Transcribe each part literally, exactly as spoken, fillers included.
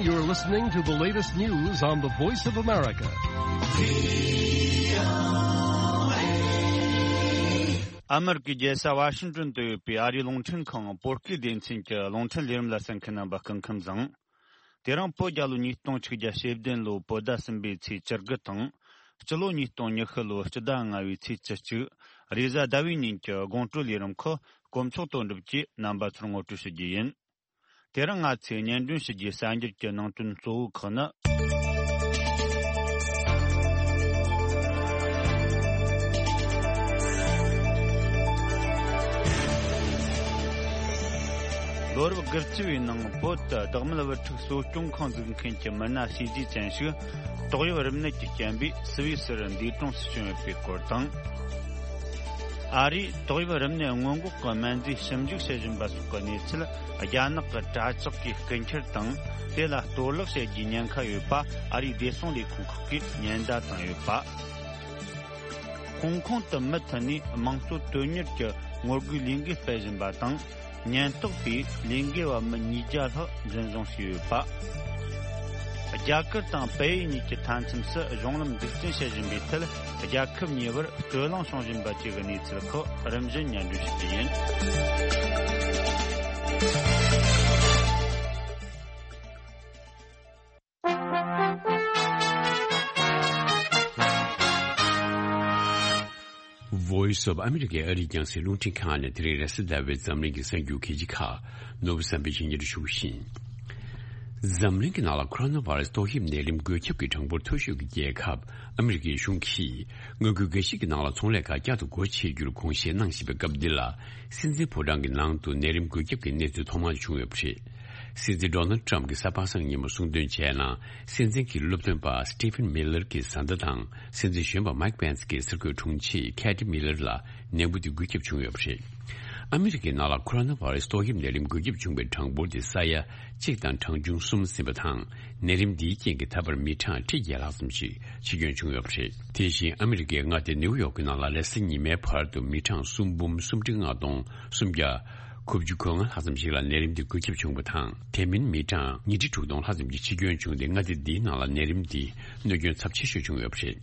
You're listening to the latest news on the Voice of America. ཨ་མེ་རི་ཀའི་རྒྱལ་ས་ཝ་ཤིང་ཏོན་དུ་ཡོད་པའི་ཨ་རིའི་རླུང་འཕྲིན་ཁང་བོད་སྐད་སྡེ་ཚན་གྱི་རླུང་འཕྲིན་ལས་རིམ་ལ་གསན་མཁན་རྣམ་པ་སྐུ་ཁམས་བཟང་། དེ་རིང་བོད་རྒྱལ་ལོ་ཉིས་སྟོང་ཆིག་བརྒྱ་ཞེ་བདུན་ལོའི་བོད་ཟླ་གསུམ་པའི་ཚེས་བཅུ་དགུ་དང་། སྤྱི་ལོ་ཉིས་སྟོང་ཉི་ཤུ་ལོའི་སྤྱི་ཟླ་ལྔ་བའི་ཚེས་བཅུ་གཅིག་རེས་གཟའ་ཟླ་བའི་ཉིན་གྱི་དགོང་དྲོའི་ལས་རིམ་ཁག་དཀོན་མཆོག་དོན་གྲུབ་ཀྱིས་རྣམ་པ་ཚོར་ངོ་སྤྲོད་ཞུ་རྒྱུ་ཡིན། དེ་རིང་ང་ཚོས་སྙན་སྒྲོན་ཞུ་རྒྱུའི་གསར་འགྱུར་གྱི་ནང་དོན་གཙོ་བོ་ཁག་ནི། ལོ་རབས་དགུ་བཅུ་བའི་ནང་བོད་དུ་བདག་མེད་བུ་ཕྲུག་གསོ་སྐྱོང་ཁང་འཛུགས་མཁན་གྱི་མི་སྣ་བྱས་རྗེས་ཅན་ཞིག་ཏོག་དབྱིབས་རིམས་ནད་ཀྱིས་རྐྱེན་པས་སུད་སི་རུ་འདས་གྲོངས་སུ་བྱུང་ཡོད་པའི་སྐོར་དང་། ཨ་རིས་ཏོག་དབྱིབས་རིམས་ནད་སྔོན་འགོག་གི་སྨན་རྫས་ཞིབ་འཇུག་བྱེད་བཞིན་པ་སོགས་ཀྱི་གནས་ཚུལ་རྒྱ་ནག་གི་དྲ་ལྕགས་ཀྱིས་རྐུ་འཁྱེར་དང་དེ་ལ་གཏོར་བརླག་བྱེད་རྒྱུའི་ཉེན་ཁ་ཡོད་པ་ཨ་རིའི་བདེ་སྲུང་ལས་ཁུངས་ཁག་གིས་ཉེན་བརྡ་བཏང་ཡོད་པ། ཧོང་ཀོང་དུ་མུ་མཐུད་ནས་དམངས་གཙོ་དོན་གཉེར་གྱི་ངོ་རྒོལ་ལས་འགུལ་སྤེལ་བཞིན་པ་དང་། ཉེན་རྟོག་པས་ལས་འགུལ་བ་མི་ཉིས་བརྒྱ་ལྷག་འཛིན་བཟུང་བྱས་ཡོད་པ། རྒྱ་གར་དང་བལ་ཡུལ་གཉིས་ཀྱི་མཐའ་མཚམས་སུ་གཞུང་ལམ་འཛུགས་སྐྲུན་བྱེད་བཞིན་པའི་ཐད་རྒྱལ་ཁབ་གཉིས་བར་རྩོད་གླེང་བྱུང་བཞིན་པ་བཅས་ཀྱི་གནས་ཚུལ་ཁག་རིམ་བཞིན་སྙན་སྒྲོན་ཞུ་རྒྱུ་ཡིན། Voice of America ཨ་རིའི་རྒྱང་སྲིང་རླུང་འཕྲིན་ཁང་ནས་དེ་རིང་རེས་གཟའ་ཟླ་བའི་འཛམ་གླིང་གི་གསར་འགྱུར་གལ་ཆེ་ཁག་ནོར་བུ་བསམ་འཕེལ་གྱིས་སྙན་སྒྲོན་ཞུ་བཞིན། འཛམ་གླིང་གི་ནང་ལ་ཁོ་རོ་ན་བྷ་ར་སི་ཏོག་དབྱིབས་ནད་རིམས་འགོས་ཁྱབ་ཀྱི་གྲངས་འབོར་མཐོ་ཤོས་ཀྱི་རྒྱལ་ཁབ་ཨ་མི་རི་ཀའི་གཞུང་གིས་མངའ་ཁུལ་འགའ་ཞིག་གི་ནང་ལ་ཚོང་ལས་ཁག་བསྐྱར་དུ་སྒོ་ཕྱེ་རྒྱུར་དགོངས་བཞེས་གནང་བཞིན་པའི་སྐབས་འདི་ལ། སྲིད་འཛིན་ཕོ་བྲང་གི་ནང་དུ་ནད་རིམས་འགོས་ཁྱབ་ཀྱི་གནས་ཚུལ་ཐོག་མར་བྱུང་ཡོད་པ་རེད། སྲིད་འཛིན་ཌོ་ནལ་ཊམ་གྱིས་གཟའ་པ་སངས་ཉིན་མོ་གསུངས་དོན་བྱས་ན། སྲིད་འཛིན་གྱི་སློབ་སྟོན་པ་སི་ཏི་ཕན་མི་ལར་གྱི་བཟའ་ཟླ་དང་སྲིད་འཛིན་གཞོན་པ་མའིག་པེན་སི་གྱི་སར་འགོད་དྲུང་ཆེ་ཁེ་ཏི་མི་ལར་ལ་ནད་འབུ་དེ་འགོས་ཁྱབ་བྱུང་ཡོད་པ་རེད། ཨ་མི་རི་ཀའི་ནང་ལ་ཁོ་རོ་ན་བྷ་ར་སི་ཏོག་དབྱིབས་ནད་རིམས་འགོས་ཁྱབ་བྱུང་བའི་གྲངས་འབོར་དེ་ས་ཡ་གཅིག་དང་གྲངས་ཆུང་གསུམ་ཟིན་པ་དང་། ནད་རིམས་འདིའི་རྐྱེན་གྱིས་ད་བར་མི་གྲངས་ཁྲི་བརྒྱད་ལྷག་ཙམ་ཞིག་འཆི་སྐྱོན་བྱུང་ཡོད་པ་རེད། དེ་བཞིན་ཨ་མི་རི་ཀའི་མངའ་སྡེ་ནེའུ་ཡོག་གི་ནང་ལ་རེས་གཟའ་ཉི་མའི་བར་དུ་མི་གྲངས་སུམ་འབུམ་སུམ་ཁྲི་ལྔ་སྟོང་སུམ་བརྒྱ། དགུ་བཅུ་གོ་ལྔ་ལྷག་ཙམ་ཞིག་ལ་ནད་རིམས་དེ་འགོས་ཁྱབ་བྱུང་བ་དང་། དེ་མིན་མི་གྲངས་ཉིས་ཁྲི་དྲུག་སྟོང་ལྷག་ཙམ་གྱི་འཆི་སྐྱོན་བྱུང་སྟེ། མངའ་སྡེ་འདིའི་ནང་ལ་ནད་རིམས་འདིས་གནོད་སྐྱོན་ཚབས་ཆེ་ཤོས་བྱུང་ཡོད་པ་རེད།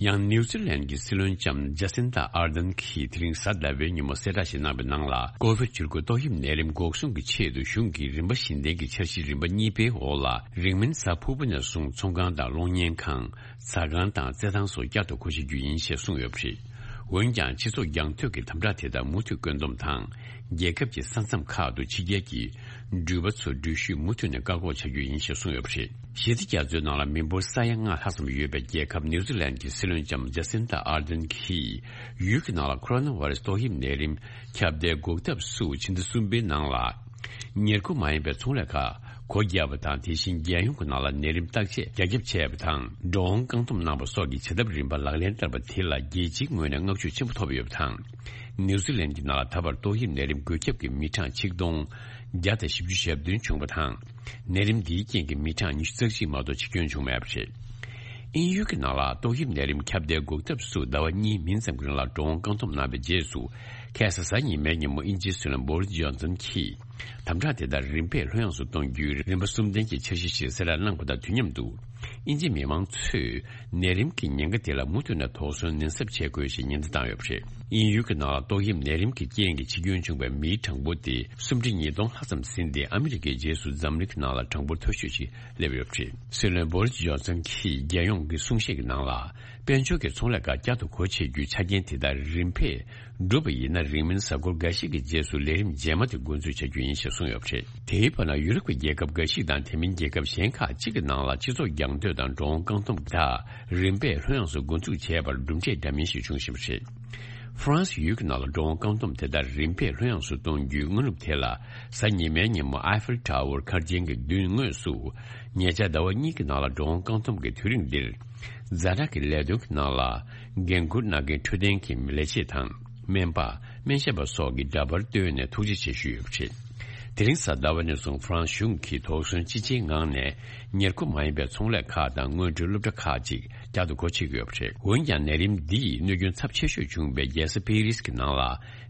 ཡང་ནེའུ་ཛི་ལན་གྱི་སྲིད་བློན་ལྕམ་ཇ་སིན་ཏ་ཨར་དན་གྱིས་དེ་རིང་གཟའ་ཟླ་བའི་ཉིན་མོ་གསལ་བསྒྲགས་ཤིག་གནང་བའི་ནང་ལ། ཀོ་ཝིཌ་བཅུ་དགུ་ཏོག་དབྱིབས་ནད་རིམས་འགོག་སྲུང་གི་ཆེད་དུ་གཞུང་གིས་རིམ་པ་བཞི་ལྡན་གྱི་འཆར་གཞི་རིམ་པ་གཉིས་པའི་འོག་ལ། རིང་མིན་གཟའ་ཕུར་བུ་ནས་བཟུང་ཚོང་ཁང་དང་གློག་བརྙན་ཁང་། ཟ་ཁང་དང་རྩེད་ཐང་སོགས་བསྐྱར་དུ་སྒོ་ཕྱེ་རྒྱུ་ཡིན་ཞེས་གསུངས་ཡོད་པ་རེད། འོན་ཀྱང་། སྤྱི་ཚོགས་རྒྱང་མཐོང་གི་དམ་དྲག་དེ་དག་མུ་མཐུད་བཀོད་འདོམས་དང་། རྒྱལ་ཁབ་ཀྱི་ས་མཚམས་ཁག་ཏུ་ཕྱི་རྒྱལ་གྱི་འགྲུལ་པ་ཚོ་འགྲུལ་བཞུད་མུ་མཐུད་ནས་བཀག་འགོག་བྱ་རྒྱུ་ཡིན་ཞེས་གསུངས་ཡོད་པ་རེད། ཞི་བདེ་རྒྱ་མཚོའི་ནང་ལ་མི་འབོར་ས་ཡ་ལྔ་ལྷག་ཙམ་ཡོད་པའི་རྒྱལ་ཁབ་ནེའུ་ཛི་ལན་གྱི་སྲིད་བློན་ལྕམ་ཇ་སིན་ཏ་ཨར་དན་གྱིས། ཡུལ་གྱི་ནང་ལ་ཁོ་རོ་ན་བྷ་ར་སི་ཏོག་དབྱིབས་ནད་རིམས་ཁྱབ་གདལ་འགོག་ཐབས་སུ། ཕྱི་ཟླ་གསུམ་པའི་ནང་ལ། ཉེར་མཁོ་མ་ཡིན་པའི་ཚོང་ལས་ཁག་སྒོ་བརྒྱབ་པ་དང་། དེ་བཞིན་རྒྱལ་ཡོངས་ཀྱི་ནང་ལ་ནད་རིམས་བརྟག་དཔྱད་རྒྱ་ཁྱབ་བྱས་པ་དང་། འགྲོ་འོང་བཀག་སྡོམ་གནང་བ་སོགས་ཀྱི་བྱེད་ཐབས་རིམ་པ་ལག་ལེན་བསྟར་བ་དེ་ལ་རྒྱལ་སྤྱིའི་ངོས་ནས་བསྔགས་བརྗོད་ཆེན་པོ་ཐོབ་ཡོད་པ་དང་། ནེའུ་ཛི་ལན་གྱི་ནང་ལ་ད་བར་ཏོག་དབྱིབས་ནད་རིམས་འགོས་ཁྱབ་ཀྱི་མི་གྲངས་ཆིག་སྟོང་བརྒྱ་དང་བཞི་བཅུ་ཞེ་བདུན་བྱུང་བ་དང་། ནད་རིམས་འདིའི་རྐྱེན་གྱིས་མི་གྲངས་ཉི་ཤུ་རྩ་གཅིག་མ་གཏོགས་འཆི་སྐྱོན་བྱུང་མེད་པ་རེད། དབྱིན་ཡུལ་གྱི་ནང་ལ་ཏོག་དབྱིབས་ནད་རིམས་ཁྱབ་གདལ་འགོག་ཐབས་སུ་ཟླ་བ་གཉིས་མིན་ཙམ་གྱི་རིང་ལ་འགྲོ་འོང་བཀག་སྡོམ་གནང་བའི་རྗེས་སུ། ཁ་སང་གཟའ་ཉི་མའི་ཉིན་མོ་དབྱིན་ཇིའི་སྲིད་བློན་བོ་རིས་ཇོན་སན་གྱིས་དམ་དྲག་དེ་དག་རིམ་པས་ལྷོད་ཡངས་སུ་གཏོང་རྒྱུའི་རིམ་པ་གསུམ་ལྡན་གྱི་འཆར་གཞི་ཞིག་གསལ་བསྒྲགས་གནང་པ་དང་དུས་མཉམ་དུ། དབྱིན་ཇིའི་མི་མང་ཚོས་ནད་རིམས་ཀྱི་ཉེན་ཁ་དེ་ལ་མུ་མཐུད་ནས་དོགས་ཟོན་ནན་གསབ་བྱེད་དགོས་ཞེས་ཉེན་བརྡ་བཏང་ཡོད་པ་རེད། དབྱིན་ཡུལ་གྱི་ནང་ལ་ཏོག་དབྱིབས་ནད་རིམས་ཀྱི་རྐྱེན་གྱིས་འཆི་སྐྱོན་བྱུང་བའི་མིའི་གྲངས་འབོར་དེ་སུམ་ཁྲི་ཉིས་སྟོང་ལྷག་ཙམ་ཟིན་ཏེ། ཨ་མི་རི་ཀའི་རྗེས་སུ་འཛམ་གླིང་གི་ནང་ལ་གྲངས་འབོར་མཐོ་ཤོས་ཤིག་སླེབས་ཡོད་པ་རེད། སྲིད་བློན་བོ་རིས་ཇོན་སན་གྱིས་རྒྱལ་ཡོངས་ཀྱི་གསུང་བཤད་ཀྱི་ནང་ལ། དཔལ་འབྱོར་གྱི་ཚོང་ལས་ཁག་བསྐྱར་དུ་སྒོ་ཕྱེ་རྒྱུའི་ཆ་རྐྱེན་དེ་དག་རིམ་པས་འགྲུབ་པ་ཡིན་ན། རིང་མིན་གཟའ་འཁོར་འགའ་ཞིག་གི་རྗེས་སུ་ལས་རིམ་རྗེས་མ་དེ་འགོ་འཛུགས་བྱ་རྒྱུ་ཡིན་ཞེས་གསུངས་ཡོད་པ་རེད། དེའི་བར་ན། ཡུ་རོབ་ཀྱི་རྒྱལ་ཁབ་འགའ་ཞིག་དང་དེ་མིན་རྒྱལ་ཁབ་གཞན་ཁག་ཅིག་གི་ནང་ལ་སྤྱི་ཚོགས་རྒྱང་མཐོང་དང་འགྲོ་འོང་བཀག་སྡོམ་དག་རིམ་པས་ལྷོད་ཡངས་སུ་འགོ་འཛུགས་བྱས་པར་གྲུབ་འབྲས་འདྲ་མིན་ཞིག་བྱུང་བཞིན་པ་རེད། ཧྥ་རན་སི་ཡུལ་གྱི་ནང་ལ་འགྲོ་འོང་བཀག་སྡོམ་དེ་དག་རིམ་པས་ལྷོད་ཡངས་སུ་གཏོང་རྒྱུའི་སྔ་ནུབ་དེ་ལ། གཟའ་ཉི་མའི་ཉིན་མོ་ཨའི་ཧྥེལ་ཊ་ཝར་མཁར་ཆེན་གྱི་མདུན་ངོས་སུ། ཉེ་ཆར་ཟླ་བ་གཉིས་ཀྱི་ནང་ལ་འགྲོ་འོང་བཀག་སྡོམ་གྱི་དུས་རིང་འདིར། ཛ་དྲག་གི་ལས་དོན་གྱི་ནང་ལ་འགན་འཁུར་གནང་མཁན་འཕྲོད་བསྟེན་གྱི་ལས་བྱེད་དང་། སྨན་པ། སྨན་ཞབས་པ་སོགས་ཀྱི་འདྲ་པར་བཏོན་ནས་ཐུགས་རྗེ་ཆེ་ཞུས་ཡོད་པ་རེད། དེ་རིང་གཟའ་ཟླ་བ་ནས་བཟུང་ཧྥ་རན་སི་གཞུང་གིས་དོགས་ཟོན་ཅི་ཆེའི་ངང་ནས་ཉེར་མཁོ་མ་ཡིན་པའི་ཚོང་ལས་ཁག་དང་སྔོན་འགྲོའི་སློབ་གྲྭ་ཁག་ཅིག་བསྐྱར་དུ་སྒོ་ཕྱེ་གི་ཡོད་པ་རེད། འོན་ཀྱང་ནད་རིམས་འདི་ཡིས་གནོད་སྐྱོན་ཚབས་ཆེ་ཤོས་བྱུང་བའི་རྒྱལ་ས་པེ་རིས་ཀྱི་ནང་ལ་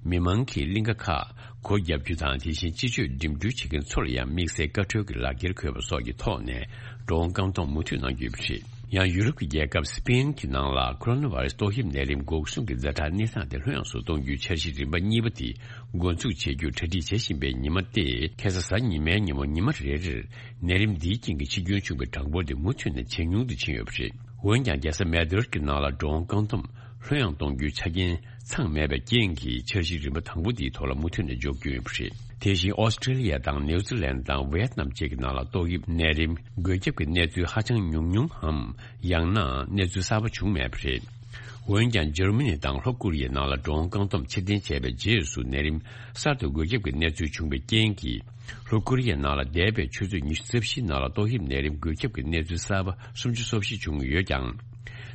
མི་མང་གིས་གླིང་ག་ཁག་སྒོ་བརྒྱབ་རྒྱུ་དང་། དེ་བཞིན་སྤྱི་སྤྱོད་འགྲིམ་འགྲུལ་བྱེད་མཁན་ཚོ་ལ་ཡང་དམིགས་བསལ་བཀའ་འཁྲོལ་གྱི་ལག་འཁྱེར་དགོས་པ་སོགས་ཀྱི་ཐོག་ནས་འགྲོ་འོང་བཀག་སྡོམ་མུ་མཐུད་གནང་རྒྱུ་ཡོད་པ་རེད། ཡང་ཡུ་རོབ་ཀྱི་རྒྱལ་ཁབ་སི་པེན་གྱི་ནང་ལ་ཁོ་རོ་ན་བྷ་ར་སི་ཏོག་དབྱིབས་ནད་རིམས་འགོག་སྲུང་གི་ཛ་དྲག་གནས་སྟངས་དེ་ལྷོད་ཡངས་སུ་གཏོང་རྒྱུའི་འཆར་གཞི་རིམ་པ་གཉིས་པ་དེ་འགོ་འཛུགས་བྱེད་རྒྱུར་གྲ་སྒྲིག་བྱེད་བཞིན་པའི་ཉི་མ་སྟེ། ཁ་སང་གཟའ་ཉི་མའི་ཉིན་མོ་ཉི་མ་རེ་རེར་ནད་རིམས་འདིའི་རྐྱེན་གྱིས་འཆི་སྐྱོན་བྱུང་བའི་གྲངས་འབོར་དེ་མུ་མཐུད་ནས་ཇེ་ཉུང་དུ་ཕྱིན་ཡོད་པ་རེད། འོན་ཀྱང་རྒྱལ་ས་མེ་ཌི་རིཌ་ཀྱི་ནང་ལ་འགྲོ་འོང་བཀག་སྡོམ་ལྷོད་ཡངས་གཏོང་རྒྱུའི་ཆ་རྐྱེན་ཚང་མེད་པའི་རྐྱེན་གྱིས་འཆར་གཞི་རིམ་པ་དང་པོ་དེའི་ཐོག་ལ་མུ་མཐུད་ནས་འཇོག་རྒྱུ་ཡིན་པ་རེད། དེ་བཞིན་ཨོ་སི་ཀྲི་ལི་ཡ་དང་ནེའུ་ཛི་ལན་དང་ཝེ་ཡེད་ནམ་བཅས་ཀྱི་ནང་ལ་ཏོག་དབྱིབས་ནད་རིམས་འགོས་ཁྱབ་ཀྱི་གནས་ཚུལ་ཧ་ཅང་ཉུང་ཉུང་འམ། ཡང་ན་གནས་ཚུལ་གསར་པ་བྱུང་མེད་པ་རེད། འོན་ཀྱང་འཇར་མ་ནི་དང་ལྷོ་ཀོ་རི་ཡའི་ནང་ལ་འགྲོ་འོང་བཀག་སྡོམ་ཕྱིར་འཐེན་བྱས་པའི་རྗེས་སུ་ནད་རིམས་གསར་དུ་འགོས་ཁྱབ་ཀྱི་གནས་ཚུལ་བྱུང་བའི་རྐྱེན་གྱིས། ལྷོ་ཀོ་རི་ཡའི་ནང་ལ་འདས་པའི་ཆུ་ཚོད་ཉི་ཤུ་རྩ་བཞིའི་ནང་ལ་ཏོག་དབྱིབས་ནད་རིམས་འགོས་ཁྱབ་ཀྱི་གནས་ཚུལ་གསར་པ་སུམ་ཅུ་སོ་བཞི་བྱུང་ཡོད་ཀྱང་།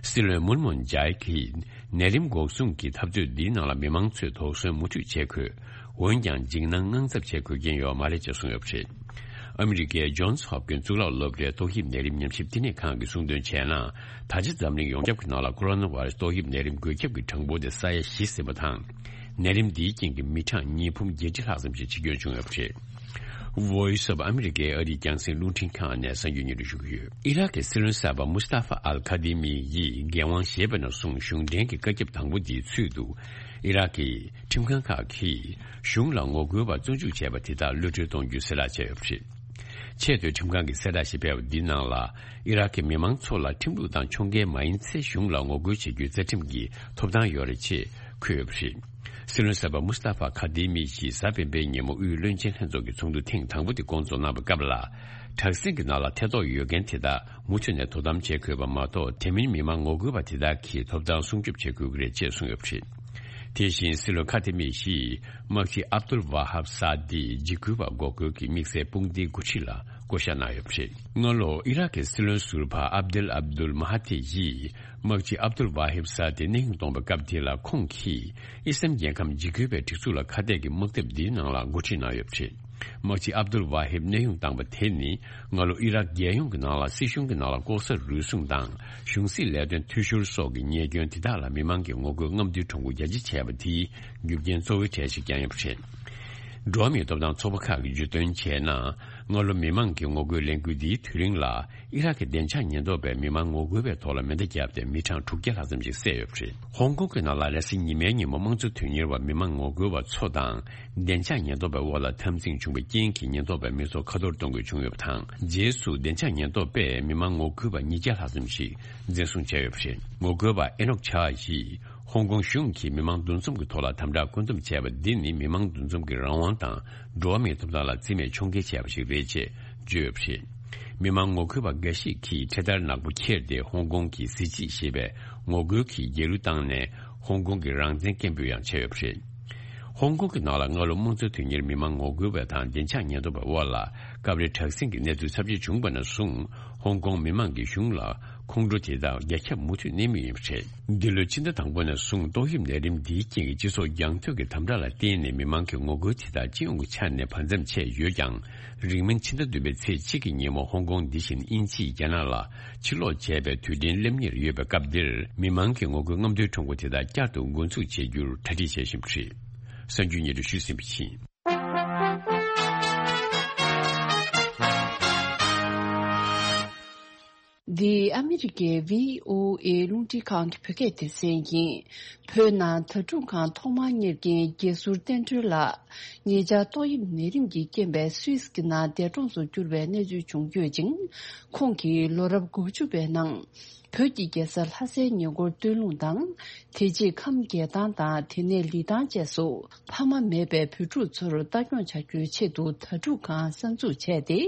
སྲིད་བློན་མུན་མུན་ཇའི་གིས་ནད་རིམས་འགོག་སྲུང་གི་འཐབ་རྩོད་འདིའི་ནང་ལ་མི་མང་ཚོས་དོགས་ཟོན་མུ་མཐུད་བྱེད་དགོས། འོན་ཀྱང་འཇིགས་སྣང་དངངས་འཚབ་བྱེད་དགོས་ཀྱིན་ཡོད་མ་རེད་ཅེས་གསུངས་ཡོད་པ་རེད། ཨ་མི་རི་ཀའི་ཇོན་སི་ཧོབ་ཀིན་གཙུག་ལག་སློབ་གྲྭའི་ཏོག་དབྱིབས་ནད་རིམས་ཉམས་ཞིབ་བསྟི་གནས་ཁང་གིས་གསུངས་དོན་བྱས་ན། ད་ཆ་འཛམ་གླིང་ཡོངས་ཁྱབ་ཀྱི་ནང་ལ་ཀོ་རོ་ན་བྷ་ར་སི་ཏོག་དབྱིབས་ནད་རིམས་འགོས་ཁྱབ་ཀྱི་གྲངས་འབོར་དེ་ས་ཡ་བཞི་ཟིན་པ་དང་། ནད་རིམས་འདིའི་རྐྱེན་གྱིས་མི་གྲངས་ཉིས་འབུམ་བརྒྱད་ཁྲི་ལྷག་ཙམ་ཞིག་འཆི་སྐྱོན་བྱུང་ཡོད་པ་རེད། Voice of America ཨ་རིའི་རྒྱང་སྲིང་རླུང་འཕྲིན་ཁང་ནས་གསར་འགྱུར་སྙན་སྒྲོན་ཞུ་གི་ཡོད། ཨི་རག་གི་སྲིད་བློན་གསར་པ་མུ་སྟ་ཧྥ་ཨལ་ཁ་དི་མི་ཡིས་འགན་དབང་བཞེས་པ་ནས་བཟུང་གཞུང་འབྲེལ་གྱི་བཀའ་ཁྱབ་དང་པོ་དེའི་ཚུལ་དུ། ཨི་རག་གི་ཁྲིམས་ཁང་ཁག་གིས་གཞུང་ལ་ངོ་རྒོལ་བ་བཙོན་འཇུག་བྱས་པ་དེ་དག་གློད་གྲོལ་གཏོང་རྒྱུའི་གསལ་བསྒྲགས་བྱས་ཡོད་པ་རེད། ཆེས་མཐོའི་ཁྲིམས་ཁང་གིས་གསལ་བསྒྲགས་ཤིག་སྤེལ་བ་འདིའི་ནང་ལ། ཨི་རག་གི་མི་མང་ཚོ་ལ་ཁྲིམས་ལུགས་དང་ཕྱོགས་འགལ་མ་ཡིན་ཚེ་གཞུང་ལ་ངོ་རྒོལ་བྱེད་རྒྱུའི་རྩ་ཁྲིམས་ཀྱི་ཐོབ་ཐང་ཡོད་རེད་ཅེས་འཁོད་ཡོད་པ་རེད། སྲིད་བློན་གསར་པ་མུ་སྟ་ཧྥ་ཁ་དེ་མི་ཞིག་གཟའ་སྤེན་པའི་ཉིན་མོ་དབུས་བློན་ཆེན་ལྷན་ཚོགས་ཀྱི་ཚོགས་འདུ་ཐེངས་དང་པོ་དེ་སྐོང་ཚོགས་གནང་བའི་སྐབས་ལ། དྲག་ཟིང་གི་ནང་ལ་ཐེ་གཏོགས་ཡོད་མཁན་དེ་དག་མུ་མཐུད་ནས་དོ་དམ་བྱེད་དགོས་པ་མ་གཏོགས། དེ་མིན་མི་མང་ངོ་རྒོལ་བ་དེ་དག་གི་ཐོབ་ཐང་སྲུང་སྐྱོབ་བྱེད་དགོས་ཀྱི་རེད་ཅེས་གསུངས་ཡོད་པ་རེད། དེ་བཞིན་སྲིད་བློན་ཁ་དེ་མི་ཞིག་དམག་སྤྱི་ཨབ་དུལ་ཝ་ཧབ་ས་དི་འཇིགས་སྐུལ་བ་འགོག་རྒོལ་གྱི་དམིགས་བསལ་དཔུང་སྡེའི་འགོ་ཁྲིད་ལ་བསྐོ་བཞག་གནང་ཡོད་པ་རེད། སྔ་ལོ་ཨི་རག་གི་སྲིད་བློན་ཟུར་པ་ཨབ་དེལ་ཨབ་དུལ་མ་ཧ་ཐི་ཡིས་དམག་སྤྱི་ཨབ་དུལ་ཝ་ཧིབ་ས་དི་གནས་དབྱུང་གཏོང་བའི་སྐབས་དེ་ལ། ཁོང་གིས་ཨི་སམ་རྒྱལ་ཁམས་འཇིགས་སྐུལ་བའི་སྒྲིག་འཛུགས་ལ་ཁ་གཏད་ཀྱི་དམག་འཐབ་འདིའི་ནང་ལ་འགོ་ཁྲིད་གནང་ཡོད་པ་རེད། དམག་སྤྱི་ཨབ་དུལ་ཝ་ཧིབ་གནས་དབྱུང་བཏང་བ་དེ་ནི། སྔ་ལོ་ཨི་རག་རྒྱལ་ཡོངས་ཀྱི་ནང་ལ་སྲིད་གཞུང་གི་ནང་ལ་ལྐོག་ཟ་རུལ་སུངས་དང་། གཞུང་སྲིད་ལས་དོན་འཐུས་ཤོར་སོགས་ཀྱི་ཉེས་སྐྱོན་དེ་དག་ལ་མི་མང་གི་ངོ་རྒོལ་རྔམ་སྟོན་གྲུང་པོ་རྒྱ་ཆེ་བྱས་པ་དེའི་རྒྱུ་རྐྱེན་གཙོ་བོའི་གྲས་ཤིག་ཀྱང་ཡིན་པ་རེད། འགྲོ་བ་མིའི་ཐོབ་ཐང་ཚོགས་པ་ཁག་གིས་བརྗོད་དོན་བྱས་ན། སྔ་ལོ་མི་མང་གི་ངོ་རྒོལ་ལས་འགུལ་འདིའི་དུས་རིང་ལ། ཨི་རག་གི་བདེ་འཇགས་ཉེན་རྟོག་པས་མི་མང་ངོ་རྒོལ་བའི་ཐོག་ལ་མེ་མདའ་བརྒྱབ་སྟེ་མི་གྲངས་དྲུག་བརྒྱ་ལྷག་ཙམ་ཞིག་བསད་ཡོད་པ་རེད། ཧོང་ཀོང་གི་ནང་ལ་རེས་གཟའ་ཉི་མའི་ཉིན་མོ་དམངས་གཙོ་དོན་གཉེར་བ་མི་མང་ངོ་རྒོལ་བ་ཚོ་དང་བདེ་འཇགས་ཉེན་རྟོག་པའི་དབར་ལ་འཐབ་འཛིང་བྱུང་བའི་རྐྱེན་གྱིས་ཉེན་རྟོག་པས་མི་ཚོགས་ཁ་འཐོར་གཏོང་དགོས་བྱུང་ཡོད་པ་དང་། རྗེས་སུ་བདེ་འཇགས་ཉེན་རྟོག་པས་མི་མང་ངོ་རྒོལ་བ་ཉིས་བརྒྱ་ལྷག་ཙམ་ཞིག་འཛིན་བཟུང་བྱས་ཡོད་པ་རེད། ངོ་རྒོལ་བ་ཨེ་ནོག་ཆཱ་ཡིས་ཧོང་ཀོང་གཞུང་གིས་མི་མང་འདུ་འཛོམས་ཀྱི་ཐོག་ལ་དམ་དྲག་བཀོད་འདོམས་བྱས་པ་འདི་ནི་མི་མང་འདུ་འཛོམས་ཀྱི་རང་དབང་དང་འགྲོ་བ་མིའི་ཐོབ་ཐང་ལ་བརྩི་མེད་ཕྱོགས་འགལ་བྱས་པ་ཞིག་རེད་ཅེས་བརྗོད་ཡོད་པ་རེད། མི་མང་ངོ་རྒོལ་བ་འགའ་ཞིག་གིས་འཕྲེད་དར་ནག་པོ་འཁྱེར་ཏེ་ཧོང་ཀོང་གི་གཟི་བརྗིད་ཞེས་པའི་ངོ་རྒོལ་གྱི་རྒྱལ་གླུ་བཏང་ནས་ཧོང་ཀོང་གི་རང་བཙན་སྐད་འབོད་ཡང་བྱས་ཡོད་པ་རེད། ཧོང་ཀོང་གི་ནང་ལ་སྔ་ལོ་དམངས་གཙོ་དོན་གཉེར་མི་མང་ངོ་རྒོལ་བ་དང་བདེ་འཇགས་ཉེན་རྟོག་པའི་དབར་ལ་སྐབས་རེ་དྲག་ཟིང་གི་གནས་ཚུལ་ཚབས་ཆེ་བྱུང་བ་ནས་བཟུང་། ཧོང་ཀོང་མི་མང་གིས་གཞུང་ལ་ཁོང་ཁྲོ་དེ་དག་རྒྱ་ཁྱབ་མུ་མཐུད་གནས་མུས་ཡིན་པ་རེད། འདི་ལོའི་ཕྱི་ཟླ་དང་པོ་ནས་བཟུང་ཏོག་དབྱིབས་ནད་རིམས་འདིའི་རྐྱེན་གྱིས་སྤྱི་ཚོགས་རྒྱང་མཐུད་ཀྱི་དམ་དྲག་ལ་བརྟེན་ནས་མི་མང་གི་ངོ་རྒོལ་དེ་དག་སྤྱི་ཡོངས་ཀྱི་ཆ་ནས་བར་མཚམས་ཆད་ཡོད་ཀྱང་། རིང་མིན་ཕྱི་ཟླ་བདུན་པའི་ཚེས་གཅིག་གི་ཉིན་མོ་ཧོང་ཀོང་འདི་བཞིན་དབྱིན་ཇིས་རྒྱ་ནག་ལ་ཕྱིར་ལོག་བྱས་པའི་དུས་དྲན་སླེབས་ཉེར་ཡོད་པའི་སྐབས་འདིར། མི་མང་གི་ངོ་རྒོལ་རྔམ་སྟོན་ཁྲོམ་སྐོར་དེ་དག་བསྐྱར་དུ་འགོ་འཛུགས་བྱེད་རྒྱུར་གྲ་སྒྲིག་བྱེད་བཞིན་པ་རེད། གསར་འགྱུར་སྙན་སྒྲོན་ཞུས་ཟིན་པ་ཡིན། འདི་ཨ་མི་རི་ཀའི་བྷི་ཨོ་ཨེ་རླུང་འཕྲིན་ཁང་གི་བོད་སྐད་སྡེ་ཚན་ཡིན། བོད་ནང་དྭ་ཕྲུག་ཁང་ཐོག་མར་གཉེར་མཁན་དགེ་ཟུར་བསྟན་སྒྲོལ་ལགས། ཉེ་ཆར་ཏོག་དབྱིབས་ནད་རིམས་ཀྱི་རྐྱེན་པས་སུད་སི་གི་ནང་འདས་གྲོངས་སུ་གྱུར་བའི་གནས་ཚུལ་བྱུང་ཡོད་ཅིང་། ཁོང་གིས་ལོ་རབས་དགུ་བཅུ་པའི་ནང་། བོད་ཀྱི་རྒྱལ་ས་ལྷ་སའི་ཉེ་འཁོར་སྟོད་ལུང་དང་། དེ་རྗེས་ཁམས་རྒྱལ་ཐང་དང་དེ་ནས་ལི་ཐང་བཅས་སུ་ཕ་མ་མེད་པའི་བུ་ཕྲུག་ཚོར་ལྟ་སྐྱོང་བྱ་རྒྱུའི་ཆེད་དུ་དྭ་ཕྲུག་ཁང་གསར་འཛུགས་བྱས་ཏེ།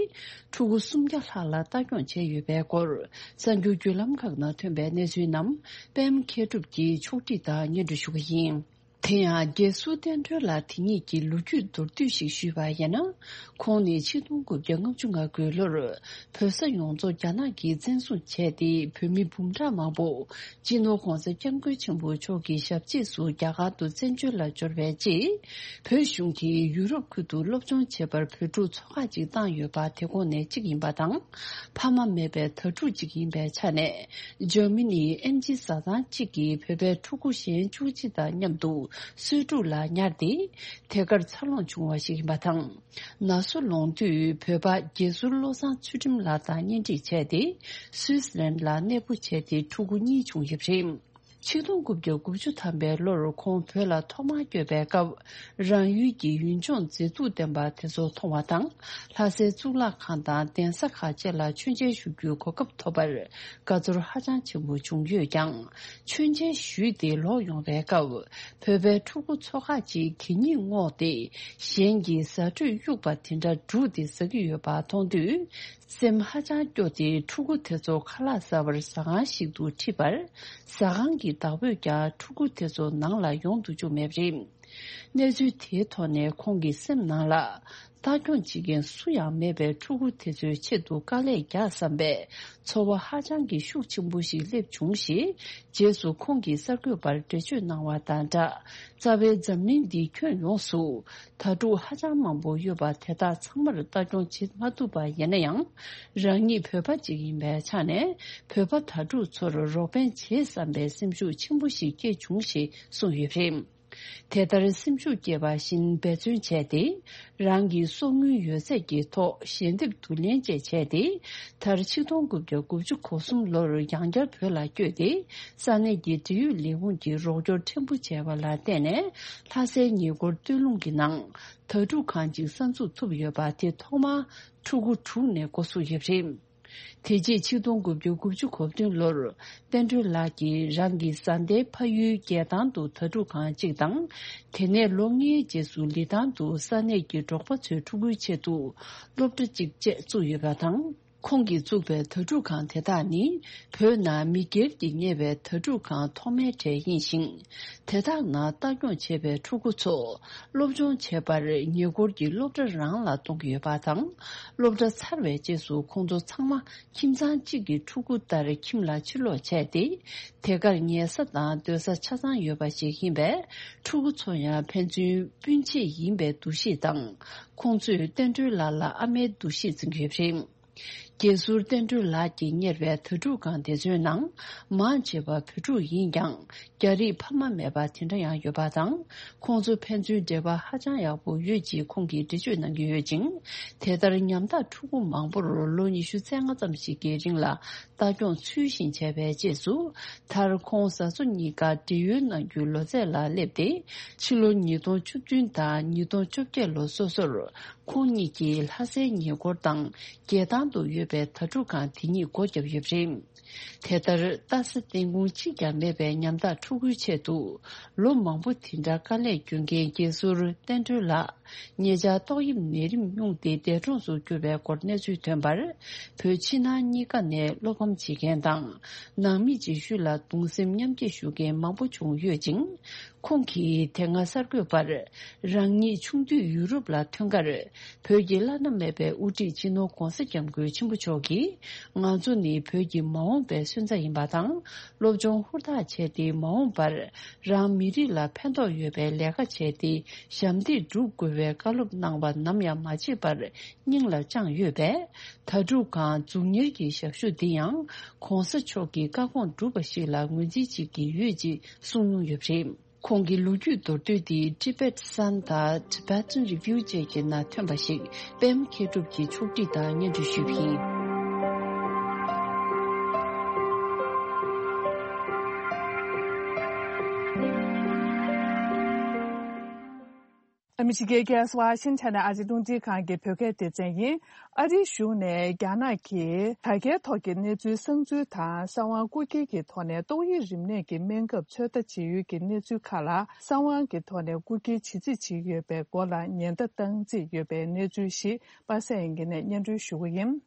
ཕྲུ་གུ་སུམ་བརྒྱ་ལྷག་ལ་ལྟ་སྐྱོང་བྱས་ཡོད་པའི་སྐོར། གསར་འགྱུར་བརྒྱུད་ལམ་ཁག་ནང་ཐོན་པའི་གནས་ཚུལ་རྣམས་པད་མ་མཁས་གྲུབ་ཀྱིས་ཕྱོགས་སྒྲིག་དང་སྙན་སྒྲོན་ཞུ་གི་ཡིན། དེ་ཡང་རྒྱལ་ཟུར་བསྟན་སྒྲོལ་ལགས་དེ་ཉིད་ཀྱི་ལོ་རྒྱུས་མདོར་བསྡུས་ཤིག་ཞུས་པ་ཡིན་ན། ཁོང་ནི་ཆིག་སྟོང་དགུ་བརྒྱ་ལྔ་བཅུ་ང་དགུ་ལོར་བོད་ས་ཡོངས་རྫོགས་རྒྱ་ནག་གིས་བཙན་བཟུང་བྱས་ཏེ། བོད་མི་འབུམ་ཕྲག་མང་པོ་སྤྱི་ནོར་༧གོང་ས་༧སྐྱབས་མགོན་ཆེན་པོ་མཆོག་གི་ཞབས་རྗེས་སུ་རྒྱ་གར་དུ་བཙན་བྱོལ་ལ་འབྱོར་བའི་རྗེས། བོད་གཞུང་གིས་ཡུ་རོབ་ཁུལ་དུ་སློབ་སྦྱོང་བྱེད་པར་བོད་ཕྲུག་ཚོགས་ཁག་ཅིག་བཏང་ཡོད་པ་དེ་ཁོངས་ནས་གཅིག་ཡིན་པ་དང་། ཕ་མ་མེད་པའི་དྭ་ཕྲུག་ཅིག་ཡིན་པའི་ཆ་ནས། འཇར་མ་ནིའི་ཨེམ་ཆི་བཟའ་ཚང་གཅིག་གིས་བོད་པའི་ཕྲུ་གུ་གཞན་བཅུ་གཅིག་དང་མཉམ་དུ་གསོས་ཕྲུག་ལ་ཉར་ཏེ། དེ་གར་འཚར་ལོངས་བྱུང་བ་ཞིག་ཡིན་པ་དང་། ན་སོ་ལོངས་དུས་བོད་པ་དགེ་ཟུར་བློ་བཟང་ཚུལ་ཁྲིམས་ལགས་དང་གཉེན་སྒྲིག་བྱས་ཏེ། སུད་སི་ལན་ལ་གནས་སྤོ་བྱས་ཏེ་ཕྲུ་གུ་གཉིས་བྱུང་ཡོད་པ་རེད། ཆིག་སྟོང་དགུ་བརྒྱ་དགུ་བཅུ་ཐམ་པའི་ལོར་ཁོང་བོད་ལ་ཐོག་མར་བསྐྱོད་པའི་སྐབས། རང་ཡུལ་གྱི་ཡུལ་ལྗོངས་མཛེས་སྡུག་ལྡན་པ་དེ་ཚོ་མཐོང་བ་དང་། ལྷ་སའི་གཙུག་ལག་ཁང་དང་གདན་ས་ཁག་བཅས་ལ་མཆོད་མཇལ་ཞུ་རྒྱུའི་གོ་སྐབས་ཐོབ་པར་དགའ་ཚོར་ཧ་ཅང་ཆེན་པོ་བྱུང་ཡོད་ཀྱང་། མཆོད་མཇལ་ཞུས་ཏེ་ལོག་ཡོང་བའི་སྐབས། བོད་པའི་ཕྲུ་གུ་ཚོ་ཁག་ཅིག་གད་སྙིགས་བསྔོགས་ཏེ། གཞན་གྱི་ཟ་འཕྲོད་གཡུགས་པ་དེ་འདྲ་སྒྲུག་སྟེ་ཟ་གི་ཡོད་པ་མཐོང་དུས། སེམས་ཧ་ཅང་སྐྱོ་སྟེ། ཕྲུ་གུ་དེ་ཚོ་ཁ་ལག་ཟ་བར་ཟ་ཁང་ཞིག་ཏུ་ཁྲིད་པར། ཟ་ཁང་གི་བདག་པོས་ཀྱང་ཕྲུ་གུ་དེ་ཚོ་ནང་ལ་ཡོང་དུ་བཅུག་མེད་པ་རེད། གནས་ཚུལ་དེའི་ཐོག་ནས་ཁོང་གི་སེམས་ནང་ལ། ལྟ་སྐྱོང་བྱེད་མཁན་སུ་ཡང་མེད་པའི་ཕྲུ་གུ་དེ་ཚོའི་ཆེད་དུ་དཀའ་ལས་རྒྱག་བསམ་པའི་ཚོར་བ་ཧ་ཅང་གི་ཤུགས་ཆེན་པོ་ཞིག་སླེབས་བྱུང་ཞེས། རྗེས་སུ་ཁོང་གིས་གསར་འགོད་པར་འགྲེལ་བརྗོད་གནང་བ་དང་སྦྲགས། རྩ་བའི་འཛམ་གླིང་འདིའི་ཁྱོན་ཡོངས་སུ་དྭ་ཕྲུག་ཧ་ཅང་མང་པོ་ཡོད་པ་དེ་དག་ཚང་མར་ལྟ་སྐྱོང་བྱེད་མ་ཐུབ་པ་ཡིན་ན་ཡང་། རང་ཉིད་བོད་པ་ཅིག་ཡིན་པའི་ཆ་ནས་བོད་པ་དྭ་ཕྲུག་ཚོར་རོགས་ཕན་བྱེད་བསམ་པའི་སེམས་ཤུགས་ཆེན་པོ་ཞིག་སྐྱེས་བྱུང་ཞེས་གསུངས་ཡོད་པ་རེད། དེ་ལྟར་སེམས་ཤུགས་སྐྱེས་པ་བཞིན་འབད་བརྩོན་བྱས་ཏེ། རང་གི་གསོག་དངུལ་ཡོད་ཚད་ཀྱི་ཐོག་ཞལ་འདེབས་བསྡུ་ལེན་བཅས་བྱས་ཏེ། མཐར་ཆིག་སྟོང་དགུ་བརྒྱ་དགུ་བཅུ་གོ་གསུམ་ལོར་ཡང་བསྐྱར་བོད་ལ་བསྐྱོད་དེ། ས་གནས་ཀྱི་འབྲེལ་ཡོད་ལས་ཁུངས་ཀྱིས་རོགས་སྐྱོར་ཕྲན་བུ་བྱས་པ་ལ་བརྟེན་ནས། ལྷ་སའི་ཉེ་འཁོར་སྟོད་ལུང་གི་ནང་དྭ་ཕྲུག་ཁང་ཅིག་གསར་འཛུགས་ཐུབ་ཡོད་པ་དེ་ཐོག་མར་ཕྲུ་གུ་དྲུག་ནས་འགོ་བཙུགས་ཡོད་པ་རེད། དེ་རྗེས་ཆིག་སྟོང་དགུ་བརྒྱ་དགུ་བཅུ་གོ་བདུན་ལོར། བསྟན་སྒྲོལ་ལགས་ཀྱིས་རང་གི་བཟའ་ཟླའི་ཕ་ཡུལ་རྒྱལ་ཐང་དུ་དྭ་ཕྲུག་ཁང་གཅིག་དང་། དེ་ནས་ལོ་ལྔའི་རྗེས་སུ་ལི་ཐང་དུ་ས་གནས་ཀྱི་འབྲོག་པ་ཚོའི་ཕྲུ་གུའི་ཆེད་དུ་སློབ་གྲྭ་གཅིག་བཅས་བཙུགས་ཡོད་པ་དང་། ཁོང་གིས་བཙུགས་པའི་དྭ་ཕྲུག་ཁང་དེ་དག་ནི། བོད་ནང་མི་སྒེར་གྱིས་གཉེར་བའི་དྭ་ཕྲུག་ཁང་ཐོག་མའི་གྲས་ཡིན་ཞིང་། དེ་དག་ནང་ལྟ་སྐྱོང་བྱེད་པའི་ཕྲུ་གུ་ཚོ། སློབ་སྦྱོང་བྱེད་པར་ཉེ་འཁོར་གྱི་སློབ་གྲྭ་རང་ལ་གཏོང་གི་ཡོད་པ་དང་། སློབ་གྲྭ་ཚར་བའི་རྗེས་སུ་ཁོང་ཚོ་ཚང་མ་ཁྱིམ་ཚང་གཅིག་གི་ཕྲུ་གུ་ལྟར་ཁྱིམ་ལ་ཕྱིར་ལོག་བྱས་ཏེ། དེ་གར་ཉལ་ས་དང་སྡོད་ས་ཆ་ཚང་ཡོད་པ་ཞིག་ཡིན་པས། ཕྲུ་གུ་ཚོ་ཡང་ཕན་ཚུན་སྤུན་མཆེད་ཡིན་པའི་འདུ་ཤེས་དང་། ཁོང་ཚོས་བསྟན་སྒྲོལ་ལགས་ལ་ཨ་མའི་འདུ་ཤེས་འཛིན་གྱི་ཡོད་པ་རེད། རྒྱལ་ཟུར་བསྟན་སྒྲོལ་ལགས་ཀྱིས་གཉེར་བའི་དྭ་ཕྲུག་ཁང་དེ་ཚོའི་ནང་། མང་ཆེ་བ་བོད་ཕྲུག་ཡིན་ཀྱང་། རྒྱ་རིགས་ཕ་མ་མེད་པ་དེ་འདྲ་ཡང་ཡོད་པ་དང་། ཁོང་ཚོ་ཕན་ཚུན་འབྲེལ་བ་ཧ་ཅང་ཡག་པོ་ཡོད་ཅེས་ཁོང་གིས་འགྲེལ་བརྗོད་གནང་གི་ཡོད་ཅིང་། དེ་ལྟར་ཉམ་ཐག་ཕྲུ་གུ་མང་པོར་ལོ་ཉི་ཤུ་རྩ་ལྔ་ཙམ་ཞིག་གི་རིང་ལ་ལྟ་སྐྱོང་ཚུལ་བཞིན་བྱས་པའི་རྗེས་སུ། མཐར་ཁོང་བཟའ་ཚོ་གཉིས་ཀ་བགྲེས་ཡོལ་གནང་རྒྱུའི་ལོ་ཚད་ལ་སླེབས་ཏེ། ཕྱི་ལོ་ཉིས་སྟོང་བཅུ་བདུན་དང་ཉིས་སྟོང་བཅོ་བརྒྱད་ལོ་སོ་སོར། ཁོང་གཉིས་ཀྱིས་ལྷ་སའི་ཉེ་འཁོར་དང་རྒྱལ་ཐང་དུ་ཡོད་པའི་དྭ་ཕྲུག་ཁང་དེ་ཉིད་སྒོ་བརྒྱབ་ཡོད་པ་རེད། དེ་ལྟར་ལྟ་ས་བསྟན་ཁུངས་གཅིག་ཀྱང་མེད་པའི་ཉམ་ཐག་ཕྲུ་གུའི་ཆེད་དུ། ལོ་མང་པོ་དེ་འདྲ་དཀའ་ལས་སྐྱོན་མཁན་རྒྱལ་ཟུར་བསྟན་སྒྲོལ་ལགས། ཉེ་ཆར་ཏོག་དབྱིབས་ནད་རིམས་སྙུང་སྟེ་འདས་གྲོངས་སུ་གྱུར་བའི་སྐོར་གནས་ཚུལ་ཐོན་པར། བོད་ཕྱི་ནང་གཉིས་ཀ་ནས་བློ་ཕམ་བྱེད་མཁན་དང་། ནང་མི་རྗེས་ཤུལ་ལ་གདུང་སེམས་མཉམ་སྐྱེད་ཞུ་མཁན་མང་པོ་བྱུང་ཡོད་ཅིང་། ཁོང་གིས་དེ་སྔ་གསར་འགོད་པར། རང་ཉིད་ཆུང་དུས་ཡུ་རོབ་ལ་ཐོན་ཁར། བོད་ཀྱི་བླ་ན་མེད་པའི་དབུ་ཁྲིད་སྤྱི་ནོར་༧གོང་ས་༧སྐྱབས་མགོན་ཆེན་པོ་མཆོག་གིས། ང་ཚོ་ནི་བོད་ཀྱི་མ་འོངས་པའི་སོན་རྩ་ཡིན་པ་དང་། སློབ་སྦྱོང་ཧུར་ཐག་བྱས་ཏེ། མ་འོངས་པར་རང་མི་རིགས་ལ་ཕན་ཐོགས་ཡོད་པའི་ལས་ཀ་བྱས་ཏེ། ཞབས་འདེགས་སྒྲུབ་དགོས་པའི་བཀའ་སློབ་གནང་བ་ནམ་ཡང་མ་བརྗེད་པར་སྙིང་ལ་བཅངས་ཡོད་པས། དྭ་ཕྲུག་ཁང་འཛུགས་གཉེར་གྱི་ཞབས་ཞུ་འདི་ཡང་༧གོང་ས་མཆོག་གི་བཀའ་དགོངས་སྒྲུབ་པ་ཞིག་ལ་ངོས་འཛིན་བྱེད་ཀྱི་ཡོད་ཅེས་གསུངས་མྱོང་ཡོད་པ་རེད། ཁོང་གི་ལོ་རྒྱུས་མདོར་བསྡུས་འདི་Tibet Sun དང་Tibetan Review བཅས་ཀྱི་ནང་ཐོན་པ་ཞིག་པད་མ་མཁས་གྲུབ་ཀྱིས་ཕྱོགས་སྒྲིག་དང་སྙན་སྒྲོན་ཞུས་པ་ཡིན། ཨ་མི་རི་ཀའི་རྒྱལ་ས་ཝ་ཤིང་ཊོན་ནས་ཨ་རིའི་རླུང་འཕྲིན་ཁང་གི་བོད་སྐད་སྡེ་ཚན་ཡིན། ཨ་རིའི་གཞུང་ནས་རྒྱ་ནག་གིས་དྲ་རྒྱའི་ཐོག་གི་གནས་ཚུལ་གསང་འཛུལ་དང་གསང་བ་རྐུ་འཁྱེར་གྱི་ཐོག་ནས་ཏོག་དབྱིབས་རིམས་ནད་ཀྱི་སྨན་ཁབ་ཚོད་ལྟ་བྱེད་ཡུལ་གྱི་གནས་ཚུལ་ཁག་ལ་གསང་བ་གི་ཐོག་ནས་རྐུ་འཁྱེར་བྱེད་རྩིས་བྱེད་ཀྱི་ཡོད་པའི་སྐོར་ལ་ཉེན་བརྡ་བཏང་རྩིས་ཡོད་པའི་གནས་ཚུལ་ཞིག་པ་སེ་ཡན་གྱི་ནས་སྙན་སྒྲོན་ཞུ་གི་ཡིན།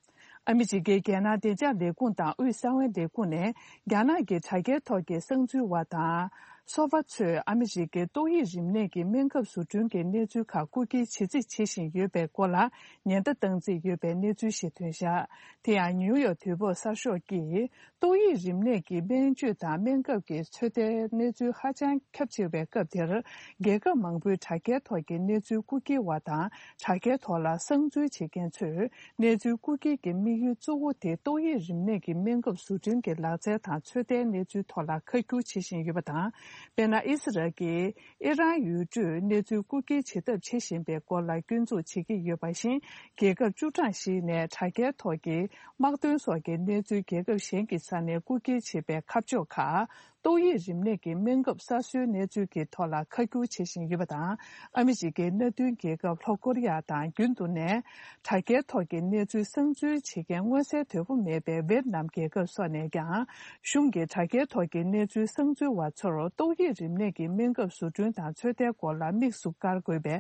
ཨ་མི་རི་ཀའི་རྒྱལ་ནང་བདེ་འཇགས་ལས་ཁུངས་དང་དབུས་གསང་བའི་ལས་ཁུངས་ནས་རྒྱ་ནག་གི་དྲ་རྒྱའི་ཐོག་གི་གསང་འཛུལ་བ་དང་། ཚོགས་པ་ཚོས་ཨ་མི་རི་ཀའི་ཏོག་དབྱིབས་རིམས་ནད་ཀྱི་སྨན་ཁབ་བཟོ་སྐྲུན་གྱི་གནས་ཚུལ་ཁག་རྐུ་འཁྱེར་བྱེད་རྩིས་བྱེད་བཞིན་ཡོད་པའི་སྐོར་ལ་ཉེན་བརྡ་བཏང་རྩིས་ཡོད་པའི་གནས་ཚུལ་ཞིག་ཐོན་བཞག་དེ་ཡང་ནིའུ་ཡོག་དུས་བབ་གསར་ཤོག་གིས། ཏོག་དབྱིབས་རིམས་ནད་ཀྱི་སྨན་བཅོས་དང་སྨན་ཁབ་ཀྱི་ཚོད་ལྟའི་གནས་ཚུལ་ཧ་ཅང་ཁྱབ་ཆེ་བའི་སྐབས་དེར། རྒྱལ་ཁབ་མང་པོའི་དྲ་རྒྱའི་ཐོག་གི་གནས་ཚུལ་རྐུ་འཁྱེར་བ་དང་། དྲ་རྒྱའི་ཐོག་ལ་གསང་འཛུལ་བྱེད་མཁན་ཚོས། གནས་ཚུལ་རྐུ་འཁྱེར་གྱི་དམིགས་ཡུལ་གཙོ་བོ་དེ་ཏོག་དབྱིབས་རིམས་ནད་ཀྱི་སྨན་ཁབ་བཟོ་སྐྲུན་གྱི་ལག་རྩལ་དང་ཚོད་ལྟའི་གནས་ཚུལ་ཐོག་ལ་ཁ་བསྒྱུར་བྱེད་བཞིན་ཡོད་པ་དང་། དཔེར་ན། ཨི་སི་རལ་གྱིས། ཨི་རན་ཡུལ་གྲུས་གནས་ཚུལ་རྐུ་འཁྱེར་བྱེད་ཐབས་བྱེད་བཞིན་པའི་སྐོར་ལ་སྐྱོན་འཛུགས་བྱེད་ཀྱི་ཡོད་པ་བཞིན། རྒྱལ་ཁབ་བཅུ་གྲངས་ཤིག་ནས་དྲ་རྒྱའི་ཐོག་གི་དམག་དོན་སོགས་ཀྱི་གནས་ཚུལ་རྒྱལ་ཁབ་གཞན་གྱི་ས་ནས་རྐུ་འཁྱེར་བྱེད་པའི་ཁ་ཕྱོགས་ཁག་ཏོག་དབྱིབས་རིམས་ནད་ཀྱི་སྨན་ཁབ་གསར་བཟོའི་གནས་ཚུལ་གྱི་ཐོག་ལ་ཁ་བསྒྱུར་བྱེད་བཞིན་ཡོད་པ་དང་། ཨ་མི་རི་ཀའི་མནའ་མཐུན་རྒྱལ་ཁབ་ལྷོ་ཀོ་རི་ཡ་དང་། རྒྱུན་དུ་ནས་དྲ་རྒྱའི་ཐོག་གི་གནས་ཚུལ་གསང་འཛུལ་བྱེད་མཁན་མངོན་གསལ་དོད་པོ་མེད་པའི་ཝེད་ནམ་རྒྱལ་ཁབ་སོགས་ནས་ཀྱང་། གཞུང་གི་དྲ་རྒྱའི་ཐོག་གི་གནས་ཚུལ་གསང་འཛུལ་བ་ཚོར་ཏོག་དབྱིབས་རིམས་ནད་ཀྱི་སྨན་ཁབ་བཟོ་སྐྲུན་དང་ཚོད་ལྟའི་སྐོར་ལ་དམིགས་སུ་བཀར་དགོས་པའི་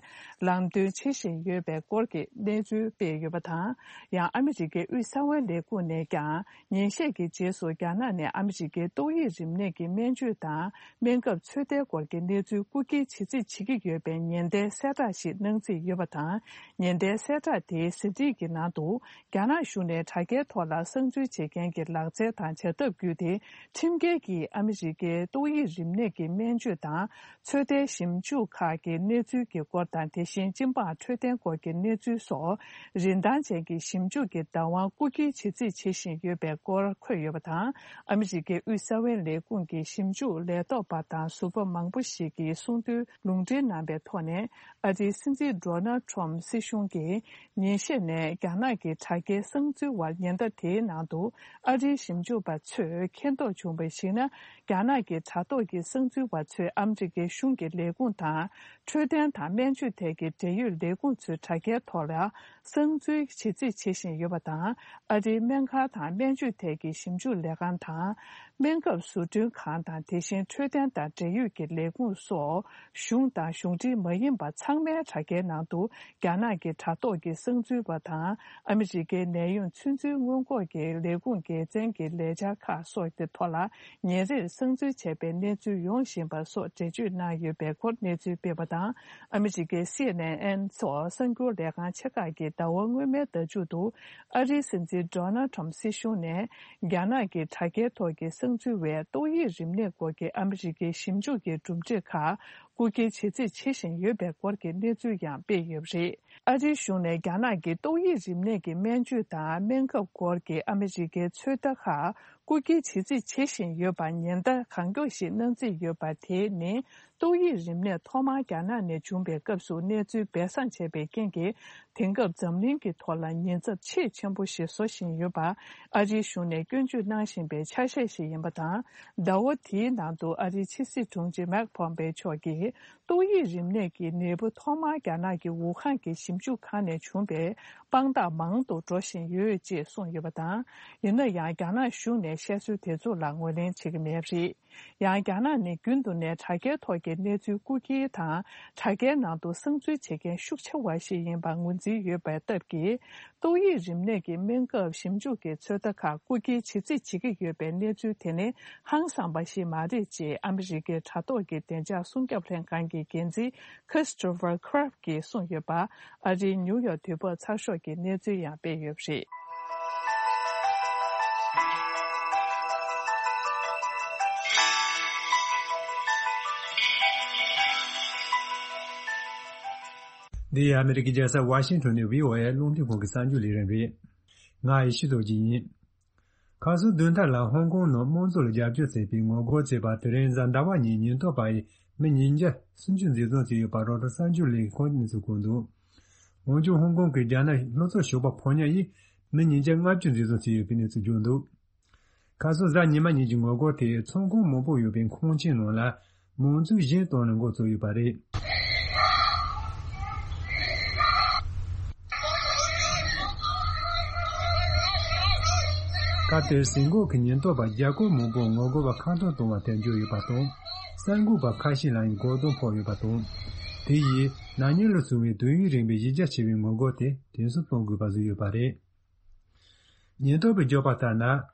ལམ་སྟོན་བྱེད་བཞིན་ཡོད་པའི་སྐོར་གྱི་གནས་ཚུལ་སྤེལ་ཡོད་པ་དང་། ཡང་ཨ་མི་རི་ཀའི་དབུས་གསང་བའི་ལས་ཁུངས་ནས་ཀྱང་། ཉིན་ཤས་ཀྱི་རྗེས་སུ་རྒྱ་ནག་ནས་ཨ་མི་རི་ཀའི་ཏོག་དབྱིབས་རིམས་ནད་ཀྱི་སྨན་བཅོས་དང་སྨན་ཁབ་ཚོད་ལྟའི་སྐོར་གྱི་གནས་ཚུལ་རྐུ་འཁྱེར་བྱེད་རྩིས་བྱེད་ཀྱི་ཡོད་པའི་ཉེན་བརྡའི་གསལ་བསྒྲགས་ཤིག་གནང་རྩིས་ཡོད་པ་དང་། ཉེན་བརྡའི་གསལ་བསྒྲགས་དེའི་ཟིན་བྲིས་ཀྱི་ནང་དུ། རྒྱ་ནག་གཞུང་ནས་དྲ་རྒྱའི་ཐོག་ལ་གསང་འཛུལ་བྱེད་མཁན་གྱི་ལག་རྩལ་དང་བྱ་ཐབས་བརྒྱུད་དེ། ཁྲིམས་འགལ་གྱིས་ཨ་མི་རི་ཀའི་ཏོག་དབྱིབས་རིམས་ནད་ཀྱི་སྨན་བཅོས་དང་། ཚོད་ལྟའི་ཞིབ་འཇུག་ཁག་གི་གནས་ཚུལ་གྱི་སྐོར་དང་། དེ་བཞིན་སྤྱི་འབངས་འཕྲོད་བསྟེན་སྐོར་གྱི་གནས་ཚུལ་སོགས་རིན་ཐང་ཅན་གྱི་ཞིབ་འཇུག་གི་བདག་དབང་རྐུ་འཁྱེར་བྱེད་རྩིས་བྱེད་བཞིན་ཡོད་པའི་སྐོར་འཁོད་ཡོད་པ་དང་། ཨ་མི་རི་ཀའི་དབུས་གསང་བའི་ལས་ཁུངས་ཀྱི་ཞིབ་འཇུག་ལས་ཐོག་པ་དང་ཟུར་པ་མང་པོ་ཞིག་གིས་གསུངས་དོན་ལུང་འདྲེན་གནང་པའི་ཐོག་ནས། ཨ་རིའི་སྲིད་འཛིན་ཌོ་ནལ་ཊམ་སྲིད་གཞུང་གིས། ཉིན་ཤས་ནས་རྒྱ་ནག་གི་དྲ་རྒྱའི་གསང་འཛུལ་བར་ཉེན་བརྡ་དེའི་ནང་དུ། ཨ་རིའི་ཞིབ་འཇུག་པ་ཚོས་མཁྱེན་རྟོགས་བྱུང་བར་གཞིགས་ན། རྒྱ་ནག་གི་དྲ་ཐོག་གི་གསང་འཛུལ་བ་ཚོས་ཨ་མི་རི་ཀའི་གཞུང་གི་ལས་ཁུངས་དང་། འཕྲོད་བསྟེན་དང་སྨན་བཅོས་ཐད་ཀྱི་འབྲེལ་ཡོད་ལས་ཁུངས་ཚོའི་དྲ་རྒྱའི་ཐོག་ལ། གསང་འཛུལ་བྱེད་རྩིས་བྱེད་བཞིན་ཡོད་པ་དང་། ཨ་རིའི་སྨན་ཁང་དང་སྨན་བཅོས་ཐད་ཀྱི་ཞིབ་འཇུག་ལས་ཁང་དང་། སྨན་ཁབ་བཟོ་སྐྲུན་ཁང་དང་། དེ་བཞིན་འཕྲོད་བསྟེན་དང་འབྲེལ་ཡོད་ཀྱི་ལས་ཁུངས་སོགས། གཞུང་དང་གཞུང་འབྲེལ་མ་ཡིན་པ་ཚང་མའི་དྲ་རྒྱའི་ནང་དུ། རྒྱ་ནག་གི་དྲ་ཐོག་གི་གསང་འཛུལ་བ་དང་། ཨ་མི་རི་ཀའི་ནད་ཡམས་ཚོད་འཛིན་སྔོན་འགོག་གི་ལས་ཁུངས་འགན་འཛིན་གྱི་ལས་འཆར་ཁག་སོགས་ཀྱི་ཐོག་ལ། ཉིན་རེར་གསང་འཛུལ་བྱས་པའི་གནས་ཚུལ་ཡོང་བཞིན་པ་སོགས་འགྲེལ་བརྗོད་གནང་ཡོད་པའི་སྐོར་གནས་ཚུལ་སྤེལ་བ་དང་། ཨ་མི་རི་ཀའི་སི་ཨེན་ཨེན་སོགས་གསར་འགྱུར་ལས་ཁང་ཆེ་ཁག་གིས་ཟླ་བ་སྔོན་མའི་ཟླ་མཇུག་ཏུ། ཨ་རིའི་སྲིད་འཛིན་ཌོ་ནལ་ཊམ་སྲིད་གཞུང་ནས། རྒྱ་ནག་གི་དྲ་རྒྱའི་ཐོག་གི་གསང་འཛུལ་བས་ཏོག་དབྱིབས་རིམས་ནད་སྐོར་གྱི་ཨ་མི་རི་ཀའི་ཞིབ་འཇུག་གི་གྲུབ་འབྲས་ཁག་རྐུ་འཁྱེར་བྱེད་རྩིས་བྱེད་བཞིན་ཡོད་པའི་སྐོར་གྱི་གནས་ཚུལ་ཡང་སྤེལ་ཡོད་པ་རེད། ཨ་རིའི་གཞུང་ནས་རྒྱ་ནག་གི་ཏོག་དབྱིབས་རིམས་ནད་ཀྱི་སྨན་བཅོས་དང་སྨན་ཁབ་སྐོར་གྱི་ཨ་མི་རི་ཀའི་ཚོད་ལྟ་ཁག་རྐུ་འཁྱེར་བྱེད་རྩིས་བྱེད་བཞིན་ཡོད་པར་ཉེན་བརྡ་གང་མགྱོགས་ཤིག་གནང་རྩིས་ཡོད་པ་དེ་ནི། ཏོག་དབྱིབས་རིམས་ནད་ཐོག་མར་རྒྱ་ནག་ནས་བྱུང་བའི་སྐབས་སུ་གནས་ཚུལ་སྦས་གསང་བྱས་པའི་རྐྱེན་གྱིས། དེང་སྐབས་འཛམ་གླིང་གི་ཐོག་ལ་ཉེན་ཚབས་ཆེས་ཆེན་པོ་ཞིག་བཟོ་བཞིན་ཡོད་པ། ཨ་རིའི་གཞུང་ནས་སྐྱོན་བརྗོད་གནང་བཞིན་པའི་ཆ་ཤས་ཤིག་ཡིན་པ་དང་། ཟླ་བ་འདིའི་ནང་དུ་ཨ་རིའི་ཕྱི་སྲིད་དྲུང་ཆེ་མེག་ཕོམ་པེ་མཆོག་གིས། ཏོག་དབྱིབས་རིམས་ནད་ཀྱི་ནད་འབུ་ཐོག་མར་རྒྱ་ནག་གི་ཝུ་ཧན་གྱི་ཞིབ་འཇུག་ཁང་ནས་བྱུང་བའི་དཔང་རྟགས་མང་དུ་འགྲོ་བཞིན་ཡོད་ཅེས་གསུངས་ཡོད་པ་དང་། ཡིན་ན་ཡང་། རྒྱ་ནག་གཞུང་ནས་བཤད་སྲོལ་དེ་ཚོ་ལ་ངོས་ལེན་བྱེད་ཀྱི་མེད་པ་རེད། ཡང་། རྒྱ་ནག་ནི་རྒྱུན་དུ་ནས་དྲ་རྒྱའི་ཐོག་གི་གནས་ཚུལ་རྐུ་འཁྱེར་དང་། དྲ་རྒྱའི་ནང་དུ་གསང་འཛུལ་བྱེད་མཁན་ཤུགས་ཆེ་བ་ཞིག་ཡིན་པར་ངོས་འཛིན་ཡོད་པའི་སྟབས་ཀྱིས། ཏོག་དབྱིབས་རིམས་ནད་ཀྱི་སྨན་ཁབ་ཞིབ་འཇུག་གི་ཚོད་ལྟ་ཁག་རྐུ་འཁྱེར་བྱེད་རྩིས་བྱེད་ཀྱི་ཡོད་པའི་གནས་ཚུལ་དེ་ནི་ཧང་སངས་པ་ཞིག་མ་རེད་ཅེས་ཨ་མི་རི་ཀའི་དྲ་ཐོག་གི་བདེ་འཇགས་སྲུང་སྐྱོབ་ལྷན་ཁང་གི་འགན་འཛིན་Christopher Craft གྱིས་གསུངས་ཡོད་པ། ཨ་རིའི་ནིའུ་ཡོག་དུས་བབ་ཚགས་ཤོག་གིས་གནས་ཚུལ་ཡང་སྤེལ་ཡོད་པ་རེད། འདི་ཨ་མི་རི་ཀའི་རྒྱལ་ས་ཝ་ཤིང་ཊོན་ནས་བྷི་ཨོ་ཨེ་རླུང་འཕྲིན་ཁང་གི་གསར་འགྱུར་ལས་རིམ་རེད། ང་ཡེ་ཤེས་རྡོ་རྗེ་ཡིན། ཁ་སང་བདུན་ཕྲག་ལ་ཧོང་ཀོང་ནང་དམངས་གཙོ་ལ་རྒྱབ་སྐྱོར་བྱེད་པའི་ངོ་རྒོལ་བྱས་པ་དེ་རིང་གཟའ་ཟླ་བ་ཉིན་ཉེན་རྟོག་པ་ཡིས་མི་ཉིས་བརྒྱ་སུམ་ཅུ་འཛིན་བཟུང་བྱས་ཡོད་པ་རོའི་ཊར་གསར་འགྱུར་ལས་ཁང་གིས་གནས་ཚུལ་བཀོད་འདུག་འོན་ཀྱང་ཧོང་ཀོང་གི་རྒྱ་ནག་ལྷོ་ཕྱོགས་ཞོགས་པ་ཕོ་ཉ་ཡིས་མི་ཉིས་བརྒྱ་ལྔ་བཅུ་འཛིན་བཟུང་བྱས་ཡོད་པའི་གནས་ཚུལ་བརྗོད་འདུག་ཁ་སང་གཟའ་ཉི་མ་ཉིན་གྱི་ངོ་རྒོལ་དེས་ཚོང་ཁང་མང་པོ་ཡོད་པའི་ཁང་ཆེན་ནང་ལ་མང་ཚོགས་གཞན་གཏོང་ནས་འགོ་བཙུགས་ཡོད་པ་རེད། སྐབས་དེར་ཟིན་འགོག་གི་ཉེན་རྟོག་པ་བརྒྱ་སྐོར་མང་པོ་ངོ་རྒོལ་བ་ཁ་འཐོར་གཏོང་བར་ཐལ་འགྱུར་ཡོད་པ་དང་། གསར་འགོད་པ་ཁ་ཤས་ལ་ཡང་རྒོལ་རྡུང་ཕོག་ཡོད་པ་དང་། དེ་ཡིས་ན་ནིང་ལོ་བྱུང་བའི་དུས་ཡུན་རིང་བའི་གཞི་རྒྱ་ཆེ་བའི་ངོ་རྒོལ་དེ་དུས་སུ་གཏོང་དགོས་པ་བཟོས་ཡོད་པ་རེད། ཉེན་རྟོག་པས་བརྗོད་པ་ལྟར་ན།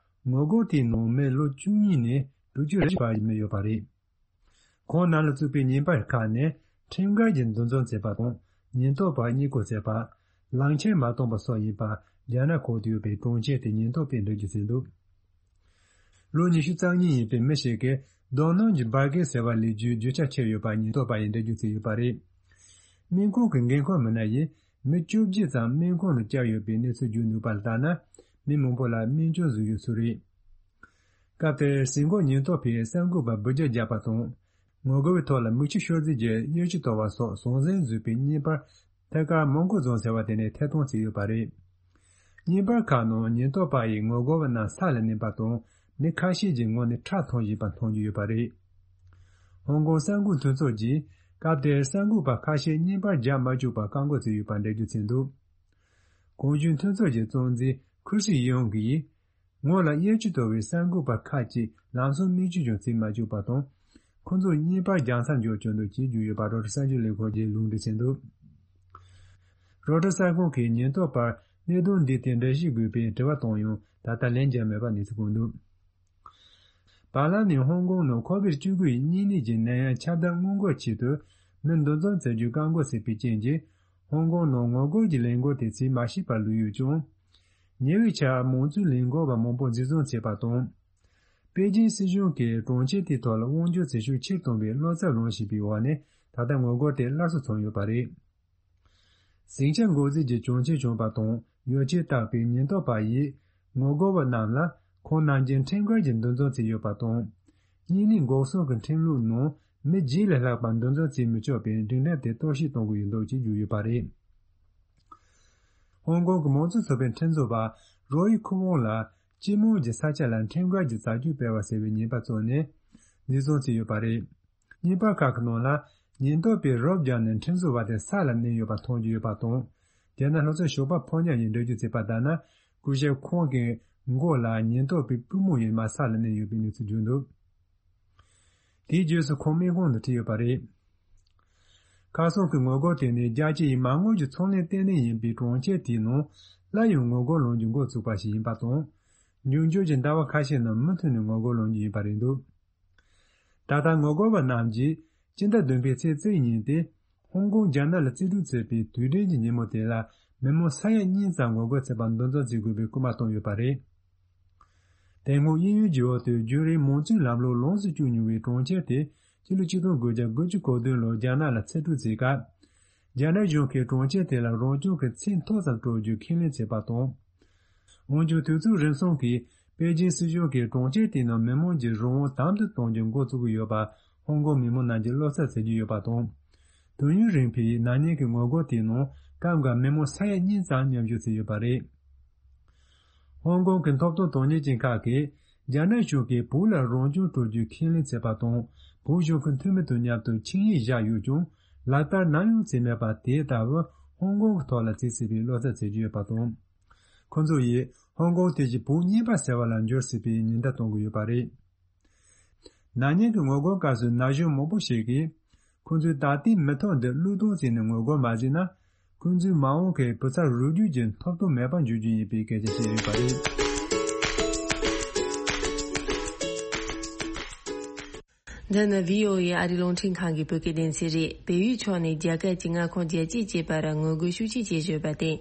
ངོ་རྒོལ་དེའི་ནང་མི་ལོ་བཅུ་གཉིས་ནས་དྲུག་ཅུ་རེ་བཞི་བར་མི་ཡོད་པ་རེད། ཁོང་རྣམས་ལ་གཙོས་པའི་ཉེན་པར་ཁག་ནི། ཁྲིམས་འགལ་གྱི་འདུ་འཛོམས་བྱས་པ་དང་། ཉེན་རྟོག་པ་རྙེད་སྐོར་བྱས་པ། ལག་འཁྱེར་མ་བཏོན་པ་སོགས་ཡིན་པ། རྒྱ་ནག་ཁུལ་དུ་ཡོད་པའི་གྲོང་ཁྱེར་དེའི་ཉེན་རྟོག་པས་འགྲེལ་བརྗོད་བྱས་འདུག་ལོ་ཉི་ཤུ་རྩ་གཉིས་ཡིན་པའི་མི་ཞིག་གིས་རྡོ་སྣུམ་གྱི་འབར་གས་ཟེར་བ་ལས་རྒྱུའི་རྒྱུ་ཆ་ཁྱེར་ཡོད་པ་ཉེན་རྟོག་པ་ཡིས་འགྲེལ་བརྗོད་བྱས་ཡོད་པ་རེད། སྨན་ཁང་གི་འགན་འཁུར་མི་སྣ་ཡིས་མི་བཅོ་བརྒྱད་ཙམ་སྨན་ཁང་དུ་བསྐྱལ་ཡོད་པའི་གནས་ཚུལ་བརྗོད་འདུག་པ་ལ་ལྟར་ན། མི་མང་པོ་ལ་སྨན་བཅོས་བཟོས་ཡོད་ཚུལ་རེད། སྐབས་དེར་ཟིན་གོ་ཉེན་རྟོག་པས་གསར་འགོད་པར་འབུད་རྒྱག་བརྒྱབ་པ་དང་། ངོ་རྒོལ་བའི་ཐོག་ལ་མིག་ཆུ་ཤོར་རྩིས་ཀྱི་གཡས་ཆུ་དོར་བ་སོགས་ཟང་ཟིང་བཟོས་པའི་བརྙན་པར་ཐད་ཀར་མོན་གྷོ་རྫོང་ཟེར་བ་དེ་ནས་ཐད་གཏོང་བྱས་ཡོད་པ་རེད། བརྙན་པར་ཁག་ནང་ཉེན་རྟོག་པ་ཡིས་ངོ་རྒོལ་བ་རྣམས་ས་ལ་མནན་པ་དང་། མི་ཁ་ཤས་ཀྱི་ངོ་ནས་ཁྲག་འཐུང་བཞིན་པ་མཐོང་རྒྱུ་ཡོད་པ་རེད། ཧོང་ཀོང་གསར་འགོད་མཐུན་ཚོགས་ཀྱིས་སྐབས་དེར་གསར་འགོད་པ་ཁ་ཤས་བརྙན་པར་རྒྱག་མ་བཅུག་པར་བཀག་འགོག་བྱས་ཡོད་པར་འགྲེལ་བརྗོད་བྱས་འདུག་གོང་ཞུས་མཐུན་ཚོགས་ཀྱི་གཙོ་འཛིན་ཁུར་སི་ཡོང་གིས། ངོ་ལ་གཡས་ཆུ་དོར་བའི་གསར་འགོད་པ་ཁག་ཅིག་ལམ་སང་སྨན་བཅོས་ཀྱང་བྱེད་མ་བཅུག་པ་དང་། ཁོ་ཚོ་བརྙན་པར་རྒྱག་མཚམས་འཇོག་བཅུག་འདུག་ཅེས་བརྗོད་ཡོད་པ་རོའི་ཊར་གསར་འགྱུར་ལས་ཁང་གིས་ལུང་འདྲེན་བྱས་འདུག་རོའི་ཊར་གསར་ཁང་གིས་ཉེན་རྟོག་པར་གནད་དོན་འདིའི་ཐད་འགྲེལ་བཤད་དགོས་པའི་དྲི་བ་བཏང་ཡང་ད་ལྟ་ལན་བརྒྱབ་མེད་པ་གནས་ཚུལ་བཀོད་འདུག་བར་ལམ་ནས་ཧོང་ཀོང་ནང་ཁོ་བིད་བཅུ་དགུ་ཡི་གཉན་ནད་ཀྱི་ནད་ཡམས་ཁྱབ་གདལ་སྔོན་འགོག་ཆེད་དུ་མི་འདུ་འཛོམས་བྱ་རྒྱུའི་བཀག་འགོག་བྱས་པའི་རྐྱེན་གྱིས། ཧོང་ཀོང་ནང་ངོ་རྒོལ་གྱི་ལས་འགུལ་དེ་བྱེད་མ་ཤེས་པར་ལུས་ཡོད་ཀྱང་། ཉེ་བའི་ཆར་མང་གཙོའི་ལས་འགུལ་བ་མང་པོ་འཛིན་བཟུང་བྱས་པ་དང་། པེ་ཅིན་སྲིད་གཞུང་གིས་གྲོང་ཁྱེར་དེའི་ཐོག་ལ་དབང་སྒྱུར་བྱེད་ཤུགས་ཆེར་གཏོང་བའི་བློ་འཚབ་ལངས་བཞིན་པའི་འོག་ནས་ད་ལྟ་ངོ་རྒོལ་དེ་སླར་གསོ་བྱུང་ཡོད་པ་རེད། ཟིང་ཆ་འགོག་རྫས་ཀྱི་གྱོན་ཆས་གྱོན་པ་དང་ཡོ་བྱད་བཏགས་པའི་ཉེན་རྟོག་པ་ཡིས་ངོ་རྒོལ་བ་རྣམས་ལ་ཁོང་རྣམས་ཀྱིས་ཁྲིམས་འགལ་གྱི་འདུ་འཛོམས་བྱས་ཡོད་པ་དང་། གཉན་ནད་འགོག་སྲུང་གི་ཁྲིམས་ལུགས་ནང་མི་བརྒྱད་ལས་ལྷག་པ་འདུ་འཛོམས་བྱེད་མི་ཆོག་པའི་སྒྲིག་གནས་དེ་གཏོར་བཤིག་གཏོང་གི་ཡོད་འདུག་ཅེས་བརྗོད་ཡོད་པ་རེད། ཧོང་ཀོང་གི་མང་གཙོ་ཚོགས་པའི་ཁྲིམས་བཟོ་བ་རོ་ཡི་ཁུ་ཝོང་ལ་སྤྱི་དམངས་ཀྱི་ས་ཆ་ལ་ཁྲིམས་འགལ་གྱི་རྩ་ཆོད་སྤེལ་བ་ཟེར་བའི་ཉེས་པ་བཙུགས་ནས་འཛིན་བཟུང་བྱས་ཡོད་པ་རེད། བརྙན་པར་ཁག་གི་ནང་ལ་ཉེན་རྟོག་པས་རོབ་བརྒྱབ་ནས་ཁྲིམས་བཟོ་བ་དེ་ས་ལ་མནན་ཡོད་པ་མཐོང་རྒྱུ་ཡོད་པ་དང་། རྒྱ་ནག་ལྷོ་ཕྱོགས་ཞོགས་པ་ཕོ་ཉ་ཡིས་འགྲེལ་བརྗོད་བྱས་པ་ལྟར་ན། སྐུ་ཞབས་ཁོང་གི་མགོ་ལ་ཉེན་རྟོག་པའི་པུས་མོ་ཡིས་མར་ས་ལ་མནན་ཡོད་པའི་གནས་ཚུལ་བརྗོད་འདུག་དེའི་རྗེས་སུ་ཁོང་སྨན་ཁང་དུ་ཁྲིད་ཡོད་པ་རེད། ཁ་སང་གི་ངོ་རྒོལ་དེ་ནི་རྒྱལ་སྤྱི་ཡི་མ་དངུལ་གྱི་ཚོང་ལས་ལྟེ་གནས་ཡིན་པའི་གྲོང་ཁྱེར་དེའི་ནང་སླར་ཡང་ངོ་རྒོལ་ལངས་རྒྱུ་འགོ་བཙུགས་པ་ཞིག་ཡིན་པ་དང་། འབྱུང་འགྱུར་གྱི་ཟླ་བ་ཁ་ཤས་ནང་མུ་མཐུད་ནས་ངོ་རྒོལ་ལངས་རྒྱུ་ཡིན་པ་རེད་འདུག་ད་ལྟ་ངོ་རྒོལ་བ་རྣམས་ཀྱིས་སྤྱི་ཟླ་བདུན་པའི་ཚེས་བཅུ་ཉིན་ཏེ། ཧོང་ཀོང་རྒྱ་ནག་ལ་རྩིས་སྤྲོད་བྱས་པའི་དུས་དྲན་གྱི་ཉིན་མོ་དེ་ལ་མི་མང་ས་ཡ་གཉིས་ཙམ་ངོ་རྒོལ་བྱེད་པར་འདུ་འཛོམས་བྱེད་དགོས་པའི་སྐུལ་མ་བཏང་ཡོད་པ་རེད། དེ་སྔོན་དབྱིན་ཡུལ་གྱི་འོག་ཏུ་རྒྱུན་རིང་མང་གཙོའི་ལམ་ལུགས་ལོངས་སུ་སྤྱོད་མྱོང་བའི་གྲོང་ཁྱེར་དེ་ཕྱི་ལོ་ཆིག་སྟོང་དགུ་བརྒྱ་དགུ་བཅུ་གོ་བདུན་ལོར་རྒྱ་ནག་ལ་ཚུར་སྤྲོད་བྱས་སྐབས། རྒྱ་ནག་གཞུང་གིས་གྲོང་ཁྱེར་དེ་ལ་རང་སྐྱོང་གི་ཚད་མཐོ་ཙམ་སྤྲོད་རྒྱུའི་ཁས་ལེན་བྱས་པ་དང་། འོན་ཀྱང་དུས་ཚོད་རིམ་སོང་གིས་པེ་ཅིན་སྲིད་གཞུང་གིས་གྲོང་ཁྱེར་དེའི་ནང་མི་མང་གྱི་རང་དབང་དམ་དུ་གཏོང་རྒྱུ་འགོ་བཙུགས་ཀྱི་ཡོད་པ་ཧོང་ཀོང་མི་མང་རྣམས་ཀྱིས་བློ་འཚབ་བྱེད་ཀྱི་ཡོད་པ་དང་། དུས་ཡུན་རིང་པོའི་ན་ནིང་གི་ངོ་རྒོལ་དེའི་ནང་སྐབས་འགར་མི་མང་ས་ཡ་གཉིས་ཙམ་མཉམ་ཞུགས་བྱས་ཡོད་པ་རེད། ཧོང་ཀོང་གི་ཐོབ་ཐང་དོན་གཉེར་ཅན་ཁག་གིས་རྒྱ་ནག་གཞུང་གིས་བོད་ལ་རང་སྐྱོང་སྤྲོད་རྒྱུའི་ཁས་ལེན་བྱས་པ་དང་། བོད་གཞུང་གི་འཐུས་མི་དང་མཉམ་དུ་ཆིངས་ཡིག་བཞག་ཡོད་ཀྱང་ལག་བསྟར་ནམ་ཡང་བྱས་མེད་པ་དེ་ལྟ་བུ་ཧོང་ཀོང་གི་ཐོག་ལ་བྱེད་སྲིད་པའི་བློ་འཚབ་བྱེད་ཀྱི་ཡོད་པ་དང་། ཁོ་ཚོ་ཡིས་ཧོང་ཀོང་དེ་བཞིན་བོད་གཉིས་པ་ཟེར་བ་ལ་འགྱུར་སྲིད་པའི་ཉེན་བརྡ་གཏོང་གི་ཡོད་པ་རེད། ན་ནིང་གི་ངོ་རྒོལ་སྐབས་སུ་ན་གཞོན་མང་པོ་ཞིག་གིས། ཁོ་ཚོས་ད་ལྟའི་མི་ཐོག་འདི་བློས་གཏོང་བྱས་ནས་ངོ་རྒོལ་མ་བྱས་ན། ཁོ་ཚོའི་མ་འོངས་ཀྱི་བུ་ཚ་རུ་རྒྱུད་ཀྱི་ཐོབ་ཐང་མེད་པར་འགྱུར་རྒྱུ་ཡིན་པའི་སྐད་ཆ་བཤད་ཡོད་པ་རེད། འདི་ནི་བྷི་ཨོ་ཨེ་ཨ་རིའི་རླུང་འཕྲིན་ཁང་གི་བོད་སྐད་སྡེ་ཚན་རེད། བལ་ཡུལ་ཕྱོགས་ནས་རྒྱ་གར་གྱི་མངའ་ཁོངས་རྒྱལ་སྤྱིའི་བཅས་པར་ངོ་རྒོལ་ཤུགས་ཆེ་བྱེད་བཞིན་ཡོད་པར་བརྟེན།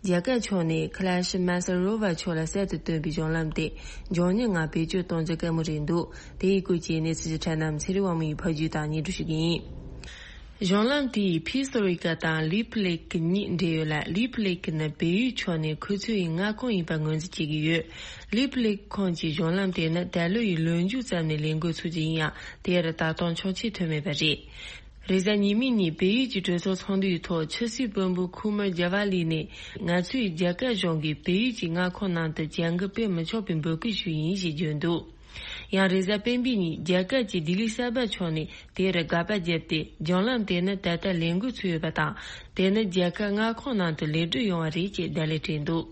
རྒྱ་གར་ཕྱོགས་ནས་ཁ་ལ་ཤི་མ་སར་རོ་བ་མཆོག་ལ་གསར་དུ་བཏོན་པའི་གཞུང་ལམ་དེ་མགྱོགས་མྱུར་ངང་བེད་སྤྱོད་གཏོང་རྒྱུ་དཀའ་མོ་རེད་འདུག་དེའི་སྐོར་གྱི་གནས་ཚུལ་གྱི་ཁྲལ་རྣམས་ཚེ་རིང་དབང་མོ་ཡིས་ཕབ་སྒྱུར་དང་སྙན་སྒྲོན་ཞུ་གི་ཡིན། གཞུང་ལམ་དེ་ཡིས་ཕི་སོ་རི་ཀ་དང་ལི་ཕི་ལེ་ཀི་གཉིས་འབྲེལ་ཡོད་ལ། ལི་ཕི་ལེ་ཀི་ནི་བལ་ཡུལ་ཕྱོགས་ནས་ཁུ་ཚུར་ཡི་མངའ་ཁོངས་ཡིན་པ་ངོས་འཛིན་བྱེད་ཀྱི་ཡོད། ལི་ཕི་ལེ་ཀི་ཁོངས་ཀྱི་གཞུང་ལམ་དེ་ནི་ད་ལོ་ཡི་ལོ་མཇུག་ཙམ་ནས་ལས་འགུལ་ཚུགས་རྒྱུ་ཡིན་ཡང་། དེར་ད་དུང་ཆོག་མཆན་ཐོན་མེད་པ་རེད། རེས་གཟའ་ཉི་མའི་ཉིན་བལ་ཡུལ་གྱི་གྲོས་ཚོགས་ཚོགས་འདུའི་ཐོག་ཕྱི་སྲིད་བློན་པོ་ཁུ་མར་ཇ་ཝ་ལི་ནས། ང་ཚོས་རྒྱ་གར་གཞུང་གིས་བལ་ཡུལ་གྱི་མངའ་ཁོངས་ནང་དུ་བྱ་འགུལ་སྤེལ་མི་ཆོག་པའི་འབོད་སྐུལ་ཞུས་ཡིན་ཞེས་བརྗོད་འདུག་ཡང་རེས་གཟའ་སྤེན་པའི་ཉིན་རྒྱ་གར་གྱི་ལྡི་ལི་གསར་པ་ཕྱོགས་ནས་དེར་དགག་པ་བརྒྱབ་སྟེ། གཞུང་ལམ་དེ་ནི་ད་ལྟ་ལས་འགུལ་ཚུགས་ཡོད་པ་དང་། དེ་ནི་རྒྱ་གར་མངའ་ཁོངས་ནང་དུ་ལེགས་གྲུབ་ཡོང་བ་རེད་ཅེས་བརྡ་ལན་སྤྲད་འདུག་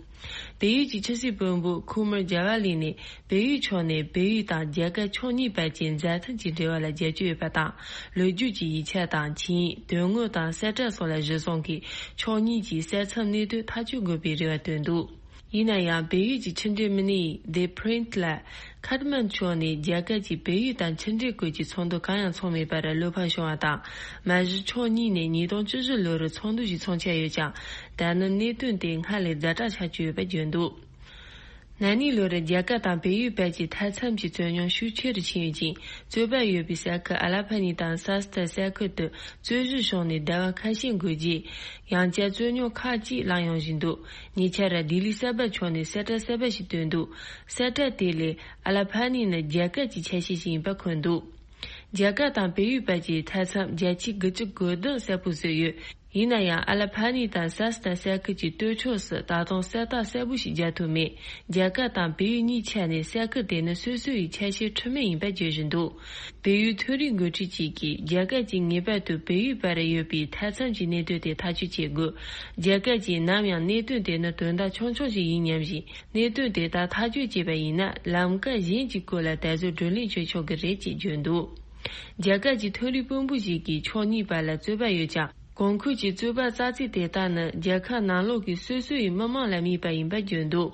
བལ་ཡུལ་གྱི་ཕྱི་སྲིད་བློན་པོ་ཁུ་མར་ཇ་ཝ་ལི་ནས། བལ་ཡུལ་ཕྱོགས་ནས་བལ་ཡུལ་དང་རྒྱ་གར་ཕྱོགས་གཉིས་བར་གྱི་མཛའ་མཐུན་གྱི་འབྲེལ་བ་ལ་རྒྱབ་སྐྱོར་ཡོད་པ་དང་། ལོ་རྒྱུས་ཀྱི་ཡིག་ཆ་དང་ཆིངས་ཡིག་དོན་དངོས་དང་གསལ་བསྒྲགས་སོགས་ལ་གཞི་བཟུང་གིས་ཕྱོགས་གཉིས་ཀྱི་གསེར་མཚམས་གནད་དོན་ཐག་གཅོད་དགོས་པའི་རེ་བ་བཏོན་འདུག་ཡིན་ན་ཡང་བལ་ཡུལ་གྱི་ཕྱི་འབྲེལ་མི་སྣས་The Print ལ། ཁཱཐ་མན་ཌུ་ཕྱོགས་ནས་རྒྱ་གར་གྱིས་བལ་ཡུལ་དང་ཕྱི་འབྲེལ་སྐོར་གྱི་ཚོགས་འདུ་གང་ཡང་ཚོགས་མེད་པར་བློ་ཕམ་བྱུང་བ་དང་། མ་གཞི་ཕྱོགས་གཉིས་ནས་ཉིས་སྟོང་བཅུ་བཞི་ལོར་ཚོགས་འདུ་ཞིག་འཚོགས་འཆར་ཡོད་ཀྱང་། ད་ནི་གནད་དོན་དེ་སྔར་ལས་ཛ་དྲག་ཆགས་ཀྱི་ཡོད་པ་བརྗོད་འདུག་ན་ནིང་ལོར་རྒྱ་གར་དང་བལ་ཡུལ་བར་གྱི་མཐའ་མཚམས་ཀྱི་རྩོད་རྙོག་ཤུགས་ཆེ་རུ་ཕྱིན་ཡོད་ཅིང་། རྩོད་པ་ཡོད་པའི་ས་ཁུལ་ཨ་ལ་ཕ་ནི་དང་སཱ་སྟར་ས་ཁུལ་དུ་རྩོད་གཞི་བྱུང་ནས་ཟླ་བ་ཁ་ཤས་འགོར་རྗེས། ཡང་བསྐྱར་རྩོད་རྙོག་ཁག་ཅིག་ལངས་ཡོང་བཞིན་འདུག་ཉེ་ཆར་ལྡི་ལི་གསར་པ་ཕྱོགས་ནས་གསལ་བསྒྲགས་གསར་པ་ཞིག་བཏོན་འདུག་གསལ་བསྒྲགས་དེ་ལས་ཨ་ལ་ཕ་ནི་ནི་རྒྱ་གར་གྱི་ཆ་ཤས་ཤིག་ཡིན་པ་འཁོད་འདུག་རྒྱ་གར་དང་བལ་ཡུལ་བར་གྱི་མཐའ་མཚམས་བརྒྱ་ཆ་དགུ་བཅུ་གོ་བདུན་གསལ་པོ་བཟོས་ཡོད། ཡིན་ན་ཡང་ཨ་ལ་ཕ་ནི་དང་སཱ་སྟར་ས་ཁུལ་གྱི་སྟོད་ཕྱོགས་སུ་ད་དུང་གསལ་རྟགས་གསལ་པོ་ཞིག་རྒྱག་ཐུབ་མེད། རྒྱ་གར་དང་བལ་ཡུལ་གཉིས་ཆ་ནས་ས་ཁུལ་དེ་ནི་སོ་སོ་ཡི་ཆ་ཤས་འཁྲུལ་མེད་ཡིན་པ་བརྗོད་བཞིན་འདུག་བལ་ཡུལ་མཐོ་རིམ་འགོ་ཁྲིད་ཅིག་གིས་རྒྱ་གར་གྱིས་ངེས་པར་དུ་བལ་ཡུལ་བར་ཡོད་པའི་མཐའ་མཚམས་ཀྱི་གནད་དོན་དེ་ཐག་གཅོད་བྱེད་དགོས། རྒྱ་གར་གྱིས་ནམ་ཡང་གནད་དོན་དེ་ནི་དོན་དག་ཆུང་ཆུང་ཞིག་ཡིན་སྙམ་བཞིན། གནད་དོན་དེ་དག་ཐག་གཅོད་བྱས་པ་ཡིན་ན། ལམ་ཁ་གཞན་གྱི་སྐོར་ལ་ད་གཟོད་བགྲོ་གླེང་བྱེད་ཆོག་གི་རེད་ཅེས་བརྗོད་འདུག་རྒྱ་གར་གྱི་མཐོ་རིམ་དཔོན་པོ་ཞིག་གིས་ཕྱོགས་གཉིས་བར་ལ་རྩོད་པ་ཡོད་ཀྱང་། གོང་འཁོད་ཀྱི་རྩོད་པ་རྩ་ཚིག་དེ་དག་ནི་རྒྱལ་ཁབ་ནང་ལོགས་ཀྱི་སོ་སོ་ཡི་མི་མང་ལ་དམིགས་པ་ཡིན་པ་བརྗོད་འདུག་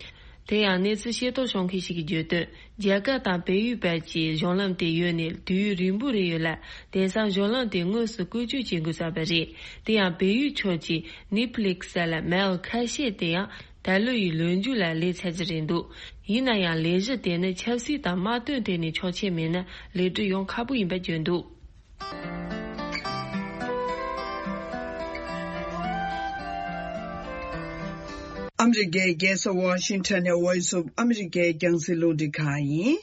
དེ་ཡང་གནས་ཚུལ་ཤེས་རྟོགས་བྱུང་མཁན་ཞིག་གིས་བརྗོད་དོན། རྒྱ་གར་དང་བལ་ཡུལ་བར་གྱི་གཞུང་ལམ་དེ་ཡོད་ནས་དུས་ཡུན་རིང་པོ་རེད་ཡོད་ལ། དེང་སང་གཞུང་ལམ་དེ་དངོས་སུ་བཀོལ་སྤྱོད་བྱེད་དགོས་ཚར་བ་རེད། དེ་ཡང་བལ་ཡུལ་ཕྱོགས་ཀྱི་ནིབ་ལིག་ས་ལ་མལ་ཁ་ཤས་དེ་ཡང་ད་ལོ་ཡི་ལོ་མཇུག་ལ་ལས་ཚར་རྒྱུ་རེད་འདུག་ཡིན་ན་ཡང་ལས་གཞི་དེ་ནི་ཆབ་སྲིད་དང་དམག་དོན་ཐད་ནས་ཆོག་མཆན་མེད་ན་ལེགས་གྲུབ་ཡོང་ཁག་པོ་ཡིན་པ་བརྗོད་འདུག་ཨ་མི་རི་ཀའི་རྒྱལ་ས་ཝ་ཤིང་ཊོན་ནས་Voice of America རྒྱང་སྲིང་རླུང་འཕྲིན་ཁང་ཡིན།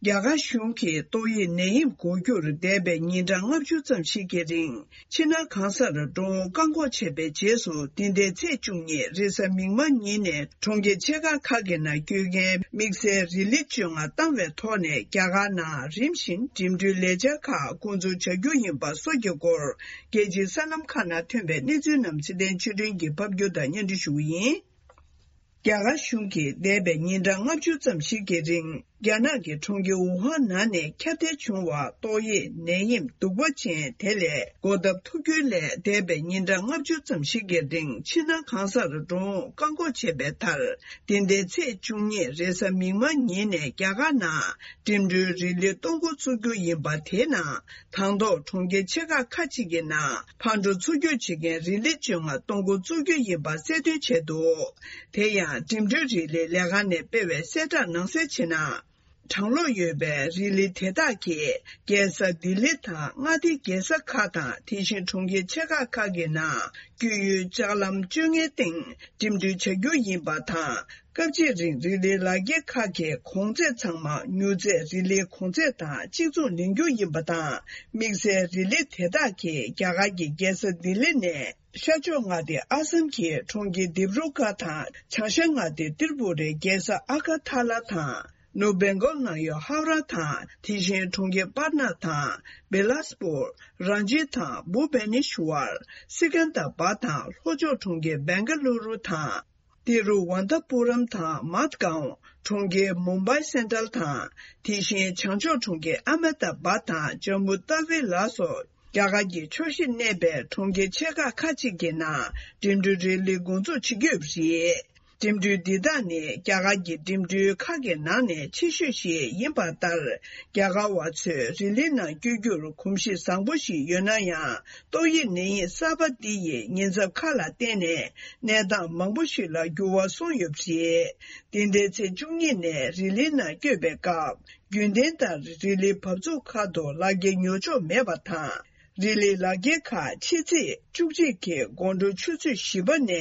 རྒྱ་གར་གཞུང་གིས་ཏོག་དབྱིབས་ནད་ཡམས་འགོ་འཁྱུར་འདས་པའི་ཉིན་གྲངས་ལྔ་བཅུ་ཙམ་ཞིག་གི་རིང་ཕྱི་ནང་གང་སར་འགྲོ་འོང་བཀག་འགོག་བྱས་པའི་རྗེས་སུ། འདི་ཟླའི་ཚེས་བཅུ་གཉིས་རེས་གཟའ་མིག་དམར་ཉིན་ནས་གྲོང་ཁྱེར་ཆེ་ཁག་ཁག་གི་ནང་སྐྱོད་མཁན་དམིགས་བསལ་རི་ལི་བཅོ་ལྔ་བཏང་བའི་ཐོག་ནས། རྒྱ་གར་ནང་རིམ་བཞིན་འགྲིམ་འགྲུལ་ལས་འཆར་ཁག་འགོ་འཛུགས་བྱ་རྒྱུ་ཡིན་པ་སོགས་ཀྱི་སྐོར། རྒྱལ་སྤྱིའི་སྲིད་ལམ་ཁག་ནང་ཐོན་པའི་གནས་ཚུལ་རྣམས་ཚེ་བརྟན་ཆོས་སྒྲོན་གྱིས་ཕབ་སྒྱུར་དང་སྙན་སྒྲོན་ཞུ་གི་ཡིན། རྒྱ་གར་གཞུང་གིས་འདས་པའི་ཉིན་གྲངས་ལྔ་བཅུ་ཙམ་ཞིག་གི་རིང་། རྒྱ་ནག་གི་གྲོང་ཁྱེར་ཝུ་ཧན་ནང་ནས་ཁྱབ་གདལ་བྱུང་བ་ཏོག་དབྱིབས་ནད་ཡམས་གདུག་པ་ཅན་དེ་ལས་འགོག་ཐབས་ཐུབ་རྒྱུའི་སླད། འདས་པའི་ཉིན་གྲངས་ལྔ་བཅུ་ཙམ་ཞིག་གི་རིང་ཕྱི་ནང་གང་སར་འགྲོ་འོང་བཀག་འགོག་བྱས་པའི་མཐར། འདི་ཟླའི་ཚེས་བཅུ་གཉིས་རེས་གཟའ་མིག་དམར་ཉིན་ནས་རྒྱ་གར་ནང་འགྲིམ་འགྲུལ་རི་ལི་གཏོང་འགོ་བཙུགས་རྒྱུ་ཡིན་པ། དེའི་ནང་དང་ཐོག་གྲོང་ཁྱེར་ཆེ་ཁག་ཁག་ཅིག་གི་ནང་ཕར་འགྲོ་ཚུར་སྐྱོད་བྱེད་མཁན་རི་ལི་བཅོ་ལྔ་གཏོང་འགོ་བཙུགས་རྒྱུ་ཡིན་པ་གསལ་སྟོན་བྱས་འདུག་དེ་ཡང་འགྲིམ་འགྲུལ་རི་ལིའི་ལས་ཁང་ནས་སྤེལ་བའི་གསལ་བསྒྲགས་ནང་གསལ་བྱས་ན། གྲང་གློག་ཡོད་པའི་རི་ལི་དེ་དག་གིས་རྒྱལ་ས་ལྡི་ལི་དང་མངའ་སྡེའི་རྒྱལ་ས་ཁག་དང་། དེ་བཞིན་གྲོང་ཁྱེར་ཆེ་ཁག་ཁག་གི་ནང་སྐྱོད་ཡུལ་ལྕགས་ལམ་སྤྱོད་མཁན་སྟེང་འགྲིམ་འགྲུལ་བྱ་རྒྱུ་ཡིན་པ་དང་། སྐབས་གཅིག་རིང་རི་ལིའི་ལག་འཁྱེར་ཁག་གི་གོང་ཚད་ཚང་མ་མྱུར་ཚད་རི་ལིའི་གོང་ཚད་དང་གཅིག་མཚུངས་ལེན་རྒྱུ་ཡིན་པ་དང་། དམིགས་བསལ་རི་ལི་དེ་དག་གིས་རྒྱ་གར་གྱི་རྒྱལ་ས་ལྡི་ལི་ནས་ཤར་ཕྱོགས་མངའ་སྡེ་ཨ་སམ་གྱི་གྲོང་ཁྱེར་དིབ་རུ་གྷར་དང་། བྱང་ཤར་མངའ་སྡེ་ཏྲི་པུ་རའི་རྒྱལ་ས་ཨ་ག་ཐ་ལ་དང་། ནུབ་བེང་གོལ་ནང་ཡོད་ཧའོ་ར་དང་། དེ་བཞིན་གྲོང་ཁྱེར་པར་ན་དང་། བེ་ལ་སི་པུར། རང་ཅི་དང་། བྷུ་བེ་ནེ་ཤུ་ཝར། སི་ཀན་དར་བྷ་དང་། ལྷོ་ཕྱོགས་གྲོང་ཁྱེར་བེང་ག་ལུ་རུ་དང་། ཏི་རུ་ཝན་ཐ་པུ་རམ་དང་། མད་གའོན། གྲོང་ཁྱེར་མུམ་བྷའི་སེན་ཊྲལ་དང་། དེ་བཞིན་བྱང་ཕྱོགས་གྲོང་ཁྱེར་ཨ་མེ་ད་བྷ་དང་། ཇམ་མུ་ཏཱ་ཝི་ལ་སོགས་རྒྱ་གར་གྱི་ཕྱོགས་བཞིར་གནས་པའི་གྲོང་ཁྱེར་ཆེ་ཁག་ཁག་ཅིག་གི་ནང་འགྲིམ་འགྲུལ་རི་ལི་འགོ་འཛུགས་བྱེད་ཀྱི་ཡོད་པ་རེད། འགྲིམ་འགྲུལ་འདི་དག་ནི་རྒྱ་གར་གྱི་འགྲིམ་འགྲུལ་ཁག་གི་ནང་ནས་ཆེ་ཤོས་ཤིག་ཡིན་པ་ལྟར། རྒྱ་གར་བ་ཚོས་རི་ལི་ནང་སྐྱོད་རྒྱུར་གོམས་གཤིས་བཟང་པོ་ཞིག་ཡོད་ན་ཡང་། ཏོག་དབྱིབས་ནད་ཡམས་གསར་པ་འདི་ཡི་ཉེན་ཚབས་ཁག་ལ་བརྟེན་ནས། གནས་སྟངས་མང་པོ་ཞིག་ལ་འགྱུར་བ་སོང་ཡོད་པ་རེད། འདི་ཟླའི་ཚེས་བཅུ་གཉིས་ནས་རི་ལི་ནང་སྐྱོད་པའི་སྐབས། རྒྱུན་ལྡན་ལྟར་རི་ལིའི་བབས་ཚུགས་ཁག་ཏུ་ལག་འཁྱེར་ཉོ་ཆོག་མེད་པ་དང་། རི་ལིའི་ལག་འཁྱེར་ཁག་ཕྱི་ཚེས་བཅུ་གཅིག་གི་དགོང་དྲོ་ཆུ་ཚོད་བཞི་པ་ནས།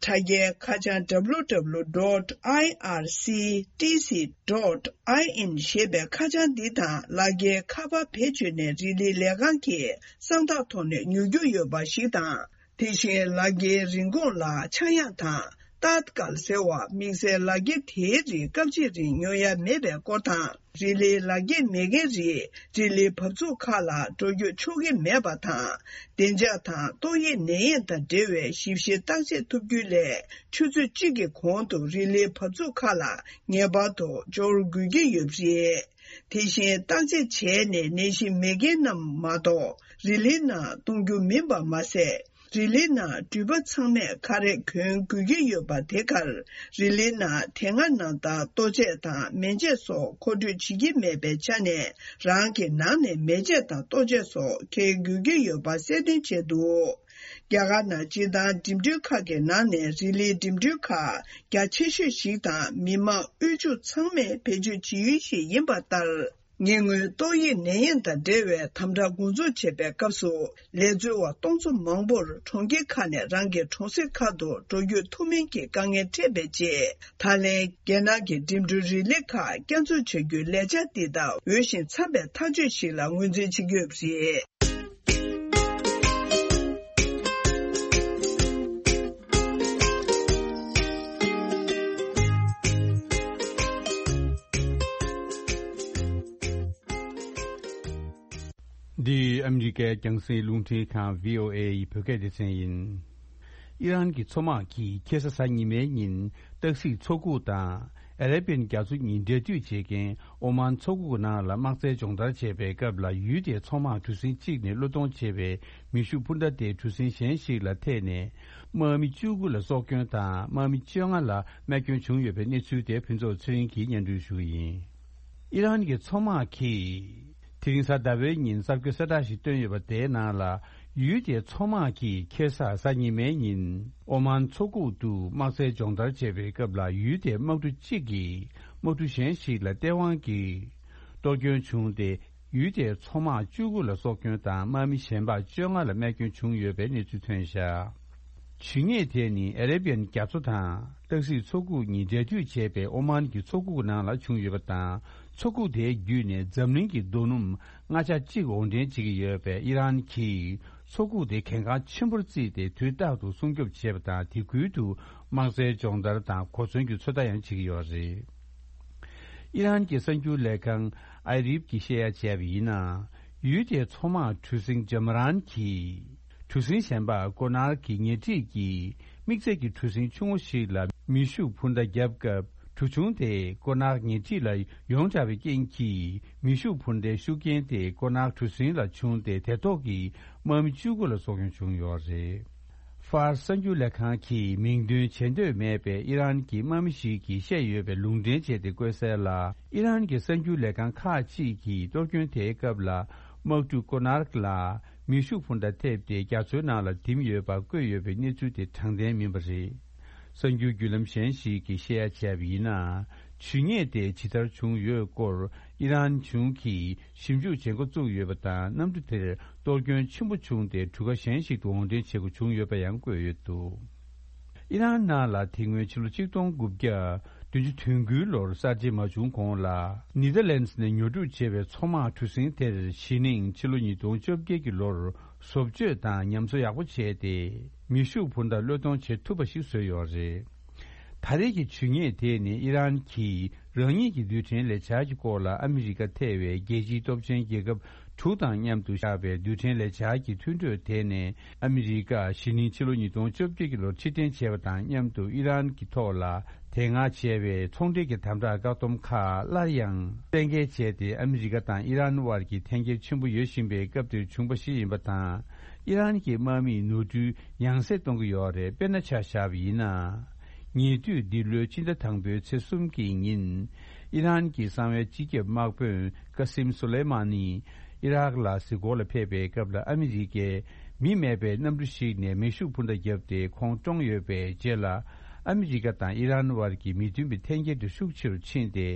དྲ་རྒྱའི་ཁ་བྱང་W W W dot I R C T C dot I N ཞེས་པའི་ཁ་བྱང་འདི་དང་། ལག་འཁྱེར་ཁ་པར་བེད་སྤྱོད་ནས་རི་ལིའི་ལས་ཁང་གི་གསང་རྟགས་ཐོག་ནས་ཉོ་རྒྱུ་ཡོད་པ་ཞིག་དང་། དེ་བཞིན་ལག་འཁྱེར་རིན་གོང་ལ་ཆག་ཡང་དང་། ཏཱད་ཀལ་ཟེར་བ་དམིགས་བསལ་ལག་འཁྱེར་དེའི་རིགས་སྐབས་གཅིག་རིང་ཉོ་ཡ་མེད་པའི་སྐོར་དང་། རི་ལིའི་ལག་འཁྱེར་མེད་མཁན་རིགས་རི་ལིའི་བབས་ཚུགས་ཁག་ལ་འགྲོ་སྐྱོད་ཆོག་གི་མེད་པ་དང་། བདེ་འཇགས་དང་ཏོག་དབྱིབས་ནད་ཡམས་དང་འབྲེལ་བའི་ཞིབ་བཤེར་བརྟག་དཔྱད་ཐུབ་རྒྱུའི་སླད། ཆུ་ཚོད་གཅིག་གི་གོང་དུ་རི་ལིའི་བབས་ཚུགས་ཁག་ལ་ངེས་པར་དུ་འབྱོར་དགོས་ཀྱི་ཡོད་པ་རེད། དེ་བཞིན་བརྟག་དཔྱད་བྱས་ནས་ནད་གཞི་མེད་མཁན་རྣམས་མ་གཏོགས་རི་ལིའི་ནང་གཏོང་རྒྱུ་མིན་པ་མ་ཟད། རི་ལིའི་ནང་འགྲུལ་པ་ཚང་མས་ཁ་རས་གྱོན་དགོས་ཀྱི་ཡོད་པ་དེ་གར། རི་ལིའི་ནང་དེ་སྔ་ནང་ལྟར་ལྟོ་ཆས་དང་མེ་ལྕེ་སོགས་མཁོ་སྤྲོད་བྱེད་ཀྱི་མེད་པའི་ཆ་ནས། རང་གི་ནང་ནས་མེ་ལྕེ་དང་ལྟོ་ཆས་སོགས་འཁྱེར་དགོས་ཀྱི་ཡོད་པ་གསལ་སྟོན་བྱས་འདུག་རྒྱ་གར་ནང་སྤྱིར་བཏང་འགྲིམ་འགྲུལ་ཁག་གི་ནང་ནས་རི་ལིའི་འགྲིམ་འགྲུལ་ཁག་རྒྱ་ཆེ་ཤོས་ཤིག་དང་། མི་མང་དབུལ་ཕྱུག་ཚང་མས་བེད་སྤྱོད་བྱེད་ཡུལ་ཞིག་ཡིན་པ་ལྟར། ཉེ་སྔོན་ཏོག་དབྱིབས་ནད་ཡམས་དང་འབྲེལ་བའི་དམ་དྲག་འགོ་འཛུགས་བྱས་པའི་སྐབས་སུ། ལས་འཛུལ་བ་སྟོང་ཚོ་མང་པོར་གྲོང་ཁྱེར་ཁག་ནས་རང་གི་གྲོང་གསེབ་ཁག་ཏུ་འགྲོ་རྒྱུ་ཐུབ་མིན་གྱི་དཀའ་ངལ་འཕྲད་པའི་རྗེས། ད་ལན་རྒྱལ་ནང་གི་འགྲིམ་འགྲུལ་རིན་ལས་ཁག་བསྐྱར་འཛུགས་བྱ་རྒྱུའི་ལས་འཆར་འདི་དག་འོས་ཤིང་འཚམ་པའི་ཐག་གཅོད་ཞིག་ལ་ངོས་འཛིན་བྱེད་ཀྱི་ཡོད་པ་རེད། འདི་ཨ་མི་རི་ཀའི་རྒྱང་སྲིང་རླུང་འཕྲིན་ཁང་། བྷི་ཨོ་ཨེ་ཡི་བོད་སྐད་སྡེ་ཚན་ཡིན། ཨི་རན་གྱི་མཚོ་དམག་གིས་ཁ་སང་གཟའ་ཉི་མའི་ཉིན་སྟག་གཟིག་མཚོ་ཁུག་དང་ཨ་རེ་བི་ཡན་རྒྱ་མཚོ་གཉིས་འབྲེལ་མཐུད་བྱེད་མཁན་ཨོ་མན་མཚོ་ཁུག་ནང་ལ་དམག་རྩལ་སྦྱོང་བརྡར་བྱེད་པའི་སྐབས་ལ། ཡུལ་དེའི་མཚོ་དམག་གྲུ་གཟིངས་གཅིག་ནས་བློས་གཏོང་བྱས་པའི་མེ་ཤུགས་འཕུར་མདའ་དེ་གྲུ་གཟིངས་གཞན་ཞིག་ལ་ཐེག་ནས། དམག་མི་བཅུ་དགུ་ལ་སྲོག་སྐྱོན་དང་། དམག་མི་བཅོ་ལྔ་ལ་རྨས་སྐྱོན་བྱུང་ཡོད་པའི་གནས་ཚུལ་དེ་ཕུན་ཚོགས་ཚེ་རིང་གིས་སྙན་སྒྲོན་ཞུ་གི་ཡིན། ཨི་རན་གྱི་མཚོ་དམག་གིས་དེ་རིང་གཟའ་ཟླ་བའི་ཉིན་གསར་འགོད་གསལ་བསྒྲགས་ཤིག་བཏོན་ཡོད་པ་དེའི་ནང་ལ། ཡུལ་དེའི་མཚོ་དམག་གིས་ཁ་སང་གཟའ་ཉི་མའི་ཉིན་ཨོ་མན་མཚོ་ཁུག་ཏུ་དམག་རྩལ་སྦྱོང་བརྡར་བྱེད་པའི་སྐབས་ལ། ཡུལ་དེའི་དམག་གྲུ་གཅིག་གིས་དམག་གྲུ་གཞན་ཞིག་ལ་སྟེས་དབང་གིས་གཏོར་སྐྱོན་བྱུང་སྟེ། ཡུལ་དེའི་མཚོ་དམག་བཅུ་དགུ་ལ་སྲོག་སྐྱོན་དང་། དམག་མི་གཞན་པ་བཅོ་ལྔ་ལ་རྨས་སྐྱོན་བྱུང་ཡོད་པའི་གནས་ཚུལ་ཐོན་བཞག་ཇུས་ངེས་དེ་ནི་ཨ་རེ་བི་ཡན་རྒྱ་མཚོ་དང་སྟག་གཟིག་མཚོ་ཁུག་གཉིས་འབྲེལ་མཐུད་བྱས་པའི་ཨོ་མན་གྱི་མཚོ་ཁུག་ནང་ལ་བྱུང་ཡོད་པ་དང་། མཚོ་ཁུག་དེའི་བརྒྱུད་ནས་འཛམ་གླིང་གི་རྡོ་སྣུམ་ལྔ་ཆ་གཅིག་དབོར་འདྲེན་བྱེད་ཀྱི་ཡོད་པས། ཨི་རན་གྱིས་མཚོ་ཁུག་དེ་གལ་འགངས་ཆེན་པོར་བརྩིས་ཏེ། དུས་རྟག་ཏུ་སྲུང་སྐྱོབ་བྱེད་པ་དང་། དེ་ཁུལ་དུ་དམག་རྩལ་སྦྱོང་བརྡར་དང་གོ་མཚོན་གྱི་ཚོད་ལྟ་ཡང་བྱེད་ཀྱི་ཡོད་རེད། ཨི་རན་གྱི་གསར་འགྱུར་ལས་ཁང་ཨའི་རིབ་ཀྱིས་བཤད་ཡ་བྱས་པ་ཡིན་ན། ཡུལ་དེའི་མཚོ་དམག་གྲུ་གཟིངས་ཇམ་རན་གྱིས་གྲུ་གཟིངས་གཞན་པ་ཀོ་ནར་གྱི་ཉེ་འཁྲིས་ཀྱི་དམིགས་བསལ་གྱི་གྲུ་གཟིངས་ཆུང་ངུ་ཞིག་ལ་མེ་ཤུགས་འཕུར་མདའ་བརྒྱབ་སྐབས། གྲུ་ཆུང་དེ་ཀོ་ནར་ཉེ་འཁྲིས་ལ་ཡོངས་གྲགས་པའི་རྐྱེན་གྱིས། མེ་ཤུགས་འཕུར་མདའི་ཤུགས་རྐྱེན་དེ་ཀོ་ནར་གྲུ་གཟིངས་ལ་བྱུང་སྟེ། དེ་ཐོག་གི་དམག་མི་བཅུ་དགུ་ལ་སྲོག་སྐྱོན་བྱུང་ཡོད་རེད། ཧྥ་རན་སི་གསར་འགྱུར་ལས་ཁང་གིས་མིང་འདོན་བྱེད་འདོད་མེད་པའི་ཨི་རན་གྱི་དམག་མི་ཞིག་གིས་བཤད་ཡོད་པའི་ལུང་འདྲེན་བྱས་ཏེ་བཀོད་གསལ་ལ། ཨི་རན་གྱི་གསར་འགྱུར་ལས་ཁང་ཁག་ཅིག་གིས་གཏོར་སྐྱོན་དེའི་སྐབས་ལ། དམག་གྲུ་ཀོ་ནར་ལ་མེ་ཤུགས་འཕུར་མདའ་ཐེབས་ཏེ། རྒྱ་མཚོའི་ནང་ལ་ཐིམ་ཡོད་པ་བཀོད་ཡོད་པའི་གནས་ཚུལ་དེ་དྲང་བདེན་མིན་པ་རེད། གསར་འགྱུར་བརྒྱུད་ལམ་གཞན་ཞིག་གིས་བཤད་ཡ་བྱས་པ་ཡིན་ན། ཇུས་ཉེས་དེ་ཇི་ལྟར་བྱུང་ཡོད་སྐོར་ཨི་རན་གཞུང་གིས་ཞིབ་འཇུག་བྱེད་འགོ་བཙུགས་ཡོད་པ་དང་། གནམ་གྲུ་དེར་གཏོར་སྐྱོན་ཆེན་པོ་བྱུང་སྟེ། གྲུ་ཁ་གཞན་ཞིག་ཏུ་དབོར་འདྲེན་བྱེད་དགོས་བྱུང་ཡོད་པ་ཡང་བཀོད་ཡོད་འདུག་ཨི་རན་ནང་ལ་དེ་སྔོན་ཕྱི་ལོ་ཆིག་སྟོང་དགུ་བརྒྱ་བདུན་ཅུ་དོན་དགུའི་ལོར་གསར་བརྗེ་མ་བྱུང་གོང་ལ། ནེ་དར་ལེན་ཌི་ནས་ཉོ་སྒྲུབ་བྱས་པའི་མཚོ་དམག་གྲུ་གཟིངས་དེར་གཞེས་ནིང་ཕྱི་ལོ་ཉིས་སྟོང་བཅོ་བརྒྱད་ཀྱི་ལོར་བཟོ་བཅོས་དང་ཉམས་གསོ་ཡག་པོ་བྱས་ཏེ། མེ་ཤུགས་འཕུར་མདའ་བློས་གཏོང་བྱེད་ཐུབ་པ་ཞིག་བཟོས་ཡོད་རེད། ད་རེས་ཀྱི་ཇུས་ཉེས་དེ་ནི་ཨི་རན་གྱིས་རང་ཉིད་ཀྱི་རྡུལ་ཕྲན་ལས་འཆར་གྱི་སྐོར་ལ་ཨ་མི་རི་ཀ་ཐེ་བའི་རྒྱལ་སྤྱིའི་སྟོབས་ཆེན་རྒྱལ་ཁབ་དྲུག་དང་མཉམ་དུ་བཞག་པའི་རྡུལ་ཕྲན་ལས་འཆར་གྱི་མཐུན་གྲོས་དེ་ནས། ཨ་མི་རི་ཀ་གཞེས་ནིང་ཕྱི་ལོ་ཉིས་སྟོང་བཅོ་བརྒྱད་ཀྱི་ལོར་ཕྱིར་འཐེན་བྱས་པ་དང་མཉམ་དུ། ཨི་རན་གྱི་ཐོག་ལ་དེ་སྔ་བྱས་པའི་ཚོང་འབྲེལ་གྱི་དམ་དྲག་བཀག་སྡོམ་ཁག་སླར་ཡང་གཏན་འཁེལ་བྱས་ཏེ། ཨ་མི་རི་ཀ་དང་ཨི་རན་དབར་གྱི་འཐེན་འཁྱེར་ཆེན་པོ་ཡོད་བཞིན་པའི་སྐབས་དེར་བྱུང་བ་ཞིག་ཡིན་པ་དང་། ཨི་རན་གྱི་དམག་མིས་ནོར་འཁྲུལ་ཡང་སེ་གཏོང་གི་ཡོད་རེད། དཔེར་ན་ཆ་བཞག་པ་ཡིན་ན། ཉེ་དུས་འདི་ལོའི་ཕྱི་ཟླ་དང་པོའི་ཚེས་གསུམ་གྱི་ཉིན། ཨི་རན་གྱི་གསང་བའི་སྤྱི་ཁྱབ་དམག་དཔོན་ཀ་སིམ་སུ་ལེ་མ་ནི་ཨི་རག་ལ་གཟིགས་སྐོར་ལ་ཕེབས་པའི་སྐབས་ལ། ཨ་མི་རི་ཀའི་མི་མེད་པའི་གནམ་གྲུ་ཞིག་ནས་མེ་ཤུགས་འཕུར་མདའ་བརྒྱབ་སྟེ་ཁོང་བཀྲོངས་ཡོད་པའི་རྗེས་ལ། ཨ་མི་རི་ཀ་དང་ཨི་རན་དབར་གྱི་མི་མཐུན་པའི་འཐེན་འཁྱེར་དེ་ཤུགས་ཆེ་རུ་ཕྱིན་ཏེ།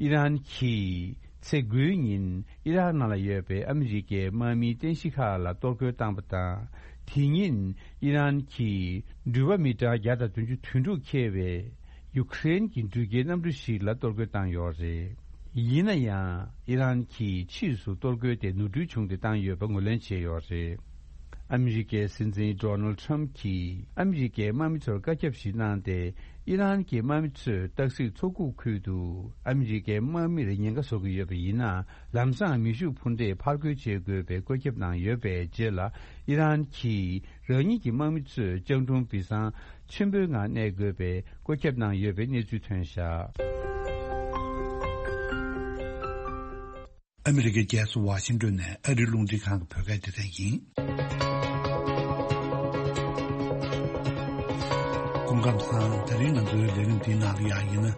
ཨི་རན་གྱིས་ཚེས་དགུའི་ཉིན་ཨི་རག་ནང་ལ་ཡོད་པའི་ཨ་མི་རི་ཀའི་དམག་མིའི་རྟེན་གཞི་ཁག་ལ་གཏོར་རྒོལ་བཏང་བ་དང་། དེ་ཉིན་ཨི་རན་གྱིས་འགྲུལ་པ་མི་གྲངས་བརྒྱ་དང་བདུན་ཅུ་དོན་དྲུག་འཁྱེར་བའི་ཡུ་ཁུ་རེན་གྱི་འགྲུལ་སྐྱེལ་གནམ་གྲུ་ཞིག་ལ་གཏོར་རྒོལ་བཏང་ཡོད་རེད། ཡིན་ན་ཡང་ཨི་རན་གྱིས་ཕྱིས་སུ་གཏོར་རྒོལ་དེ་ནོར་འཁྲུལ་བྱུང་སྟེ་བཏང་ཡོད་པ་ངོས་ལེན་བྱས་ཡོད་རེད། ཨ་མི་རི་ཀའི་སྲིད་འཛིན་ཌོ་ནལ་ཊམ་གྱིས་ཨ་མི་རི་ཀའི་དམག་མི་ཚོར་བཀའ་ཁྱབ་ཞིག་གནང་སྟེ། ཨི་རན་གྱི་དམག་མི་ཚོས་སྟག་གཟིག་མཚོ་ཁུག་ཁུལ་དུ་ཨ་མི་རི་ཀའི་དམག་མིར་ཉེན་ཁ་བཟོ་གི་ཡོད་པ་ཡིན་ན། ལམ་སང་མེ་ཤུགས་འཕུར་མདའི་ཕར་རྒོལ་བྱེད་དགོས་པའི་བཀོད་ཁྱབ་གནང་ཡོད་པའི་རྗེས་ལ། ཨི་རན་གྱིས་རང་ཉིད་ཀྱི་དམག་མི་ཚོས་སྤྱང་གྲུང་སྦས་གསང་ཆེན་པོའི་ངང་གནས་དགོས་པའི་བཀོད་ཁྱབ་གནང་ཡོད་པའི་གནས་ཚུལ་ཐོན་བཞག་ཨ་མི་རི་ཀའི་རྒྱལ་ས་ཝ་ཤིང་ཏོན་ནས་ཨ་རིའི་རླུང་འཕྲིན་ཁང་གི་བོད་སྐད་སྡེ་ཚན་ཡིན། ལམ་སང་དེ་རིང་ང་ཚོའི་ལས་རིམ་འདིའི་ནང་ལ་ཡང་ཡིན་ན།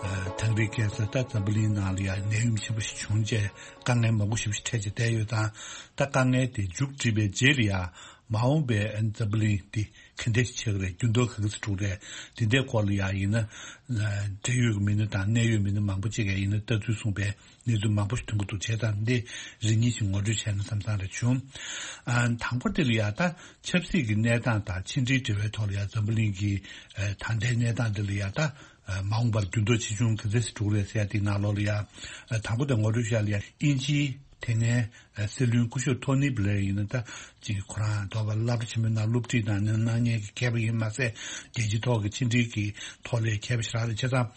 ཨ། དེང་རབས་ཁ་སང་ད་འཛམ་བུ་གླིང་ནང་ལ་ཡང་ནད་ཡམས་ཆེན་པོ་ཞིག་བྱུང་རྗེས་དཀའ་ངལ་མང་པོ་ཞིག་འཕྲད་བྱས་བསྡད་ཡོད་ཙང་། ད་དཀའ་ངལ་དེ་མཇུག་སྒྲིལ་བའི་རྗེས་ལ་ཡང་མ་འོངས་པའི་འཛམ་བུ་གླིང་འདི་ག་འདྲ་ཞིག་ཆགས་ཀྱི་རེད། འགྱུར་ལྡོག་ག་གི་ཚོད་འགྲོ་གི་རེད། དེ་འདྲའི་སྐོར་ལ་ཡང་ཡིན་ན། ཨ། འབྲེལ་ཡོད་ཀྱི་མི་སྣ་དང་གནད་ཡོད་མི་སྣ་མང་པོ་ཅིག་གིས་ཡིན་ན་ལྟ་ཚུལ་གསུངས་པའི་གནས་ཚུལ་མང་པོ་ཞིག་ཐོན་གྱི་འདུག་བྱས་ཙང་འདི་རེ་གཉིས་ཤིག་ངོ་སྤྲོད་བྱས་ན་བསམ་བསམ་རེ་བྱུང་། ཨ། དང་པོ་དེ་ལ་ཡང་ད་ཆབ་སྲིད་ཀྱི་གནས་སྟངས་དང་ཕྱི་འབྲེལ་འབྲེལ་བའི་ཐོག་ལ་ཡང་འཛམ་བུ་གླིང་གི་ཨ། ད་ལྟའི་གནས་སྟངས་འདི་ལ་ཡང་ད་ཨ། མ་འོངས་པར་འགྱུར་ལྡོག་ཆེ་ཆུང་ག་ཚོད་ཞིག་འགྲོ་གི་རེད་ཟེར་ཡ་དེའི་ནང་ལོགས་ལ་ཡང་ཨ། དང་པོ་དེ་ངོ་སྤྲོད་བྱས་ལ་ཡང་དབྱིན་ཇིའི་དེ་སྔའི་ཨ། སྲིད་བློན་སྐུ་ཞབས་ཐོ་ནི་བྷི་ལེར་ཡིན་ན་ད་ཅིག་ཁོ་རང་དོ་བར་སློབ་གྲྭ་ཆེན་མོའི་ནང་སློབ་ཁྲིད་དང་གནང་མཁན་གྱི་མཁས་པ་ཡིན་མ་ཟད། རྒྱལ་སྤྱིའི་ཐོག་གི་ཕྱི་འབྲེལ་གྱི་ཐོག་ལ་མཁས་པ་ཞེ་དྲག་རེད། བྱས་ཙང་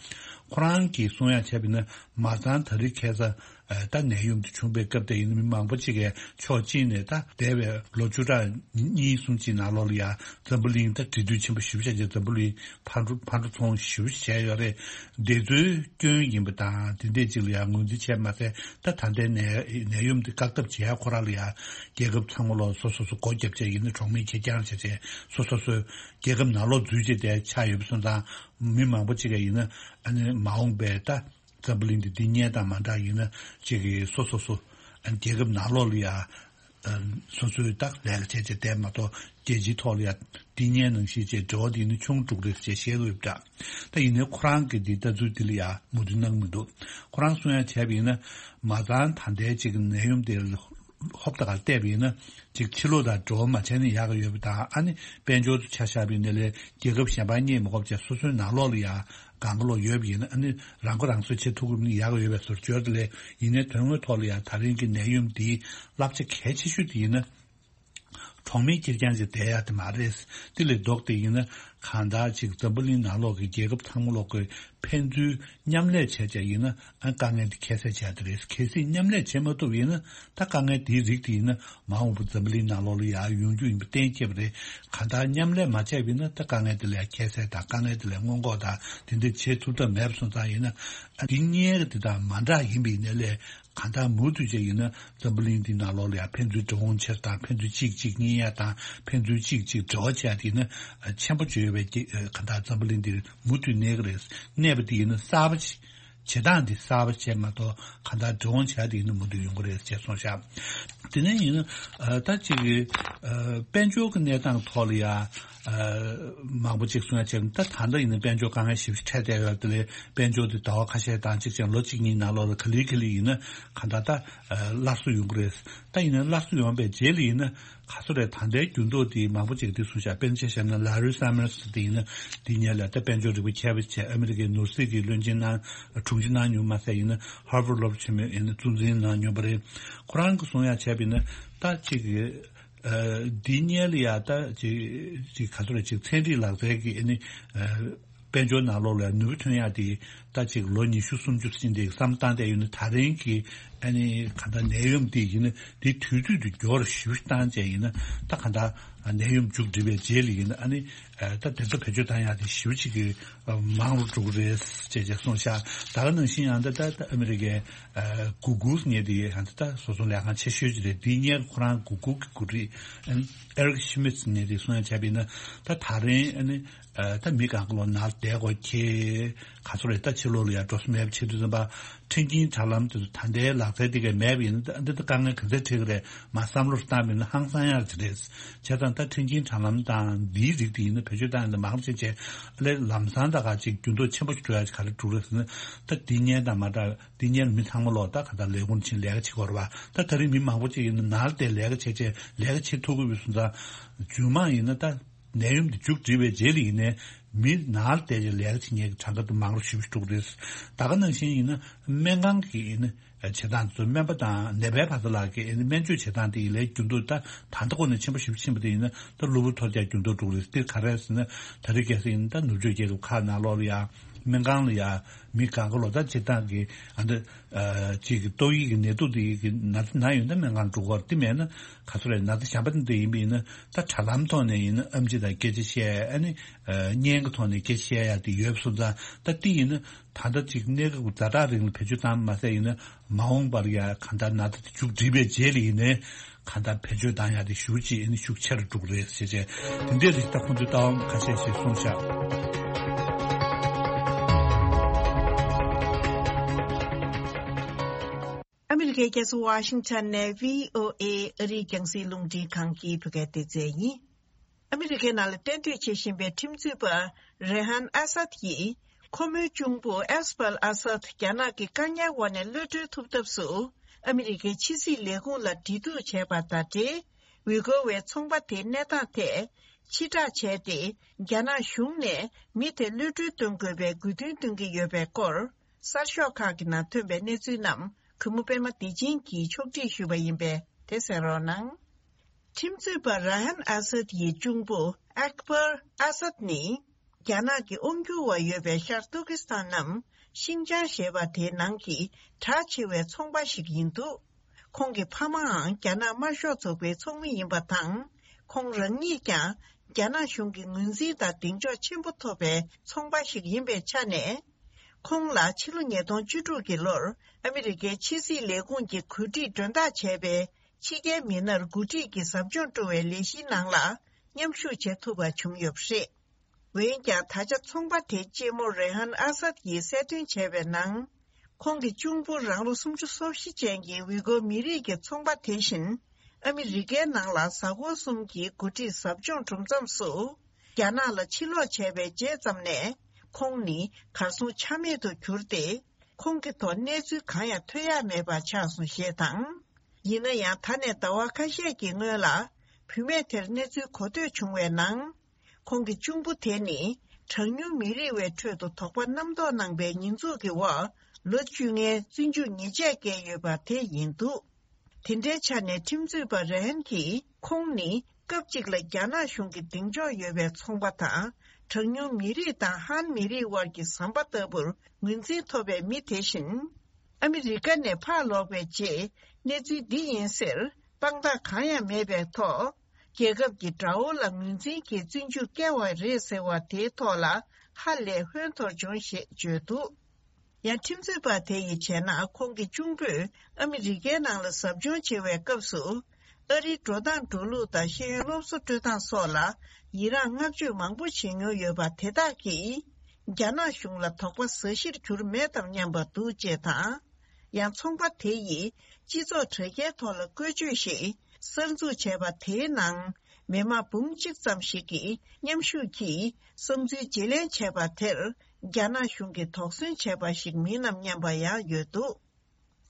ཁོ་རང་གིས་གསུང་ཡ་བྱས་པ་ཡིན་ན། མ་ཚང་ད་རེས་ཁ་སང་ཨ། ད་ནད་ཡམས་དེ་བྱུང་པའི་སྐབས་དེ་ཡིན་ན་མི་མང་པོ་ཅིག་གིས་ཕྱོགས་གཅིག་ནས་ད་འདས་པའི་ལོ་བཅུ་ཕྲག་གཉིས་གསུམ་ཅིག་ནང་ལོགས་ལ་ཡང་འཛམ་བུ་གླིང་ད་འབྲེལ་མཐུད་ཆེན་པོ་ཞེ་པོ་ཅིག་བྱས། འཛམ་བུ་གླིང་ཕར་འགྲོ་ཕར་འགྲོ་ཚུར་འོང་ཞེ་པོ་ཅིག་བྱས་ཡོད་རེད། འདི་ཚོའི་སྐྱོན་ཡིན་པ་དང་དེ་འདྲས་ཅིག་ལ་ཡང་ངོས་འཛིན་བྱས་མ་ཟད། ད་ད་ལྟའི་ནད་ནད་ཡམས་འདི་བཀག་ཐབས་བྱེད་ཡ་ཁོ་རང་ལ་ཡང་རྒྱལ་ཁབ་ཚང་མ་ལོག་སོ་སོ་སོ་སྒོ་བརྒྱབ་བྱས་ཡིན་ན་གྲོགས་མེད་ཁེར་རྐྱང་བྱས་བྱས་སོ་སོ་སོའི་རྒྱལ་ཁབ་ནང་ལོག་འཛུལ་བྱས་བསྡད་ཆགས་ཡོད་པ་སོང་ཙང་། མི་མང་པོ་ཅིག་གིས་ཡིན་ན་ཨ་ནི་མ་འོངས་པའི་ད་འཛམ་བུ་གླིང་འདི་འདི་སྔོན་དང་མ་འདྲ་ཡིན་ན་ཅིག་གིས་སོ་སོ་སོ་ཨ་ནི་རྒྱལ་ཁབ་ནང་ལོགས་ལ་ཡ་ཨ་སོ་སོའི་ད་ལས་ཀ་བྱས་བྱས་བསྡད་མ་གཏོགས། རྒྱལ་སྤྱིའི་ཐོག་ལ་ཡ་འདི་སྔོན་ནང་བཞིན་བྱས་འབྲེལ་བ་འདི་ནི་ཆུང་དྲགས་རེད་ཅེས་བཤད་ཀྱི་ཡོད་པ་འདྲ། ད་ཡིན་ནའི་ཁོ་རང་གི་འདི་ལྟ་ཚུལ་འདི་ལ་ཡ་མོས་མཐུན་གནང་གི་མི་འདུག་ཁོ་རང་གསུང་ཡ་བྱས་པ་ཡིན་ན། མ་ཚང་ད་ལྟའི་ཅིག་ནད་ཡམས་དེ་ཧོབ་ཏེ་ག་ལ་བལྟས་པ་ཡིན་ན། ཅིག་ཕྱི་ལོགས་དང་འབྲེལ་བ་མ་བྱས་ན་ཡག་གི་ཡོད་པ་དང་། ཨ་ནི་དཔལ་འབྱོར་དུ་ཆ་བཞག་པ་ཡིན་ན་ལས་རྒྱལ་ཁབ་གཞན་པ་རྙེད་མི་དགོས་པ་བྱས། སོ་སོའི་ནང་ལོགས་ལ་ཡ་གང་ག་ལོག་ཡོད་པ་ཡིན་ན། ཨ་ནི་རང་མགོ་རང་གསོ་བྱེད་ཐུབ་ཀྱི་ཡོད་པ་ན་ཡག་གི་ཡོད་པའི་བཟོ་བཅོས་དེ་ལས། ཡིན་ནའི་དོན་དངོས་ཐོག་ལ་ཡ་ད་རིང་གི་ནད་ཡམས་འདིའི་བསླབ་བྱ་གལ་ཆེ་ཤོས་དེ་ཡིན་ན། གྲོགས་མེད་ཁེར་རྐྱང་ཅིག་བསྡད་ཡ་དེ་མ་རེད། དེ་ལས་ལྡོག་སྟེ་ཡིན་ན་གང་ལྟར་ཅིག་འཛམ་བུ་གླིང་ནང་ལོགས་ཀྱི་རྒྱལ་ཁབ་ཚང་མ་ལོག་གི་ཕན་ཚུན་མཉམ་ལས་བྱས་བྱས་ཡིན་ན། ཨ། དཀའ་ངལ་འདི་ཁྱད་བསད་བྱས་དེ་རེད། གལ་སྲིད་མཉམ་ལས་བྱེད་མ་ཐུབ་ཡིན་ན། ད་དཀའ་ངལ་འདིའི་རིགས་དེ་ཡིན་ན་མ་འོངས་པ་འཛམ་བུ་གླིང་ནང་ལོགས་ལ་ཡང་ཡོང་རྒྱུ་ཡིན་པ་གཏན་འཁེལ་བ་རེད། གང་ལྟར་མཉམ་ལས་མ་བྱས་པ་ཡིན་ན་ད་དཀའ་ངལ་འདི་ལ་ཡང་ཁྱད་བསད་དང་། དཀའ་ངལ་འདི་ལ་སྔོན་འགོག་དང་དེ་འདྲ་བྱེད་ཐུབ་ཐབས་མེད་པ་སོང་ཙང་ཡིན་ན། ཨ། འདི་སྔོན་གྱི་འདི་དང་མ་འདྲ་ཡིན་པ་ཡིན་ནའི་ལས། གང་ལྟར་མུ་མཐུད་བྱས་ཡིན་ན་འཛམ་བུ་གླིང་འདི་ནང་ལོགས་ལ་ཡང་ཕན་ཚུན་འགྲོ་འོང་བྱེད་དང་། ཕན་ཚུན་གཅིག་གཅིག་གཉིས་ཡ་དང་། ཕན་ཚུན་གཅིག་གཅིག་འབྲེལ་བ་བྱེད་ཡ་དེ་ཡིན་ན་ཆེན་པོ་བྱེད་ཡོད་པའི་རྒྱ་གང་ལྟར་འཛམ་བུ་གླིང་འདིར་མུ་མཐུད་གནས་ཀྱི་རེད། གནས་པ་དེ་ཡིན་ན་གསར་པ་བྱེད་སྟངས་དེ་གསར་པ་བྱས་མ་གཏོགས། གང་ལྟར་འགྲོ་འོང་བྱེད་ཡ་དེ་ཡིན་ན་མུ་མཐུད་ཡོང་གི་རེད་ཅེས་གསུངས་ཤག་དེ་ནས་ཡིན་ན་ད་ཅིག་དཔལ་འབྱོར་གྱི་གནས་སྟངས་ཐོག་ལ་ཡ། ཨ། མང་པོ་ཅིག་གསུང་ཡ་བྱས། ད་ད་ལྟ་ཡིན་ན་དཔལ་འབྱོར་དཀའ་ངལ་ཞེ་པོ་ཅིག་འཕྲད་བསྡད་ཡོད་དེ་ལས། དཔལ་འབྱོར་དེ་ཟླ་བ་ཁ་ཤས་དང་གཅིག་ཅན་ལོ་གཅིག་གཉིས་ནང་ལོགས་ལ་ག་ལེ་ག་ལེ་ཡིན་ན་གང་ལྟར་ད་ཨ་སླར་གསོ་ཡོང་གི་རེད། ད་ཡིན་ན་སླར་གསོ་ཡོང་བའི་རྗེས་ལ་ཡིན་ན་ག་ཚོད་རེད། ད་ལྟའི་འགྱུར་ལྡོག་དེ་མང་པོ་ཅིག་དེ་གསུངས་ཤག་དཔེར་ན་ཆ་བཞག་ན་ལ་རི་སམ་མར་སི་དེ་ཡིན་ན། དེ་སྔོན་ལ་ད་དཔལ་འབྱོར་རིག་པ་མཁས་པ་བྱས། ཨ་མི་རི་ཀའི་ནོར་སྲིད་ཀྱི་བློན་ཆེན་གནང་། དྲུང་ཆེ་གནང་མྱོང་མ་ཟད་ཡིན་ན་ཧར་ཝར་སློབ་གྲྭ་ཆེན་མོའི་ཡིན་ན་གཙོ་འཛིན་གནང་མྱོང་བ་རེད། ཁོ་རང་གིས་གསུང་ཡ་བྱས་པ་ཡིན་ན་ད་ཅིག་ཨ། འདི་སྔོན་ལ་ཡ་ད་ཅིག་ཅིག་ག་ཚོད་རེད། ཅིག་ཚན་རིག་ལག་རྩལ་གྱི་ཨ་ནི་ཨ་དཔལ་འབྱོར་ནང་ལོགས་ལ་ནུས་པ་ཐོན་ཡག་དེ་ད་ཅིག་ལོ་ཉི་ཤུ་སུམ་ཅུ་ཕྱིན་དེ་བསམ་བཏང་བསྡད་ཡོད་ན། ད་རིང་གི་ཨ་ནི་གང་ལྟར་ནད་ཡམས་དེ་ཡིན་ན་དེ་དུས་ཚོད་དེ་མགྱོགས་རུ་ཞེ་པོ་བཏང་བྱས་ཡིན་ན། ད་གང་ལྟར་ནད་ཡམས་མཇུག་སྒྲིལ་བའི་རྗེས་ལ་ཡིན་ན་ཨ་ནི་ཨ་ད་དེ་ཚོ་བེད་སྤྱོད་བཏང་ཡག་དེ་ཞེ་པོ་ཅིག་གི་མང་རུ་འགྲོ་གི་རེད་ཅེས་ཅེས་གསུངས་ཤག་ད་ག་ནང་བཞིན་ཡང་ད་ད་ཨ་མི་རི་ཀའི་ཨ་གུ་གུལ་ངོས་དེ་ཡང་ད་ད་སོ་སོ་ལས་ཁང་ཆེ་ཤོས་ཅིག་རེད། དེའི་སྔོན་ཁོ་རང་གུ་གུལ་གྱི་འགོ་ཁྲིད་ཨེ་རིག་ཤི་མིད་ངོས་དེ་གསུང་ཡ་བྱས་པ་ཡིན་ན། ད་ད་རིང་ཨ་ནི་ཨ་ད་མི་གང་ག་ལོག་ནང་བསྡད་དགོས་ཁེལ། ག་ཚོད་རེད། ད་ཕྱི་ལོགས་ལ་ཡང་འགྲོ་ས་མེད་པ་བྱེད་དུས་ཙམ་པ། མཁྲེགས་འཛིན་དྲ་ལམ་དེ་ཚོ་ད་ལྟའི་ལག་རྩལ་དེ་གས་མེད་པ་ཡིན་ན་ད་འདི་ད་དཀའ་ངལ་ག་ཚོད་འཕྲད་ཀྱི་རེད། མར་བསམ་བློ་བཏང་བ་ཡིན་ན་ཧང་སང་ཡག་ཅིག་རེད། བྱས་ཙང་ད་མཁྲེགས་འཛིན་དྲ་ལམ་དང་འདིའི་རིགས་དེ་ཡིན་ན་བེད་སྤྱོད་བཏང་ཡ་ད་མང་རུ་བྱས་བྱས། ཨ་ལས་ལམ་སང་ད་ག་ཅིག་འགྱུར་ལྡོག་ཆེན་པོ་ཞིག་འགྲོ་ཡ་ཅིག་ག་རེ་འགྲོ་གི་རེད་ཟེར་ན། ད་འདི་སྔོན་དང་མ་འདྲ། འདི་སྔོན་མི་ཚང་མ་ལོག་ད་ག་ད་ལས་ཁུངས་ཕྱིན་ལས་ཀ་བྱེད་དགོས་རེད་པ། ད་ད་རིང་མི་མང་པོ་ཅིག་ཡིན་ན་ནང་ལ་བསྡད་ལས་ཀ་བྱེད་བྱེད་ལས་ཀ་བྱེད་ཐུབ་ཀྱི་ཡོད་པ་སོང་ཙང་། རྗེས་མ་ཡིན་ན་ད་ནད་ཡམས་འདི་མཇུག་སྒྲིལ་བའི་རྗེས་ལ་ཡིན་ནའི་མི་ནང་ལ་བསྡད་བྱས་ལས་ཀ་བྱེད་མཁན་གྱི་གྲངས་ཀ་དེ་མང་རུ་ཞེ་པོ་ཅིག་འགྲོ་གི་རེད། ད་ག་ནང་བཞིན་ཡིན་ན་སྨན་ཁང་གི་ཡིན་ན་བྱེད་སྟངས་དེ་ཚོ། སྨན་པ་དང་ནད་པའི་བར་དུ་ལ་གི་ཡིན་ན་སྨན་བཅོས་བྱེད་སྟངས་དེ་ཡིན་ལས་འགྱུར་ལྡོག་ད་ད་ལྟ་ཁོ་ནས་ཆེན་པོ་ཞེ་པོ་ཕྱིན་པ་དེ་ཡིན་ན་ད་གློ་བུར་ཐོལ་རྒྱག་འགྱུར་ལྡོག་འགྲོ་གི་རེད། དེ་ག་རེ་ཟེར་ན་ད་རིང་ཁ་སང་ཡིན་ན་ད་ནུབ་ཕྱོགས་རྒྱལ་ཁབ་ཁག་ནང་ལོགས་ལ་ཡ་སྨན་ཁང་ལ་ཡ་མི་གང་ག་ལོག་ད་སྤྱིར་བཏང་གི་ཨ་འདི་ཨ་ཅིག་གི་ཏོག་དབྱིབས་ཀྱི་ནད་དུག་དེ་གི་ན་ཚ་ན་ཡོད་ན་སྨན་ཁང་འགྲོ་དགོས་རེད། དེ་མེད་ན་ག་ཚོད་རེད། ན་ཚ་གཞན་པ་དེ་འདྲ་ཡིན་པ་ཡིན་ན་ད་དྲ་ལམ་ཐོག་ནས་ཡིན་ན་ཨེམ་ཆི་དང་སྐད་ཆ་བཤད། ཨ་ནི་ཨ་བརྙན་གྱི་ཐོག་ནས་སྐད་ཆ་བཤད་ཡ་དེ་ཡོད་པ་སོང་ཙང་། ད་དེ་ཡིན་ན་ད་ལྟ་ཅིག་གནས་སྐབས་ཀྱི་ཛ་དྲག་རིང་ལ་བེད་སྤྱོད་བཏང་མ་ཟད་ཡིན་ན་མ་འོངས་པར་ཡ་གང་ལྟར་ན་ཚ་དེ་མཇུག་སྒྲིལ་བའི་རྗེས་ལ་ཡིན་ནའི་གང་ལྟར་བེད་སྤྱོད་བཏང་ཡ་དེ་ཞེ་པོ་ཅིག་ཨ་ནི་ཤུགས་ཆེ་རུ་འགྲོ་གི་རེད་ཟེར་བྱས། དེ་འདྲའི་རིགས་ད་ཁོང་ཚོས་ལྟ་བ་ཁ་ཤས་ཤིག་གསུངས་ཤག་ཨ་མི་རི་ཀའི་རྒྱལ་ས་ཝ་ཤིང་ཊོན་ནས་བྷི་ཨོ་ཨེ་ཨ་རིའི་རྒྱང་སྲིང་རླུང་འཕྲིན་ཁང་གི་བོད་སྐད་སྡེ་ཚན་ཡིན། ཨ་མི་རི་ཀའི་ནང་ལ་གཏན་སྡོད་བྱེད་བཞིན་པའི་ཁྲིམས་རྩོད་པ་རེ་ཧན་ཨ་སད་ཀྱིས། ཁོ་མོའི་གཅུང་པོ་ཨེས་པལ་ཨ་སད་རྒྱ་ནག་གི་བཀག་ཉར་འོག་ནས་གློད་གྲོལ་ཐུབ་ཐབས་སུ། ཨ་མི་རི་ཀའི་ཕྱི་སྲིད་ལས་ཁུངས་ལ་འབྲེལ་གཏུག་བྱས་པ་དང་འབྲེལ། ཝི་གོ་བའི་ཚོང་པ་དེའི་གནས་སྟངས་ཐད་ཕྱིར་བསྒྲགས་བྱས་ཏེ། རྒྱ་ནག་གཞུང་ནས་མི་དེ་གློད་གྲོལ་གཏོང་དགོས་པའི་དགོས་འདུན་བཏོན་གྱི་ཡོད་པའི་སྐོར། གསར་ཤོག་ཁག་གི་ནང་ཐོན་པའི་གནས་ཚུལ་རྣམས་གུས་མོ་པད་མ་བདེ་ཆེན་གྱིས་ཕྱོགས་སྒྲིག་ཞུས་པ་ཡིན་པས་དེ་གསན་རོགས་གནང་། ཁྲིམས་རྩོད་པ་ར་ཧན་ཨ་སད་ཡི་གཅུང་པོ་ཨེག་པར་ཨ་སད་ནི། རྒྱ་ནག་གི་དབང་སྒྱུར་བ་ཡོད་པའི་ཤར་ཏུར་ཀི་སི་ཐན་ནམ་ཤིང་ཅང་ཞེས་པ་དེའི་ནང་གི་གྲགས་ཆེ་བའི་ཚོང་པ་ཞིག་ཡིན་འདུག་ཁོང་གི་ཕ་མའང་རྒྱ་ནག་དམར་ཤོག་ཚོགས་པའི་ཚོགས་མི་ཡིན་པ་དང་། ཁོང་རང་ཉིད་ཀྱང་རྒྱ་ནག་གཞུང་གི་ངོས་འཛིན་དང་གདེང་འཇོག་ཆེན་པོ་ཐོབ་པའི་ཚོང་པ་ཞིག་ཡིན་པའི་ཆ་ནས། ཁོང་ལ་ཕྱི་ལོ་ཉིས་སྟོང་བཅུ་དྲུག་གི་ལོར་ཨ་མི་རི་ཀའི་ཕྱི་སྲིད་ལས་ཁུངས་ཀྱི་གོ་སྒྲིག་མགྲོན་བདག་བྱས་པའི་ཕྱི་རྒྱལ་མི་སྣར་འགོ་ཁྲིད་ཀྱི་ཟབ་སྦྱོང་སྤྲོ་བའི་ལས་གཞིའི་ནང་ལ་མཉམ་ཞུགས་བྱེད་ཐུབ་པ་བྱུང་ཡོད་པ་རེད། འོན་ཀྱང་། ད་ཆ་ཚོང་པ་དེའི་གཅེན་མོ་རེ་ཧན་ཨ་སད་ཀྱིས་གསལ་སྟོན་བྱས་པའི་ནང་། ཁོང་གི་གཅུང་པོ་རང་ལོ་སུམ་ཅུ་སོ་བཞི་ཅན་གྱི་ཝི་གོ་མི་རིགས་ཀྱི་ཚོང་པ་དེ་བཞིན། ཨ་མི་རི་ཀའི་ནང་ལ་གཟའ་འཁོར་གསུམ་གྱི་འགོ་ཁྲིད་ཟབ་སྦྱོང་གྲུབ་མཚམས་སུ། རྒྱ་ནག་ལ་ཕྱིར་ལོག་བྱས་པའི་རྗེས་ཙམ་ནས། ཁོང་ནི་གར་སོང་ཆ་མེད་དུ་གྱུར་ཏེ། ཁོང་གི་ཐོག་གནས་ཚུལ་གང་ཡང་ཐོན་ཡ་མེད་པ་ཆགས་སོང་ཞེས་དང་། ཡིན་ན་ཡང་། ད་ནས་ཟླ་བ་ཁ་ཤས་ཀྱི་སྔོན་ལ། བུད་མེད་དེར་གནས་ཚུལ་གོ་ཐོས་བྱུང་བའི་ནང་། ཁོང་གི་གཅུང་པོ་དེ་ནི། གྲངས་ཉུང་མི་རིགས་པའི་ཁྲོད་དུ་དོགས་པ་རྣམ་རྟོག་གནང་པའི་ཉེས་འཛུགས་ཀྱི་འོག་ལོ་བཅོ་ལྔའི་བཙོན་འཇུག་ཉེས་ཆད་བཀལ་ཡོད་པ་དེ་ཡིན་འདུག་དེ་འདྲའི་ཆ་ནས་ཁྲིམས་རྩོད་པ་རེ་ཧན་གྱིས། ཁོང་ནི་སྐབས་གཅིག་ལ་རྒྱ་ནག་གཞུང་གི་གདེང་འཇོག་ཡོད་པའི་ཚོང་པ་དང་། གྲངས་ཉུང་མི་རིགས་དང་ཧན་མི་རིགས་དབར་གྱི་ཟམ་པ་ལྟ་བུར་ངོས་འཛིན་ཐོབ་པའི་མི་དེ་བཞིན། ཨ་མི་རི་ཀ་ནས་ཕར་ལོག་པའི་རྗེས། གནས་ཚུལ་འདི་ཡིན་ཟེར་དཔང་རྟགས་གང་ཡང་མེད་པའི་ཐོག་རྒྱལ་ཁབ་ཀྱི་དགྲ་བོ་ལ་ངོས་འཛིན་གྱིས་བཙོན་འཇུག་བཀལ་བ་རེད་ཟེར་བ་དེའི་ཐོག་ལ་ཧ་ལས་ཧོན་འཐོར་བྱུང་ཞེས་བརྗོད་འདུག་ཡང་ཁྲིམས་རྩོད་པ་དེ་ཡི་བྱས་ན། ཁོང་གི་གཅུང་པོས་ཨ་མི་རི་ཀའི་ནང་ལ་ཟབ་སྦྱོང་བྱེད་པའི་སྐབས་སུ། ཨ་རིའི་འགྲོ་སྟངས་འགྲོ་ལུགས་དང་ཤེས་ཡོན་སློབ་གསོ་སྤྲོད་སྟངས་སོགས་ལ་ཡི་རངས་བསྔགས་བརྗོད་མང་པོ་བྱེད་མྱོང་ཡོད་པ་དེ་དག་གིས། རྒྱ་ནག་གཞུང་ལ་དོགས་པ་ཟ་གཞིར་གྱུར་མེད་དམ་སྙམ་པ་འདུག་ཅེས་དང་། ཡང་ཚོང་པ་དེ་ཡིས་སྤྱི་ཚོགས་དྲ་རྒྱའི་ཐོག་ལ་བཀོལ་སྤྱོད་ཞིག་གསར་འཛུགས་བྱས་པ་དེའི་ནང་། མི་དམངས་འབུམ་གཅིག་ཙམ་ཞིག་གིས་མཉམ་ཞུགས་ཀྱིས་བསམ་ཚུལ་བརྗེ་ལེན་བྱས་པ་དེར། རྒྱ་ནག་གཞུང་གིས་དོགས་ཟོན་བྱས་པ་ཞིག་མིན་ནམ་སྙམ་པ་ཡང་ཡོད་འདུག་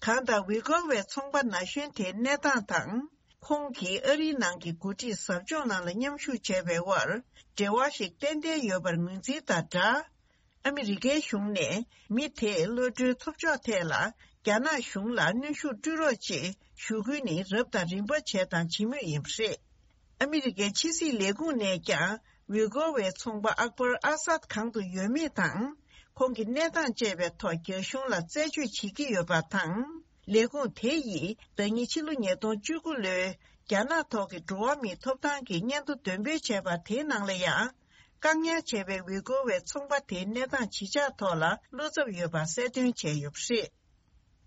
གང་ལྟར། ཝི་གོ་བའི་ཚོང་པ་ན་གཞོན་དེའི་གནས་སྟངས་དང་། ཁོང་གིས་ཨ་རིའི་ནང་གི་འགོ་ཁྲིད་ཟབ་སྦྱོང་ནང་ལ་མཉམ་ཞུགས་བྱས་པའི་དབར། འབྲེལ་བ་ཞིག་ཏན་ཏན་ཡོད་པར་ངོས་འཛིན་དང་སྦྲགས། ཨ་མི་རི་ཀའི་གཞུང་ནས་མི་དེས་གློད་གྲོལ་ཐོབ་ཕྱོགས་ཐད་ལ། རྒྱ་ནག་གཞུང་ལ་གནོན་ཤུགས་སྤྲོད་རོགས་ཅེས་ཞུ་སྐུལ་ནི་རབ་དང་རིམ་པ་བྱས་དང་བྱེད་མུས་ཡིན་པ་རེད། ཨ་མི་རི་ཀའི་ཕྱི་སྲིད་ལས་ཁུངས་ནས་ཀྱང་། ཝི་གོ་བའི་ཚོང་པ་ཨག་པར་ཨ་སཱད་གང་དུ་ཡོད་མེད་དང་། ཁོང་གི་གནས་སྟངས་བཅས་པའི་ཐོག་རྒྱ་གཞུང་ལ་རྩད་གཅོད་བྱེད་ཀྱི་ཡོད་པ་དང་། ལས་ཁུངས་དེ་ཡིས་ཟླ་ཉིན་ཕྱི་ལོ་ཉིས་སྟོང་བཅུ་དགུ་ལོའི་རྒྱ་ནག་ཐོག་གི་འགྲོ་བ་མིའི་ཐོབ་ཐང་གི་སྙན་ཐོ་འདོན་སྤེལ་བྱས་པ་དེའི་ནང་ལ་ཡང་། བཀག་ཉར་བྱས་པའི་ཝི་གོ་བའི་ཚོང་པ་དེའི་གནས་སྟངས་ཇི་ཆགས་ཐོག་ལ་བློ་འཚབ་ཡོད་པ་གསལ་སྟོན་བྱས་ཡོད་པ་རེད།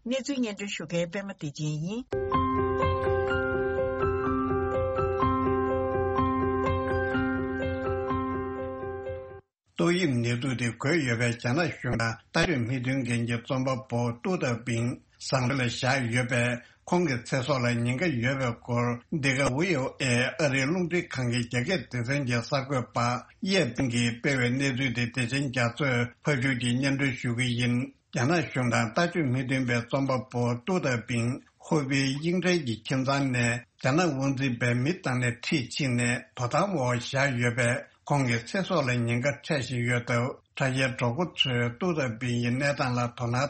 གནས་ཚུལ་སྙན་སྒྲོན་ཞུ་མཁན་པད་མ་བདེ་ཆེན་ཡིན། ཏོག་དབྱིབས་ནད་དུག་དེ་འགོས་ཡོད་པའི་རྒྱ་ནག་གཞུང་ལ་ལྟ་གྲུབ་མིག་མདུན་མཁན་གྱི་རྩོམ་པ་པོ་ཏུའུ་ཏའོ་པིང་བཟང་པོ་ལ་བཞག་ཡོད་པས། ཁོང་གི་ཚེ་སྲོག་ལ་ཉེན་ཁ་ཡོད་པའི་སྐོར། འདི་ག་ཝི་ཨོ་ཨེ་ཨ་རིའི་རླུང་འཕྲིན་ཁང་གི་རྒྱ་སྐད་སྡེ་ཚན་གྱི་གསར་འགོད་པ་གཡས་པིང་གིས་སྤེལ་བའི་གནས་ཚུལ་དེ་བདེ་ཆེན་རྒྱ་མཚོས་ཕབ་སྒྱུར་གྱིས་སྙན་སྒྲོན་ཞུ་གི་ཡིན། རྒྱ་ནག་གཞུང་དང་ལྟ་སྤྱོད་མི་མཐུན་པའི་རྩོམ་པ་པོ་ཏུའུ་ཏའོ་པིང་ཧུའུ་པེ་དབྱིངས་ཁྲལ་གྱི་ཁྱིམ་ཚང་ནས་རྒྱ་ནག་དབང་འཛིན་པའི་མི་བཏང་ནས་ཁྲིད་ཕྱིན་ནས་དོ་དམ་འོག་བཞག་ཡོད་པས། ཁོང་གི་ཚེ་སྲོག་ལ་ཉེན་ཁ་འཕྲད་བཞིན་ཡོད་སྟབས། དྲ་རྒྱའི་གྲོགས་པོ་ཚོས་ཏུའུ་ཏའོ་པིང་ཡི་གནས་སྟངས་ལ་དོ་སྣང་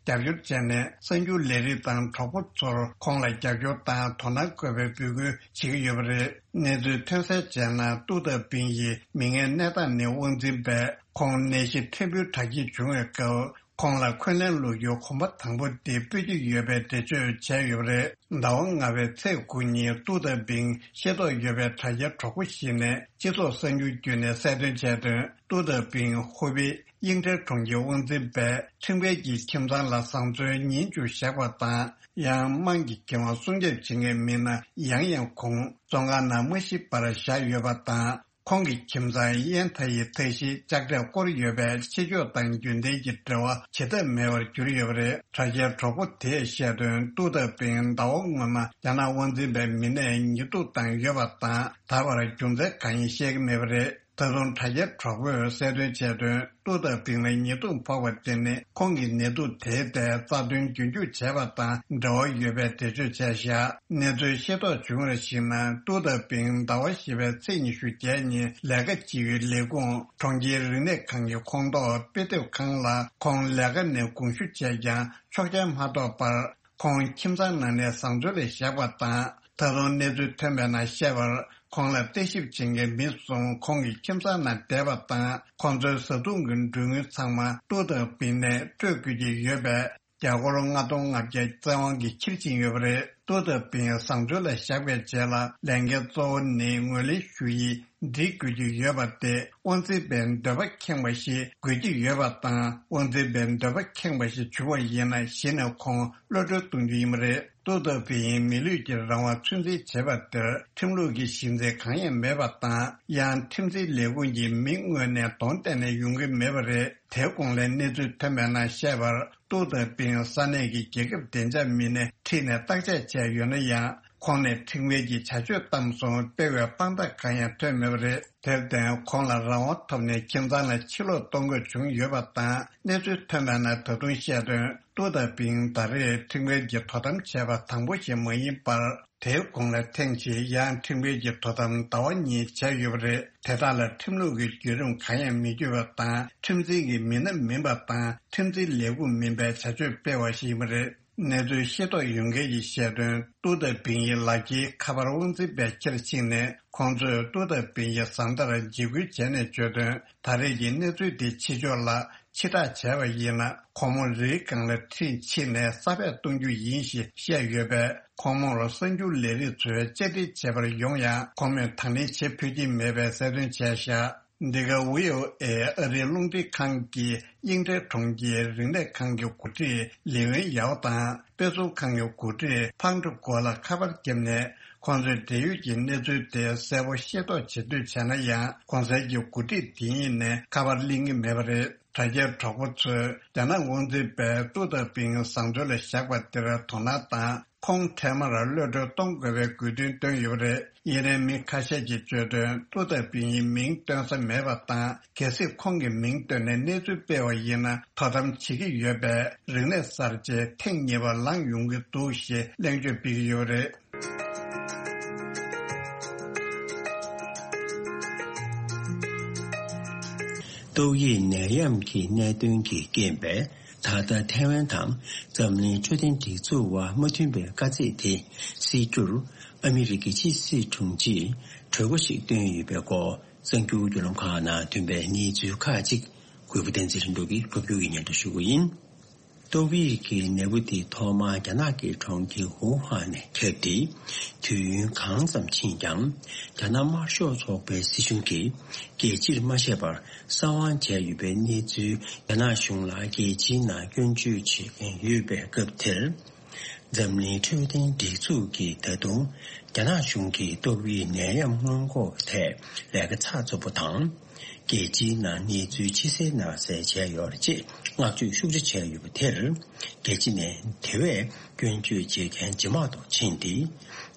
དང་རྒྱབ་སྐྱོར་བྱས་ནས། གསར་འགྱུར་ལས་རིགས་དང་གྲོགས་པོ་ཚོར་ཁོང་ལ་རྒྱབ་སྐྱོར་དང་དོ་སྣང་དགོས་པའི་འབོད་སྐུལ་བྱེད་ཀྱི་ཡོད་པ་རེད། གནས་ཚུལ་ཐོན་གསལ་བྱས་ན། ཏུའུ་ཏའོ་པིང་ཡི་མིག་སྔའི་གནས་སྟངས་ནི་དབང་འཛིན་པས་ཁོང་ནད་གཞི་ཕྲན་བུའི་དྲག་སྐྱེད་བྱུང་བའི་སྐབས། ཁོང་ལ་འཁོན་ལན་སློག་རྒྱུའི་གོམ་པ་དང་པོ་དེ་སྤོས་ཀྱི་ཡོད་པའི་འགྲེལ་བརྗོད་བྱས་ཡོད་པ་རེད། ཟླ་བ་ལྔ་པའི་ཚེས་དགུ་ཉིན་ཏུའུ་ཏའོ་པིང་ཤེས་རྟོགས་ཡོད་པའི་དྲ་རྒྱའི་གྲོགས་པོ་ཞིག་ནས་སྤྱི་ཚོགས་གསར་འགྱུར་བརྒྱུད་ནས་གསལ་སྟོན་བྱས་དོན། ཏུའུ་ཏའོ་པིང་ཧུའུ་པེ་དབྱིངས་ཁྲལ་གྲོང་ཁྱེར་དབང་འཛིན་པས་ཁྲིམས་འགལ་གྱིས་ཁྱིམ་ཚང་ལ་བཟང་བཙོན་ཉིན་བཅུ་བཞག་པ་དང་། ཡང་དམངས་ཀྱི་འགན་དབང་སྲུང་སྐྱོབ་བྱེད་མཁན་མི་སྣ་ཡང་ཡང་ཁོང་བཙོན་ཁང་ནང་མ་ཤི་བར་བཞག་ཡོད་པ་དང་། ཁོང་གི་ཁྱིམ་ཚང་ཡན་ཐ་ཡི་ཐ་གཞིས་ལྕགས་དྲས་བསྐོར་ཡོད་པས། ཕྱི་ཕྱོགས་དང་རྒྱུན་ལྡན་གྱི་འབྲེལ་བ་བྱེད་ཐབས་མེད་པར་གྱུར་ཡོད་པ་རེད། དྲ་རྒྱའི་གྲོགས་པོ་དེས་བཤད་དོན། ཏུའུ་ཏའོ་ཕིང་ཟླ་བ་སྔོན་མ་རྒྱ་ནག་དབང་འཛིན་པའི་མི་སྣས་ཉེས་འཛུགས་བཏང་ཡོད་པ་དང་། ད་བར་རྒྱུ་མཚན་གང་ཡིན་བཤད་ཀྱི་མེད་པ་རེད། ད་དུང་དྲ་རྒྱའི་གྲོགས་པོས་གསལ་སྟོན་བྱས་དོན། ཏུའུ་ཏའོ་ཕིང་ལ་ཉེས་འཛུགས་ཕོག་པ་དེ་ནི། ཁོང་གིས་ནད་དུག་དེའི་ཐད་རྩ་དོན་རྒྱུན་འཁྱོངས་བྱས་པ་དང་འབྲེལ་བ་ཡོད་པའི་འགྲེལ་བརྗོད་བྱས་བཞག་གནས་ཚུལ་ཤེས་རྟོགས་བྱུང་བར་གཞིགས་ན། ཏུའུ་ཏའོ་ཕིང་ཟླ་བ་བཞི་པའི་ཚེས་ཉི་ཤུ་བརྒྱད་ཉིན་ལས་ཀ་བྱེད་ཡུལ་ལས་ཁུངས་གྲོང་ཁྱེར་རིག་གནས་ཁང་གི་ཁོངས་གཏོགས་དཔེ་དེབ་ཁང་ལ། ཁོང་ལས་ཀ་ནས་དགོངས་ཞུ་བྱས་ཀྱང་ཆོག་མཆན་མ་ཐོབ་པར། ཁོང་ཁྱིམ་ཚང་ནང་ནས་བཟང་སྤྱོད་ལ་བཞག་པ་དང་། ད་དུང་གནས་ཚུལ་ཐོན་པའི་ནང་བཤད་པར། ཁོང་ལ་བརྟག་ཞིབ་བྱེད་མཁན་མི་གསུམ་ཁོང་གི་ཁྱིམ་ཚང་ནང་བསྡད་པ་དང་། ཁོང་ཚོའི་བཟའ་བཏུང་གི་མགྲོན་དངུལ་ཚང་མ་ཏུའུ་ཏའོ་ཕིང་ནས་སྤྲོད་དགོས་ཀྱི་ཡོད་པས། རྒྱ་སྒོར་ལྔ་སྟོང་ལྔ་བརྒྱ་བཙན་དབང་གིས་འཁྱེར་ཕྱིན་ཡོད་པ་རེད། ཏུའུ་ཏའོ་ཕིང་བཟང་སྤྱོད་ལ་བཞག་པའི་རྗེས་ལ། ལས་འགན་གཙོ་བོ་ནི་ངོས་ལེན་ཞུ་ཡིག་འབྲི་དགོས་ཀྱི་ཡོད་པ་སྟེ། དབང་འཛིན་པའི་འདོད་པ་ཁེངས་པ་ཞིག་དགོས་ཀྱི་ཡོད་པ་དང་། དབང་འཛིན་པའི་འདོད་པ་ཁེངས་པ་ཞིག་བྱུང་བ་ཡིན་ན། གཞི་ནས་ཁོང་གློད་གྲོལ་གཏོང་རྒྱུ་ཡིན་པ་རེད། ཏུའུ་ཏའོ་ཕིང་མི་ལུས་ཀྱི་རང་དབང་ཚུད་འཛིན་བྱས་པ་དེར་ཁྲིམས་ལུགས་ཀྱི་གཞི་འཛིན་གང་ཡང་མེད་པ་དང་། ཡང་ཁྲིམས་འཛིན་ལས་ཁུངས་ཀྱི་མིང་དངོས་གནས་གདོང་གཏད་ནས་ཡོང་གི་མེད་པ་རེད། དེའི་གོང་ལ་གནས་ཚུལ་ཐོན་པའི་ནང་བཤད་པར། ཏུའུ་ཏའོ་ཕིང་ས་གནས་ཀྱི་རྒྱལ་ཁབ་བདེ་འཇགས་མི་སྣས་ཁྲིད་ནས་བརྟག་དཔྱད་བྱས་ཡོད་ན་ཡང་། ཁོང་ནས་ཁྲིམས་འགལ་གྱི་བྱ་སྤྱོད་བཏང་སོང་སྤེལ་བའི་དཔང་རྟགས་གང་ཡང་ཐོན་མེད་པ་རེད། དེར་བརྟེན། ཁོང་ལ་རང་དབང་ཐོབ་ནས་ཁྱིམ་ཚང་ལ་ཕྱིར་ལོག་གཏོང་དགོས་བྱུང་ཡོད་པ་དང་། གནས་ཚུལ་ཐོན་པའི་ནང་ད་དུང་བཤད་དོན། ཏུའུ་ཏའོ་ཕིང་ད་རེས་ཁྲིམས་འགལ་གྱི་དོ་དམ་བྱས་པ་དང་པོ་ཞིག་མ་ཡིན་པར། དེའི་གོང་ལ་ཐེངས་གཅིག་ཡང་ཁྲིམས་འགལ་གྱི་དོ་དམ་ཟླ་བ་གཉིས་བྱས་ཡོད་པ་རེད། དེ་དག་ལ་ཁྲིམས་ལུགས་ཀྱི་བརྒྱུད་རིམ་གང་ཡང་མི་བརྒྱུད་པ་དང་། ཁྲིམས་འཛིན་གྱི་མི་སྣ་མིན་པ་དང་། ཁྲིམས་འཛིན་ལས་ཁུངས་མིན་པའི་བྱ་སྤྱོད་སྤེལ་བ་ཞིག་ཡིན་པ་རེད། གནས་ཚུལ་ཤེས་རྟོགས་ཡོད་མཁན་གྱིས་བཤད་དོན། ཏུའུ་ཏའོ་ཕིང་ཡི་ལག་འཁྱེར་ཁ་པར་དབང་འཛིན་པས་འཁྱེར་ཕྱིན་ནས། ཁོང་ཚོས་ཏུའུ་ཏའོ་ཕིང་ཡི་བཟའ་ཟླར་འཇིགས་སྐུལ་བྱས་ནས་བརྗོད་དོན། ད་རེས་ཀྱི་གནས་ཚུལ་དེ་ཕྱི་ཕྱོགས་ལ་ཕྱིར་བསྒྲགས་བྱས་པ་ཡིན་ན། ཁོང་མོ་རིའི་སྒང་ལ་ཁྲིད་ཕྱིན་ནས་ས་སྦས་གཏོང་རྒྱུ་ཡིན་ཞེས་བཤད་ཡོད་པས། ཁོང་མོར་གསར་འགྱུར་ལས་རིགས་ཚོས་བཅར་འདྲི་བྱེད་པར་ཡོང་ཡང་། ཁོང་མོས་དང་ལེན་བྱེད་ཕོད་ཀྱི་མེད་པའི་གསལ་སྟོན་བྱས་བཞག་འདི་ག་ཝི་ཨོ་ཨེ་ཨ་རིའི་རླུང་འཕྲིན་ཁང་གིས་དབྱིན་ཁྲའེ་གྲོང་ཁྱེར་རིག་གནས་ཁང་གི་འགོ་ཁྲིད་ལི་ཝེན་ཡའོ་དང་། དཔེ་ཚོང་ཁང་གི་འགོ་ཁྲིད་ཕང་ཀྲུ་གོ་ལ་ཁ་པར་བརྒྱབ་ནས། ཁོང་ཚོས་འབྲེལ་ཡོད་ཀྱི་གནས་ཚུལ་དེ་གསལ་པོ་ཤེས་རྟོགས་བྱེད་འདོད་བྱས་ན་ཡང་། གོང་གསལ་གྱི་འགོ་ཁྲིད་དེ་ཉིད་ནས་ཁ་པར་ལེན་གྱི་མེད་པ་རེད། དྲ་རྒྱའི་གྲོགས་པོ་ཚོས་རྒྱ་ནག་དབང་འཛིན་པས་ཏུའུ་ཏའོ་ཕིང་བཟང་སྤྱོད་ལ་བཞག་པ་དེར་དོ་སྣང་དང་། ཁོང་འཕྲལ་མར་གློད་གྲོལ་གཏོང་དགོས་པའི་དགོས་འདུན་བཏོན་ཡོད་པ་རེད། དབྱིན་ལན་མི་ཁ་ཤས་ཀྱིས་བརྗོད་དོན། ཏུའུ་ཏའོ་ཕིང་ཡི་མིང་བཏོན་ས་མེད་པ་དང་། གལ་སྲིད་ཁོང་གི་མིང་བཏོན་ནས་གནས་ཚུལ་སྤེལ་བ་ཡིན་ན། དོ་དམ་བྱེད་ཀྱི་ཡོད་པས། རིག་གནས་གསར་བརྗེ་ཐེངས་གཉིས་པ་ལངས་ཡོང་གི་འདུག་ཞེས་གླེང་བརྗོད་སྤེལ་གྱི་ཡོད་པ་རེད། ཏོག་དབྱིབས་ནད་ཡམས་ཀྱི་གནད་དོན་གྱི་རྐྱེན་པས། ད་ལྟ་ཐའེ་ཝན་དང་འཛམ་གླིང་འཕྲོད་བསྟེན་སྒྲིག་འཛུགས་དབར་མ་མཐུན་པའི་དཀའ་ཚེགས་དེ་སེལ་རྒྱུར། ཨ་མི་རི་ཀའི་ཕྱི་སྲིད་དྲུང་ཆེས་གྲོས་འགོ་ཞིག་བཏོན་ཡོད་པའི་སྐོར། གསར་འགྱུར་བརྒྱུད་ལམ་ཁག་ནང་ཐོན་པའི་གནས་ཚུལ་ཁག་ཅིག་གུས་པ་བསྟན་འཛིན་ལྷུན་གྲུབ་ཀྱིས་ཕབ་སྒྱུར་གྱིས་སྙན་སྒྲོན་ཞུ་གི་ཡིན། ཏོག་དབྱིབས་ཀྱི་ནད་འབུ་དེ་ཐོག་མར་རྒྱ་ནག་གི་གྲོང་ཁྱེར་ཝུ་ཧན་ནས་ཁྱབ་སྟེ། དུས་ཡུན་གང་ཙམ་ཕྱིན་ཀྱང་། རྒྱ་ནག་དམར་ཤོག་ཚོགས་པའི་སྲིད་གཞུང་གིས་རྒྱལ་སྤྱིར་མ་བཤད་པར་གསང་བ་བྱས་ཡོད་པའི་གནས་ཚུལ་རྒྱ་ནག་གཞུང་ལ་རྒྱལ་སྤྱིའི་ནང་སྐྱོན་བརྗོད་བྱེད་མཁན་ཡོད་པའི་སྐབས་དེར། འཛམ་གླིང་འཕྲོད་བསྟེན་སྒྲིག་འཛུགས་ཀྱིས་ད་དུང་རྒྱ་ནག་གཞུང་གིས་ཏོག་དབྱིབས་ནད་ཡམས་སྔོན་འགོག་གི་ཐད་ལས་ཀ་ཚགས་ཚུད་པོ་དང་། རྒྱལ་སྤྱིའི་ནང་གནས་ཚུལ་ཕྱི་གསལ་ནང་གསལ་བྱས་ཡོད་རེད་ཅེས་བསྔགས་བརྗོད་ཤུགས་ཆེ་བྱས་ཡོད་པ་དེར། རྒྱལ་སྤྱི་ནས་དེ་བས་སྐྱོན་བརྗོད་བྱེད་མཁན་ཇེ་མང་དུ་ཕྱིན་ཏེ།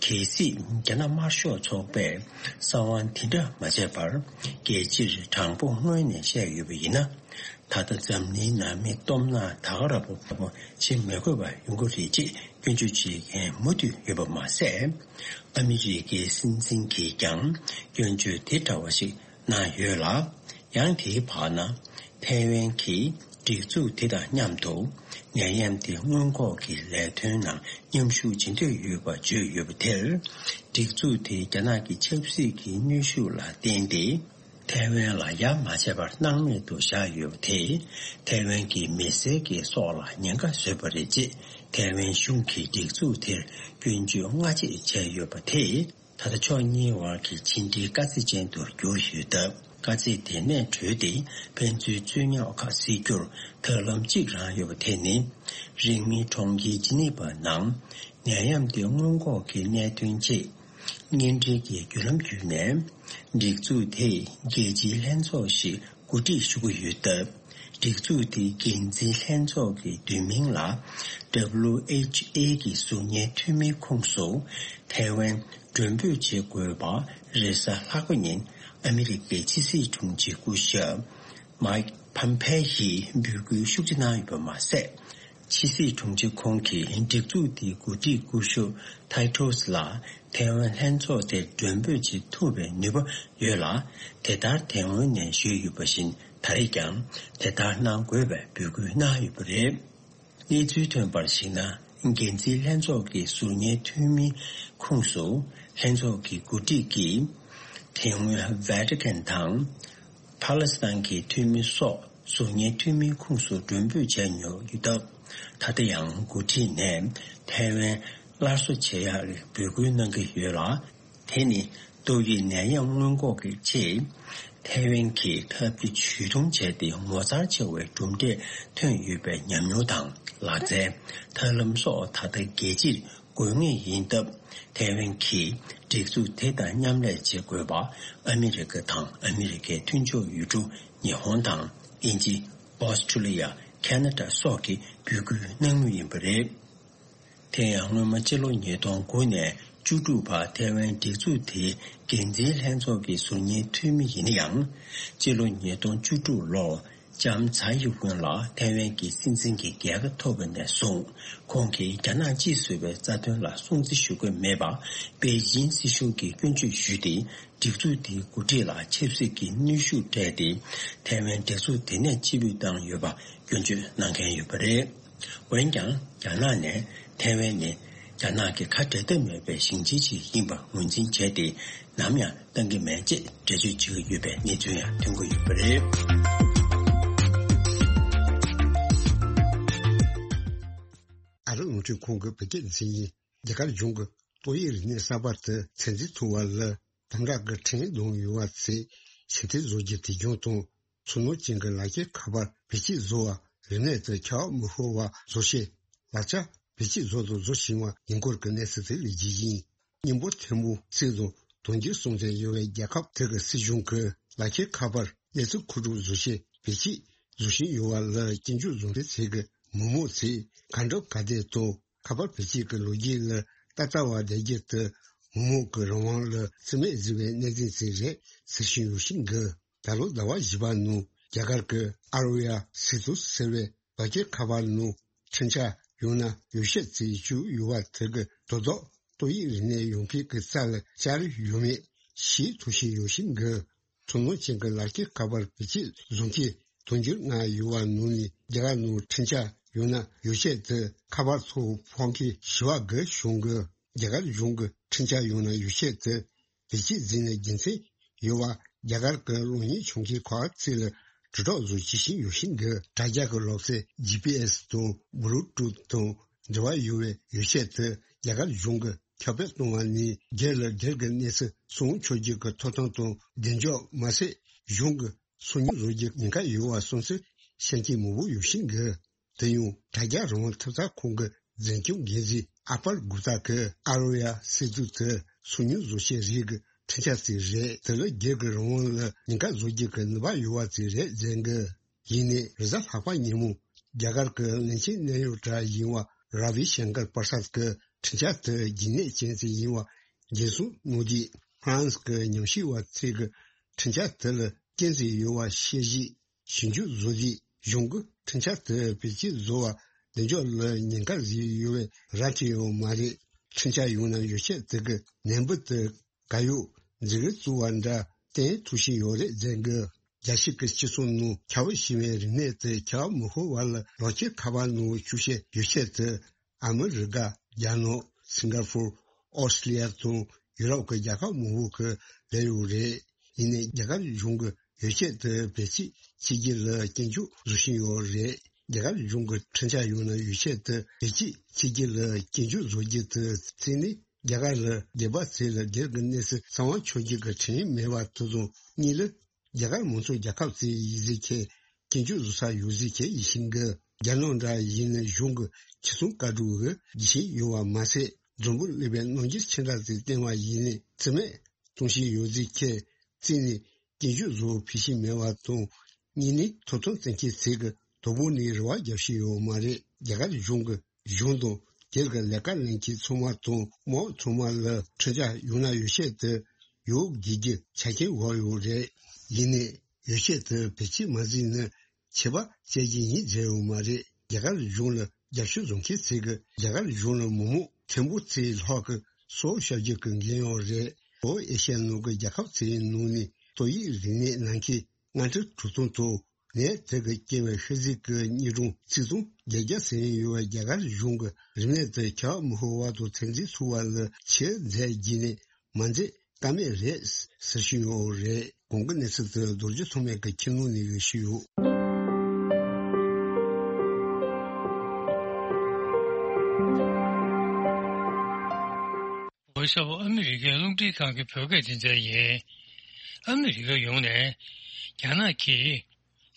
གལ་སྲིད་རྒྱ་ནག་དམར་ཤོག་ཚོགས་པས་གསང་བ་དེ་འདྲ་མ་བྱས་པར་རྒྱལ་སྤྱིར་དྲང་པོ་སྔོན་ནས་བཤད་ཡོད་པ་ཡིན་ན། ད་ལྟ་འཛམ་གླིང་ནང་མི་སྟོབས་ན་ད་ག་རང་པོ་བྱེད་མི་དགོས་པ་ཡོང་གི་རེད་ཅེས་སྐྱོན་བརྗོད་བྱེད་མཁན་མུ་མཐུད་ཡོད་པ་མ་ཟད། ཨ་མི་རི་ཀའི་སྲིད་འཛིན་གྱིས་ཀྱང་སྐྱོན་བརྗོད་དེ་འདྲ་བ་ཞིག་གནང་ཡོད་ལ། ཡང་དེའི་བར་ན་ཐའེ་ཝན་གྱིས་སྒྲིག་འཛུགས་དེ་དང་མཉམ་དུ་ནད་ཡམས་དེ་སྔོན་འགོག་གི་ལས་དོན་ནང་མཉམ་ཞུགས་བྱེད་འདོད་ཡོད་པ་བརྗོད་ཡོད་པ་དེར། སྒྲིག་འཛུགས་དེ་རྒྱ་ནག་གི་ཆབ་སྲིད་ཀྱི་གནོན་ཤུགས་ལ་བརྟེན་ཏེ། ཐའེ་ཝན་ལ་ཡ་མ་བྱས་པར་སྣང་མེད་དུ་བཞག་ཡོད་པ་དེས་ཐའེ་ཝན་གྱི་མི་སེར་གྱི་སྲོག་ལ་ཉེན་ཁ་བཟོས་པ་རེད་ཅེས་ཐའེ་ཝན་གཞུང་གིས་སྒྲིག་འཛུགས་དེར་སྐྱོན་བརྗོད་སྔ་རྗེས་བྱས་ཡོད་པ་དེས། ད་ལྟ་ཕྱོགས་གཉིས་དབར་གྱི་ཕྱི་འབྲེལ་དཀའ་ཚེགས་ཅན་དུ་གྱུར་ཡོད་སྟབས། དཀའ་ཚེགས་དེ་ནས་གྲོལ་ཏེ་ཕན་ཚུན་རྩོད་རྙོག་ཁག་སེལ་རྒྱུར་ཐབས་ལམ་གཅིག་རང་ཡོད་པ་དེ་ནི། རིང་མིན་གྲོང་ཁྱེར་ཇི་ནི་ཝ་ནང་ནད་ཡམས་དེ་སྔོན་འགོག་གི་གནད་དོན་ཆེད། སྙན་འགྲེལ་གྱི་བརྒྱུད་ལམ་བརྒྱུད་ནས། སྒྲིག་འཛུགས་དེས་རྒྱལ་སྤྱིའི་ལྷན་ཚོགས་ཤིག་གོ་སྒྲིག་ཞུ་གི་ཡོད་སྟབས། སྒྲིག་འཛུགས་དེའི་འགན་འཛིན་ལྷན་ཚོགས་ཀྱི་བསྡུས་མིང་ལ། W H A གི་ཟུར་ཉན་འཐུས་མིའི་ཁོངས་སུ་ཐའེ་ཝན་མགྲོན་འབོད་བྱེད་དགོས་པ། རེས་གཟའ་ལྷག་པ་ཉིན་ཨ་མི་རི་ཀའི་ཕྱི་སྲིད་དྲུང་ཆེ་སྐུ་ཞབས་མའིག་ཕམ་ཕེ་ཡིས་འབོད་སྐུལ་ཤུགས་ཆེ་གནང་ཡོད་པ་མ་ཟད། ཕྱི་སྲིད་དྲུང་ཆེ་ཁོང་གིས་སྒྲིག་འཛུགས་དེའི་འགོ་ཁྲིད་སྐུ་ཞབས་ཐའི་ཏོས་ལ་ཐའེ་ཝན་ལྷན་ཚོགས་དེར་མགྲོན་འབོད་བྱེད་ཐུབ་པའི་ནུས་པ་ཡོད་ལ། དེ་ལྟར་དེ་སྔོན་ནས་ཞུས་ཡོད་པ་བཞིན། ད་རེས་ཀྱང་དེ་ལྟར་གནང་དགོས་པའི་འབོད་སྐུལ་གནང་ཡོད་པ་རེད། གནས་ཚུལ་ཐོན་པར་གཞིགས་ན། འགན་འཛིན་ལྷན་ཚོགས་ཀྱི་ཟུར་ཉན་འཐུས་མིའི་ཁོངས་སུ། ལྷན་ཚོགས་ཀྱི་འགོ་ཁྲིད་ཀྱིས་དེ་སྔོན་ཝེ་ཏི་ཀན་དང་ཕཱ་ལེ་སི་ཐན་གྱི་འཐུས་མི་སོགས་ཟུར་ཉན་འཐུས་མིའི་ཁོངས་སུ་མགྲོན་འབོད་བྱས་མྱོང་ཡོད་སྟབས། ད་ལྟ་ཡང་འགོ་ཁྲིད་ནས་ཐའེ་ཝན་སླར་གསོ་བྱེད་ཡག་འབོད་སྐུལ་གནང་གི་ཡོད་ལ། དེ་ནི་ཏོག་དབྱིབས་ནད་ཡམས་སྔོན་འགོག་གི་ཆེད་ཐའེ་ཝན་གྱིས་ཐབས་ཇུས་ཇུས་གཏོང་བྱས་ཏེ་ངོ་མཚར་ཆེ་བའི་གྲུབ་འབྲས་ཐོན་ཡོད་པའི་ཉམས་མྱོང་དང་ལག་རྩལ། ཐབས་ལམ་སོགས་ད་ལྟ་རྒྱལ་སྤྱིར་དགོས་ངེས་ཡིན་སྟབས། ཐའེ་ཝན་གྱིས་སྒྲིག་འཛུགས་དེ་དང་མཉམ་ལས་བྱེད་དགོས་པ། ཨ་མི་རི་ཀ་དང་ཨ་མི་རི་ཀའི་མཐུན་ཕྱོགས་ཡུལ་གྲུ་ཉི་ཧོང་དང་དབྱིན་ཇི། ཨོ་སི་ཀྲི་ལི་ཡ། ཁ་ན་ཌ་སོགས་ཀྱིས་འབོད་སྐུལ་གནང་མུས་ཡིན་པ་རེད། དེ་ཡང་སྔོན་མ་སྤྱི་ལོ་ཉིས་སྟོང་དགུ་ནས་བཅུ་དྲུག་བར་ཐའེ་ཝན་སྒྲིག་འཛུགས་དེའི་འགན་འཛིན་ལྷན་ཚོགས་ཀྱི་ཟུར་ཉན་འཐུས་མི་ཡིན་ན་ཡང་། སྤྱི་ལོ་ཉིས་སྟོང་བཅུ་དྲུག་ལོར་ལྕམ་ཚའེ་ཡིན་ཝེན་ལ་ཐའེ་ཝན་གྱི་སྲིད་འཛིན་གྱི་རྒྱལ་ཁ་ཐོབ་པ་ནས་བཟུང་། ཁོང་གིས་རྒྱ་ནག་གཅིག་བཟོ་བའི་རྩ་དོན་ལ་སྲུང་བརྩི་ཞུ་གི་མེད་པ། པེ་ཅིན་སྲིད་གཞུང་གིས་སྐྱོན་བརྗོད་ཞུས་ཏེ། སྒྲིག་འཛུགས་དེའི་འགོ་ཁྲིད་ལ་ཆབ་སྲིད་ཀྱི་གནོན་ཤུགས་སྤྲད་དེ། ཐའེ་ཝན་སྒྲིག་འཛུགས་དེ་ནས་ཕྱིར་འབུད་བཏང་ཡོད་པ་སྐྱོན་བརྗོད་གནང་མཁན་ཡོད་པ་རེད། འོན་ཀྱང་། རྒྱ་ནག་ནས་ཐའེ་ཝན་ནི་རྒྱ་ནག་གི་ཁ་འབྲལ་ཐབས་མེད་པའི་ཞིང་ཆེན་ཞིག་ཡིན་པ་ངོས་འཛིན་བྱས་ཏེ། ནམ་ཡང་གཏང་གི་མེད་ཅེས་འགྲེལ་བརྗོད་བྱེད་ཀྱི་ཡོད་པའི་གནས་ཚུལ་ཡང་ཐོན་གྱི་ཡོད་པ་རེད། ཨ་རི་རླུང་འཕྲིན་ཁང་གི་བོད་སྐད་འཛིན་ཡིག་རྒྱ་གར་གཞུང་གི་ཏོག་དབྱིབས་རིམས་ནད་གསར་པ་དེ་ཚོད་འཛིན་ཐུབ་པ་ལ་དམ་དྲག་གི་ཁྲིམས་ལུགས་ཡོད་པ་ཚོས་ཕྱིར་འཐེན་བཟོ་རྒྱུ་དེ་བྱུང་དང་། ཚུལ་ནོར་ཅན་གྱི་ལག་ཁྱེར་ཁ་པར་བེད་སྤྱོད་བཟོ་བ་རིམས་ནད་དེ་ཁྱབ་པ་མི་ཤོར་བ་བཟོ་ཆེད་ལག་ཆ་བེད་སྤྱོད་བཟོ་དང་བཟོ་བཞིན་པ་ཡིན་སྐོར་གྱི་གནས་ཚུལ་དེ་ལ་རྒྱུས་ཡིན། སྙན་པོ་ཐེར་འབུམ་གཅིག་དང་དོན་བརྒྱུད་སྲུང་བརྩི་ཡོད་པའི་རྒྱལ་ཁབ་དེ་གི་སྲིད་གཞུང་གི་ལག་ཁྱེར་ཁ་པར་གནས་ཚུལ་མཁོ་སྒྲུབ་བཟོ་ཆེད་བེད་སྤྱོད་བཟོ་བཞིན་ཡོད་པ་ལ་སྐྱོན་བརྗོད་བཟོ་མཁན་ཚོས་ཀྱི་མི་མང་ཚོས་གང་འགྲུབ་ག་བདེ་དང་། ཁ་པར་བེད་སྤྱོད་ཀྱི་ལོ་རྒྱུས་ལ་ལྟ་ལྟ་བ་བསྡད་རྒྱུ་དེ་མི་མང་གི་རང་དབང་ལ་བརྩི་མེད་བཟོས་པའི་གནས་ཚུལ་ཞིག་རེད་ཟེར་བཞིན་ཡོད་བཞིན་གི། ད་ལོ་ཟླ་བ་བཞི་པ་ནང་རྒྱ་གར་གྱི་ཨ་རོ་ཡ་སི་ཏུ་ཟེར་བའི་ལག་ཁྱེར་ཁ་པར་ནང་འཕྲིན་ཆ་ཡང་ན་ཡོ་བྱད་བཙལ་བཅུག་ཡོད་པ་དེ་གི་དོ་བདག་ཏོག་དབྱིབས་རིམས་ནད་ཡོང་མཁན་གྱི་རྩ་ལ་བཅར་ཡོད་མེད་ཤེས་ཐུབ་བཞིན་ཡོད་བཞིན་གི། ཐུན་མོང་ཅན་གྱི་ལག་ཁྱེར་ཁ་པར་བེད་སྤྱོད་བཟོ་མཁན་དུང་ཕྱུར་ལྔ་ཡོད་པ་ནང་ནས་རྒྱ་གར་ནང་འཕྲིན་ཆ་ཡང་ན་ཡོ་བྱད་དེ་ཁ་པར་ཐོག་ཕོག་མཁན་བཞི་བ་བརྒལ་བྱུང་གི། རྒྱ་གར་གཞུང་གི་འཕྲིན་ཆ་ཡང་ན་ཡོ་བྱད་དེ་བེད་སྤྱོད་བྱས་ནས་རྒྱུ་མཚན་ཡོད་པ་རྒྱ་གར་གྱི་གློག་བརྙན་བྱུང་མཁན་ཁག་ཅིག་ལ་དྲིལ་སྒྲོག་བཟོ་བྱེད་བཞིན་ཡོད་བཞིན་གི། དྲ་རྒྱ་གི་ལོག་རྩལ་ཇི་པི་ཨེ་སི་དང་བུ་ལུ་ཊུཐ་དང་འབྲེལ་བ་ཡོད་པའི་ཡོ་བྱད་དེ་རྒྱ་གར་གཞུང་གི་ཁྱབ་སྤེལ་གཏོང་བ་ནས་སྒེར་ལ་སྒེར་གྱི་གནས་ཚུལ་སྲུང་སྐྱོབ་རྒྱུ་གི་ཐོབ་ཐང་དང་གདེང་འཇོག་མ་ཟད། གཞུང་གི་སང་ཉིན་བཟོ་རྒྱུ་ཉེན་ཁ་ཡོད་པ་གསུངས་ཚུལ་བཤད་མཁན་མང་པོ་ཡོད་བཞིན་གི། དེ་ཡང་དྲ་རྒྱ་རང་དབང་ཐེབས་རྩ་ཁང་གི་འཛིན་སྐྱོང་འགན་འཛིན་ཨ་པར་གུ་ཏཱ་གིས་ཨ་རོ་ཡ་སི་ཏུ་དེ་སང་ཉིན་བཟོ་བྱེད་རིགས་ཀྱི་འཕྲིན་ཆ་ཅིག་རེད། དེ་ལ་སྒེར་གྱི་རང་དབང་ལ་ཉེན་ཁ་བཟོ་རྒྱུ་གི་ནུས་པ་ཡོད་པ་ཅིག་རེད་ཟེར་གི། ཡིན་ནའི་རེས་གཟའ་ལྷག་པ་ཉིན་མོ་རྒྱ་གར་གྱི་བློན་ཆེན་གནད་ཡོད་གྲས་ཡིན་པ་ར་བི་ཤང་ཀར་པར་སཱད་ཀྱིས་འཕྲིན་བཅར་དེ་རྒྱུན་གནས་ཅན་ཞིག་ཡིན་པ་འགན་སྲུང་གནང་དུས། ཧྥ་རན་སི་གི་ཉམས་ཞིབ་པ་ཚོས་ཀྱི་འཕྲིན་བཅར་དེ་ལ་རྐྱེན་ཞིག་ཡོད་པ་ཤེས་རྗེས་ཞིབ་འཇུག་བཟོ་དུས། གཞུང་གིས་འཕྲིན་བཅར་དེ་བེད་སྤྱོད་བཟོ་བར་གདེང་འཇོག་ལ་ཉེན་ཁ་བཟོས་ཡོད་པའི་ར་འཕྲོད་ཡོད་མ་རེད། འཕྲིན་བཅར་ཡང་ན་ཡོ་བྱད་དེ་གི་ནད་འབུ་དེ་ག་ཡོད་འཛིན་གྲྭ་བཙུགས་པ་འདྲ་བསྟན་ཐུབ་བཞིན་ཡོད་རེད་ཟེར་གི། རྒྱལ་སྤྱི་གི་སྤྱི་ཚོགས་ནང་ཁྱབ་པ་ཞིག་པའི་རིམས་ནད་དེ་ཁྱབ་པ་མི་ཤོར་བར་ལ་རོགས་སྐྱོར་ཁ་པར་ནང་བཅུག་བྱས་ཡོ་བྱད་དེ་ཨ་མི་རི་ཀ། རྒྱ་ནག། སིང་ག་ཕོར། ཨོ་སི་ཀྲི་ལི་ཡ་དང་ཡུ་རོབ་ཀྱི་རྒྱལ་ཁབ་མང་པོ་གི་ལས་ཡོད་རེད། ཡིན་ནའི་རྒྱ་གར་གཞུང་གི་ཡོ་བྱད་དེ་བེད་སྤྱོད་བྱེད་རྒྱུ་ལ་སྐྱོན་བརྗོད་བཟོ་བཞིན་ཡོད་རེད། རྒྱ་གར་གཞུང་གི་འཕྲིན་བཅར་ཡང་ན་ཡོ་བྱད་དེ་བེད་སྤྱོད་བྱེད་རྒྱུ་ལ་སྐྱོན་བརྗོད་བཟོ་རྒྱུ་དེ་གཅིག་ནི། རྒྱ་གར་ལ་སྡོད་པ་ཚོ་ལ་སྒེར་གྱི་གནས་ཚུལ་གསང་བ་འཆོར་རྒྱུ་གི་ཁྲིམས་མེད་པ་དེ་དང་། གཉིས་ལ། རྒྱ་གར་མང་གཙོ་རྒྱལ་ཁབ་ཚོའི་ཡིག་གཟུགས་ཁྱེར་སྐྱོན་བརྗོད་བཟོ་ས་ཡོད་གཟིགས་ཁྱེར་ཡིན་བཞིན་གི། རྒྱ་ནག་འདྲ་ཡིན་ན་གཞུང་གི་ཁྱི་ཚང་བཀའ་སྒྲུབ་གི་རྒྱུ་ཆེན་ཡོད་པ་མ་ཟད། མགྲོན་པོ་སླེབས་པའི་གནང་སྐྱེལ་མཚན་རྟགས་དེ་བསྟན་པ་ཡིན་ནས། རྩིས་མེད་གཏོང་བཞིན་ཡོད་ཚུལ་བཀོད། རྩིས་ནས་སྐྱིན་འགྱོད་བཟོ་བོ་ཕུད་བཞིན་མེད་པ་དང་། གཉིས་ནས་ཐོབ་ཐང་བཙན་ཁྱེར་ཚིག་གི་དོ་པོ་ནས་རེ་བ་རྒྱག་བཞིན་ཡོད་མ་རེད། རྒྱ་གར་གཞུང་གི་གཞུང་དང་སྒེར་གྱི་ལས་ཀ་ལེན་མཁན་ཚང་མ་དང་དམག་ཚང་མ་ལ་ཁྲིམས་འཆར་ཡང་ན་ཡོ་བྱད་དེ་ཡོད་དགོས་ཀྱི་ཆ་རྐྱེན་བབས་ཡོད་རེད། ཡིན་ནའི་ཡོ་བྱད་དེ་བེད་སྤྱོད་མ་བྱས་ན་ཆད་པ་བཅད་རྒྱུ་ཡིན་ཟེར་ཡོད་མ་རེད། རྒྱ་གར་གཞུང་ལ་རྒྱབ་སྐྱོར་བཟོ་མཁན་ཚོས་ཀྱིས་རྒྱ་གར་གཞུང་ལ་མི་མང་ཕྲན་བུ་ཙམ་ལྷག་གི་སྲོག་བསྐྱབས་རྒྱུ་གི་འགན་ཡོད་རེད། ལྷོ་ཨེ་ཤ་ཡའི་ནང་གི་རྒྱལ་ཁབ་ཚོའི་ནང་ནས་ཏོག་དབྱིབས་རིམས་ནད་ན་མཁན་ལྔ་ཁྲི་དྲུག་སྟོང་དང་ནད་དེ་གིས་སྐྱེས་པའི་ཤི་གསོན་གྱི་གཉིས་སྟོང་ཆིག་སྟོང་བརྒྱད་བརྒྱ་ཟིན་ཡོད་པའི་རྒྱ་གར་གཞུང་གིས་རིམས་ནད་དེ་ཁྱབ་མི་ཤོར་བ་དང་ཚོད་འཛིན་ཚུགས་པ་ལ་ཆེད་མཛད་བགྱིས་ནས་མ་མཛད་ཀ་མེད་རེད་ཟེར་བཞིན་ཡོད་རེད། གོང་གི་གནས་ཚུལ་དེ་རྡོ་རྗེ་ཐོགས་མེད་ཀྱིས་ཁྱིམ་ནང་ནས་ཞུས་ཡོད། ཝེ་ཤ་ཨ་མི་རི་ཀའི་རླུང་འཕྲིན་ཁང་གི་བོད་སྐད་སྡེ་ཚན་ཡིན། ཨ་མི་རི་ཀ་ཡོངས་ནས་རྒྱ་ནག་གིས་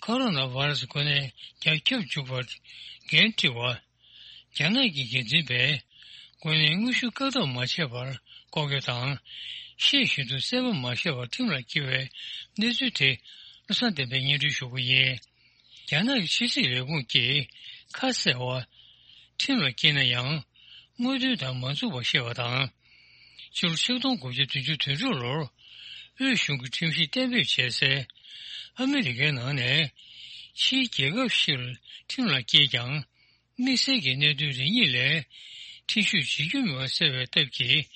ཁོ་རོ་ན་བྷ་ར་སི་འགོས་ནད་རྒྱ་ཁྱབ་འཇུག་པར་འགན་འཁྲི་བ། རྒྱ་ནག་གི་འགན་འཛིན་པས་འགོས་ནད་དངོས་ཤུགས་བཀག་སྡོམ་མ་བྱས་པར་ལྐོག་གྱོད་དང་། ཤེས་བཞིན་དུ་གསལ་པོ་མ་བཤད་པར་ཁྲིམས་ལ་བསྐྱལ་བའི་གནས་ཚུལ་དེ་བློ་བཟང་བསྟན་འཕེལ་སྙན་སྒྲོན་ཞུ་གི་ཡིན། རྒྱ་ནག་གི་ཕྱི་སྲིད་ལས་ཁུངས་ཀྱིས་ཁ་གསལ་བ། ཁྲིམས་ལ་བསྐྱལ་ན་ཡང་དངོས་དོན་དང་མ་མཚུངས་པ་བཤད་པ་དང་། ཕྱི་ལོ་ཆིག་སྟོང་དགུ་བརྒྱ་བདུན་ཅུ་དོན་དྲུག་ལོར་དབུས་གཞུང་གི་ཁྲིམས་གཞི་གཏན་འབེབས་བྱས་སའི་ཨ་མི་རི་ཀའི་ནང་ནས་ཕྱིའི་རྒྱལ་ཁབ་ཞིག་ལ་ཁྲིམས་ལ་བསྐྱལ་ཀྱང་། དམིགས་བསལ་གྱི་གནད་དོན་རེ་གཉིས་ལས་ཁྲིམས་གཞི་བྱེད་རྒྱུ་མེད་པ་གསལ་བའི་སྟབས་ཀྱིས་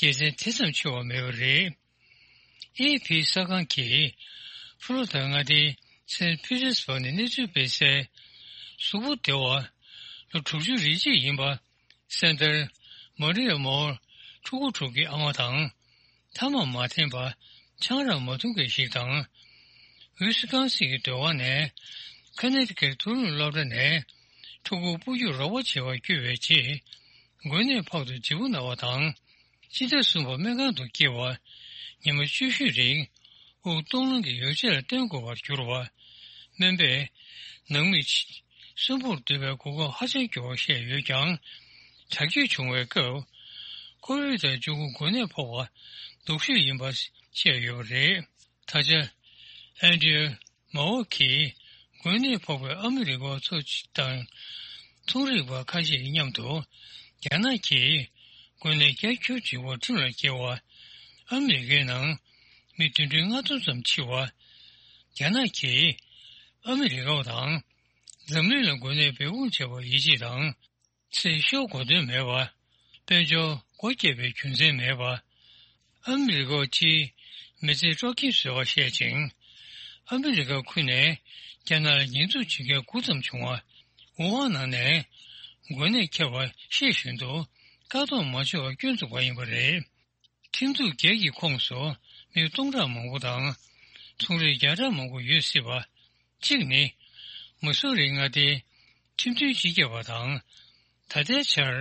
དགེ་མཚན་དེ་ཙམ་ཆེ་བ་མེད་པ་རེད། ཨེ་ཕི་གསར་ཁང་གིས་ཕུ་ལོ་ད་མངའ་སྡེའི་སན་ཕི་ཏེར་སྦུག་ནས་གནས་ཚུལ་སྤེལ་གསལ། གཟུགས་པོ་བདེ་བ། ལོ་དྲུག་ཅུ་རེ་གཅིག་ཡིན་པ། སེན་ཏར་མ་རི་ཡ་མོར་ཕྲུ་གུ་དྲུག་གི་ཨ་མ་དང་། ཐ་མག་མ་འཐེན་པ། ཆང་རག་མ་འཐུང་མཁན་ཞིག་དང་། ཝི་སི་ཀོན་སིན་གྱི་སྡོད་ཁང་ནས་ཁ་ནེ་ཊི་ཀེཊ་མཐོ་རིམ་སློབ་གྲྭ་ནས་ཕྲུ་གུ་སྤོ་རྒྱུར་རོགས་པ་བྱེད་པར་བསྐྱོད་པའི་རྗེས། འགོས་ནད་ཕོག་སྟེ་ལྗིད་པོ་ན་བ་དང་། སྤྱི་ཟླ་གསུམ་པ་སྨན་ཁང་དུ་བསྐྱལ་བ། ཉི་མ་བཅུ་བཞི་རིང་དབུགས་གཏོང་ལེན་གྱི་ཡོ་བྱད་ལ་བརྟེན་དགོས་པར་གྱུར་བ། སྨན་པས་ནང་མི་གསོན་པོར་སྡོད་པའི་གོ་སྐབས་ཧ་ཅང་སྐྱོ་བ་བཤད་ཡོད་ཀྱང་། དྲག་སྐྱེད་བྱུང་བའི་སྐབས་ཁོ་བིཌ་བཅུ་དགུ་འགོས་ནད་ཕོག་པ་སྡུག་ཤོས་ཡིན་པ་བཤད་ཡོད་པ་རེད། ད་ཆ་ཨན་ཌི་རུ་མའོ་གིས་འགོས་ནད་ཕོག་པའི་ཨ་མི་རི་ཀ་བ་ཚོ་དང་ཚོང་རིག་པ་ཁ་ཤས་ཀྱི་མཉམ་དུ་རྒྱ་ནག་གིས་འགོས་ནད་རྒྱ་ཁྱོན་ཆེ་བ་ཁྲིམས་ལ་བཀལ་བ། ཨ་མི་རི་ཀའི་ནང་མི་བདུན་ཁྲི་ལྔ་སྟོང་ཙམ་འཆི་བ། རྒྱ་ནག་གིས་ཨ་མི་རི་ཀ་བ་དང་འཛམ་གླིང་ལ་འགོས་ནད་འབད་འབུངས་བྱས་པར་ཡིད་ཆེས་དང་། ཚེ་ཤོར་དགོས་དོན་མེད་པ། དཔལ་འབྱོར་སྒོ་བརྒྱབ་པའི་རྒྱུ་མཚན་མེད་པ། ཨ་མི་རི་ཀ་སྤྱིའི་མི་ཚེ་དཀྲོག་རྐྱེན་བཟོས་པ་བཤད་ཅིང་། ཨ་མི་རི་ཀ་ཁུལ་ནས་རྒྱ་ནག་ལ་ཉེས་འཛུགས་བྱེད་མཁན་དགུ་ཙམ་བྱུང་བ། ཝུ་ཧན་ནང་ནས་འགོས་ནད་ཁྱབ་པ་ཤེས་བཞིན་དུ་བཀག་སྡོམ་མ་བྱས་པར་སྐྱོན་འཛུགས་པ་ཡིན་པ་རེད། ཁྲིམས་འཛུགས་བརྒྱད་ཀྱི་ཁོངས་སུ་མི་སྟོང་ཕྲག་མང་པོ་དང་ཚོང་རིགས་བརྒྱ་ཕྲག་མང་པོ་ཡོད་སྲིད་པ། གཅིག་ནི། མི་སུ་རི་མངའ་སྡེའི་ཁྲིམས་མཐུན་སྤྱི་ཁྱབ་པ་དང་། ད་ལྟའི་ཆར།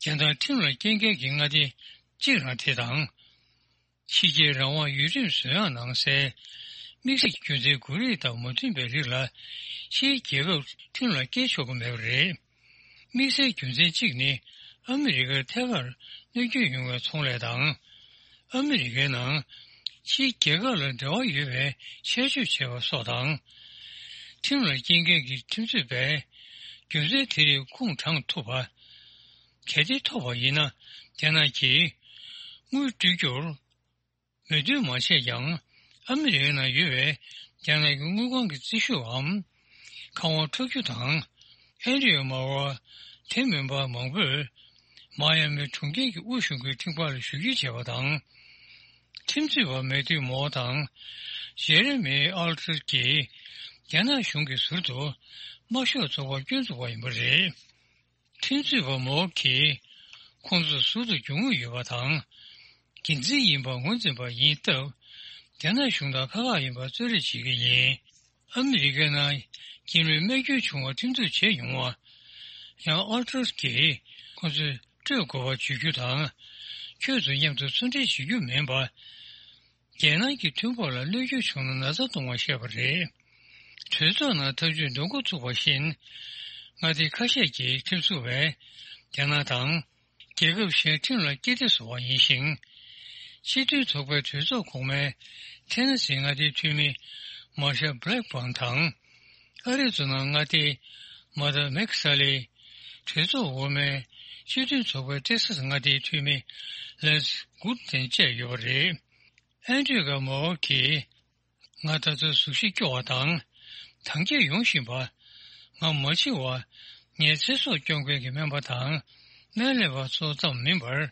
རྒྱ་ནག་ཁྲིམས་ལ་སྐྱེལ་མཁན་གྱི་མངའ་སྡེ་གཅིག་རང་དེ་དང་། ཕྱི་རྒྱལ་རང་དབང་ཡུལ་ཁྲིམས་བཟོ་ཡག་ནང་གསལ། དམིགས་བསལ་གྱི་རྒྱུ་མཚན་དགོས་རིགས་དང་མ་མཐུན་པའི་རིགས་ལ་ཕྱིའི་རྒྱལ་ཁབ་ཁྲིམས་ལ་སྐྱེལ་ཆོག་གི་མེད་པ་རེད། དམིགས་བསལ་རྒྱུ་མཚན་གཅིག་ནི་ཨ་མི་རི་ཀར་ཐད་ཀར་གནོད་སྐྱོན་ཡོང་བའི་ཚོང་ལས་དང་། ཨ་མི་རི་ཀའི་ནང་ཕྱིའི་རྒྱལ་ཁབ་ལ་འབྲེལ་བ་ཡོད་པའི་ཆད་གཅོད་བྱས་པ་སོགས་དང་། ཁྲིམས་ལ་སྐྱེལ་མཁན་གྱི་ཁྲིམས་རྩོད་པས་རྒྱུ་མཚན་དེ་རིགས་ཁུངས་དྲངས་ཐུབ་པ། གལ་ཏེ་ཐོབ་པ་ཡིན་ན། རྒྱ་ནག་གིས་དངུལ་སྤྲོད་རྒྱུར་མོས་མཐུན་མ་བྱས་ཀྱང་། ཨ་མི་རི་ཀའི་ནང་ཡོད་པའི་རྒྱ་ནག་གི་དངུལ་ཁང་གི་རྩིས་ཞུའམ། ཁང་བ་འཕྲོག་རྒྱུ་དང་། ཨན་ཌི་རུ་མའོ་དེ་མིན་པ་མང་པོས་མ་ཡ་མི་གྲོང་ཁྱེར་གྱི་དབུས་གཞུང་གི་ཁྲིམས་ཁང་ལ་ཞུ་སྐྱེལ་བྱས་པ་དང་། ཁྲིམས་རྩོད་པ་མེ་ཏུའུ་མོ་དང་ཇེ་རེ་མི་ཨལ་ཏྲེ་གྱིས་རྒྱ་ནག་གཞུང་གིས་ཟུར་དུ་དམར་ཤོག་ཚོགས་པར་སྐྱོན་འཛུགས་པ་ཡིན་པ་རེད། ཁྲིམས་རྩོད་པ་མོ་གིས་ཁོང་ཚོར་ཟུར་དུ་རྒྱུ་དངུལ་ཡོད་པ་དང་། འགན་འཛིན་ཡིན་པ་ངོས་འཛིན་པ་ཡིན་སྟབས། རྒྱ་ནག་གཞུང་དང་ཁ་ཁ་ཡིན་པ་གསོལ་རས་བྱེད་ཀྱི་ཡིན། ཨ་མི་རི་ཀའི་ནང་རྒྱ་མིར་རྨས་སྐྱོན་བྱུང་བ་ཁྲིམས་གཏུག་བྱས་ཡོང་བ། ཡང་ཨལ་ཏྲོས་ཀྱིས་ཁོ་ཚོས་སྤྲོད་དགོས་པ་བརྗོད་རྒྱུ་དང་། ཁྱོད་ཚོ་མཉམ་དུ་ཚོང་འབྲེལ་བྱེད་རྒྱུ་མིན་པ། རྒྱལ་ནང་གི་མཐུན་ཕོགས་ལ་གནོད་སྐྱོན་བྱུང་ན་ན་ཚ་གཏོང་བ་བཤད་པ་རེད། གྲོས་ཚོགས་ནང་ཐབས་ཇུས་འདོན་འགོ་ཚུགས་པ་བཞིན། མངའ་སྡེ་ཁ་ཤས་ཀྱི་ཁྲིམས་བཟོ་བས་རྒྱ་ནག་དང་། རྒྱལ་ཁབ་གཞན་ཁྲིམས་ལ་སྐྱེལ་ཏེ་བཟོ་བ་ཡིན་ཞིང་། སྤྱི་མཐུན་ཚོགས་པའི་གྲོས་ཚོགས་གོང་མའི་ཐེ་ན་སི་མངའ་སྡེའི་འཐུས་མི་མར་ཤལ་བྷི་ལེག་བྷརན་དང་། ཨ་རི་ཛོ་ན་མངའ་སྡེའི་མ་ད་མེག་ས་ལི། གྲོས་ཚོགས་འོག་མའི་སྤྱི་མཐུན་ཚོགས་པའི་ཏེག་ས་སི་མངའ་སྡེའི་འཐུས་མི་ལེན་སི་གུད་ནན་བཅས་ཡོད་པ་རེད། ཨན་ཌྲུ་ག་མོ་གིས། ང་ད་ལྟ་གཟུགས་གཞི་སྐྱོ་བ་དང་། དྭངས་སྐྱེད་ཡོང་བཞིན་པ། ང་མ་འཆི་བར་ངའི་ཚེ་སྲོག་སྐྱོབ་མཁན་གྱི་སྨན་པ་དང་སྨན་ལས་པ་ཚོ་ཙམ་མིན་པར།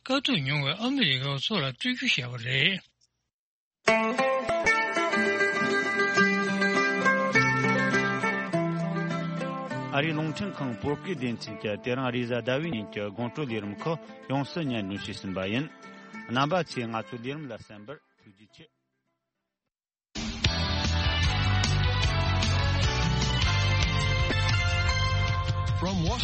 དཀའ་སྡུག་མྱོང་བའི་ཨ་མི་རི་ཀ་བ་ཚོ་ལ་སྤྲོད་རྒྱུ་བཤད་པ་རེད། ཨ་རིའི་རླུང་འཕྲིན་ཁང་བོད་སྐད་སྡེ་ཚན་གྱིས་དེ་རིང་རེས་གཟའ་ཟླ་བའི་ཉིན་གྱི་དགོང་དྲོ་ལས་རིམ་ཁག་ཡོངས་སུ་སྙན་སྒྲོན་ཞུས་ཟིན་པ་ཡིན། རྣམ་པ་ཚོས་ང་ཚོའི་ལས་རིམ་ལ་གསན་པར་ཐུགས་རྗེ་ཆེ། From Washington.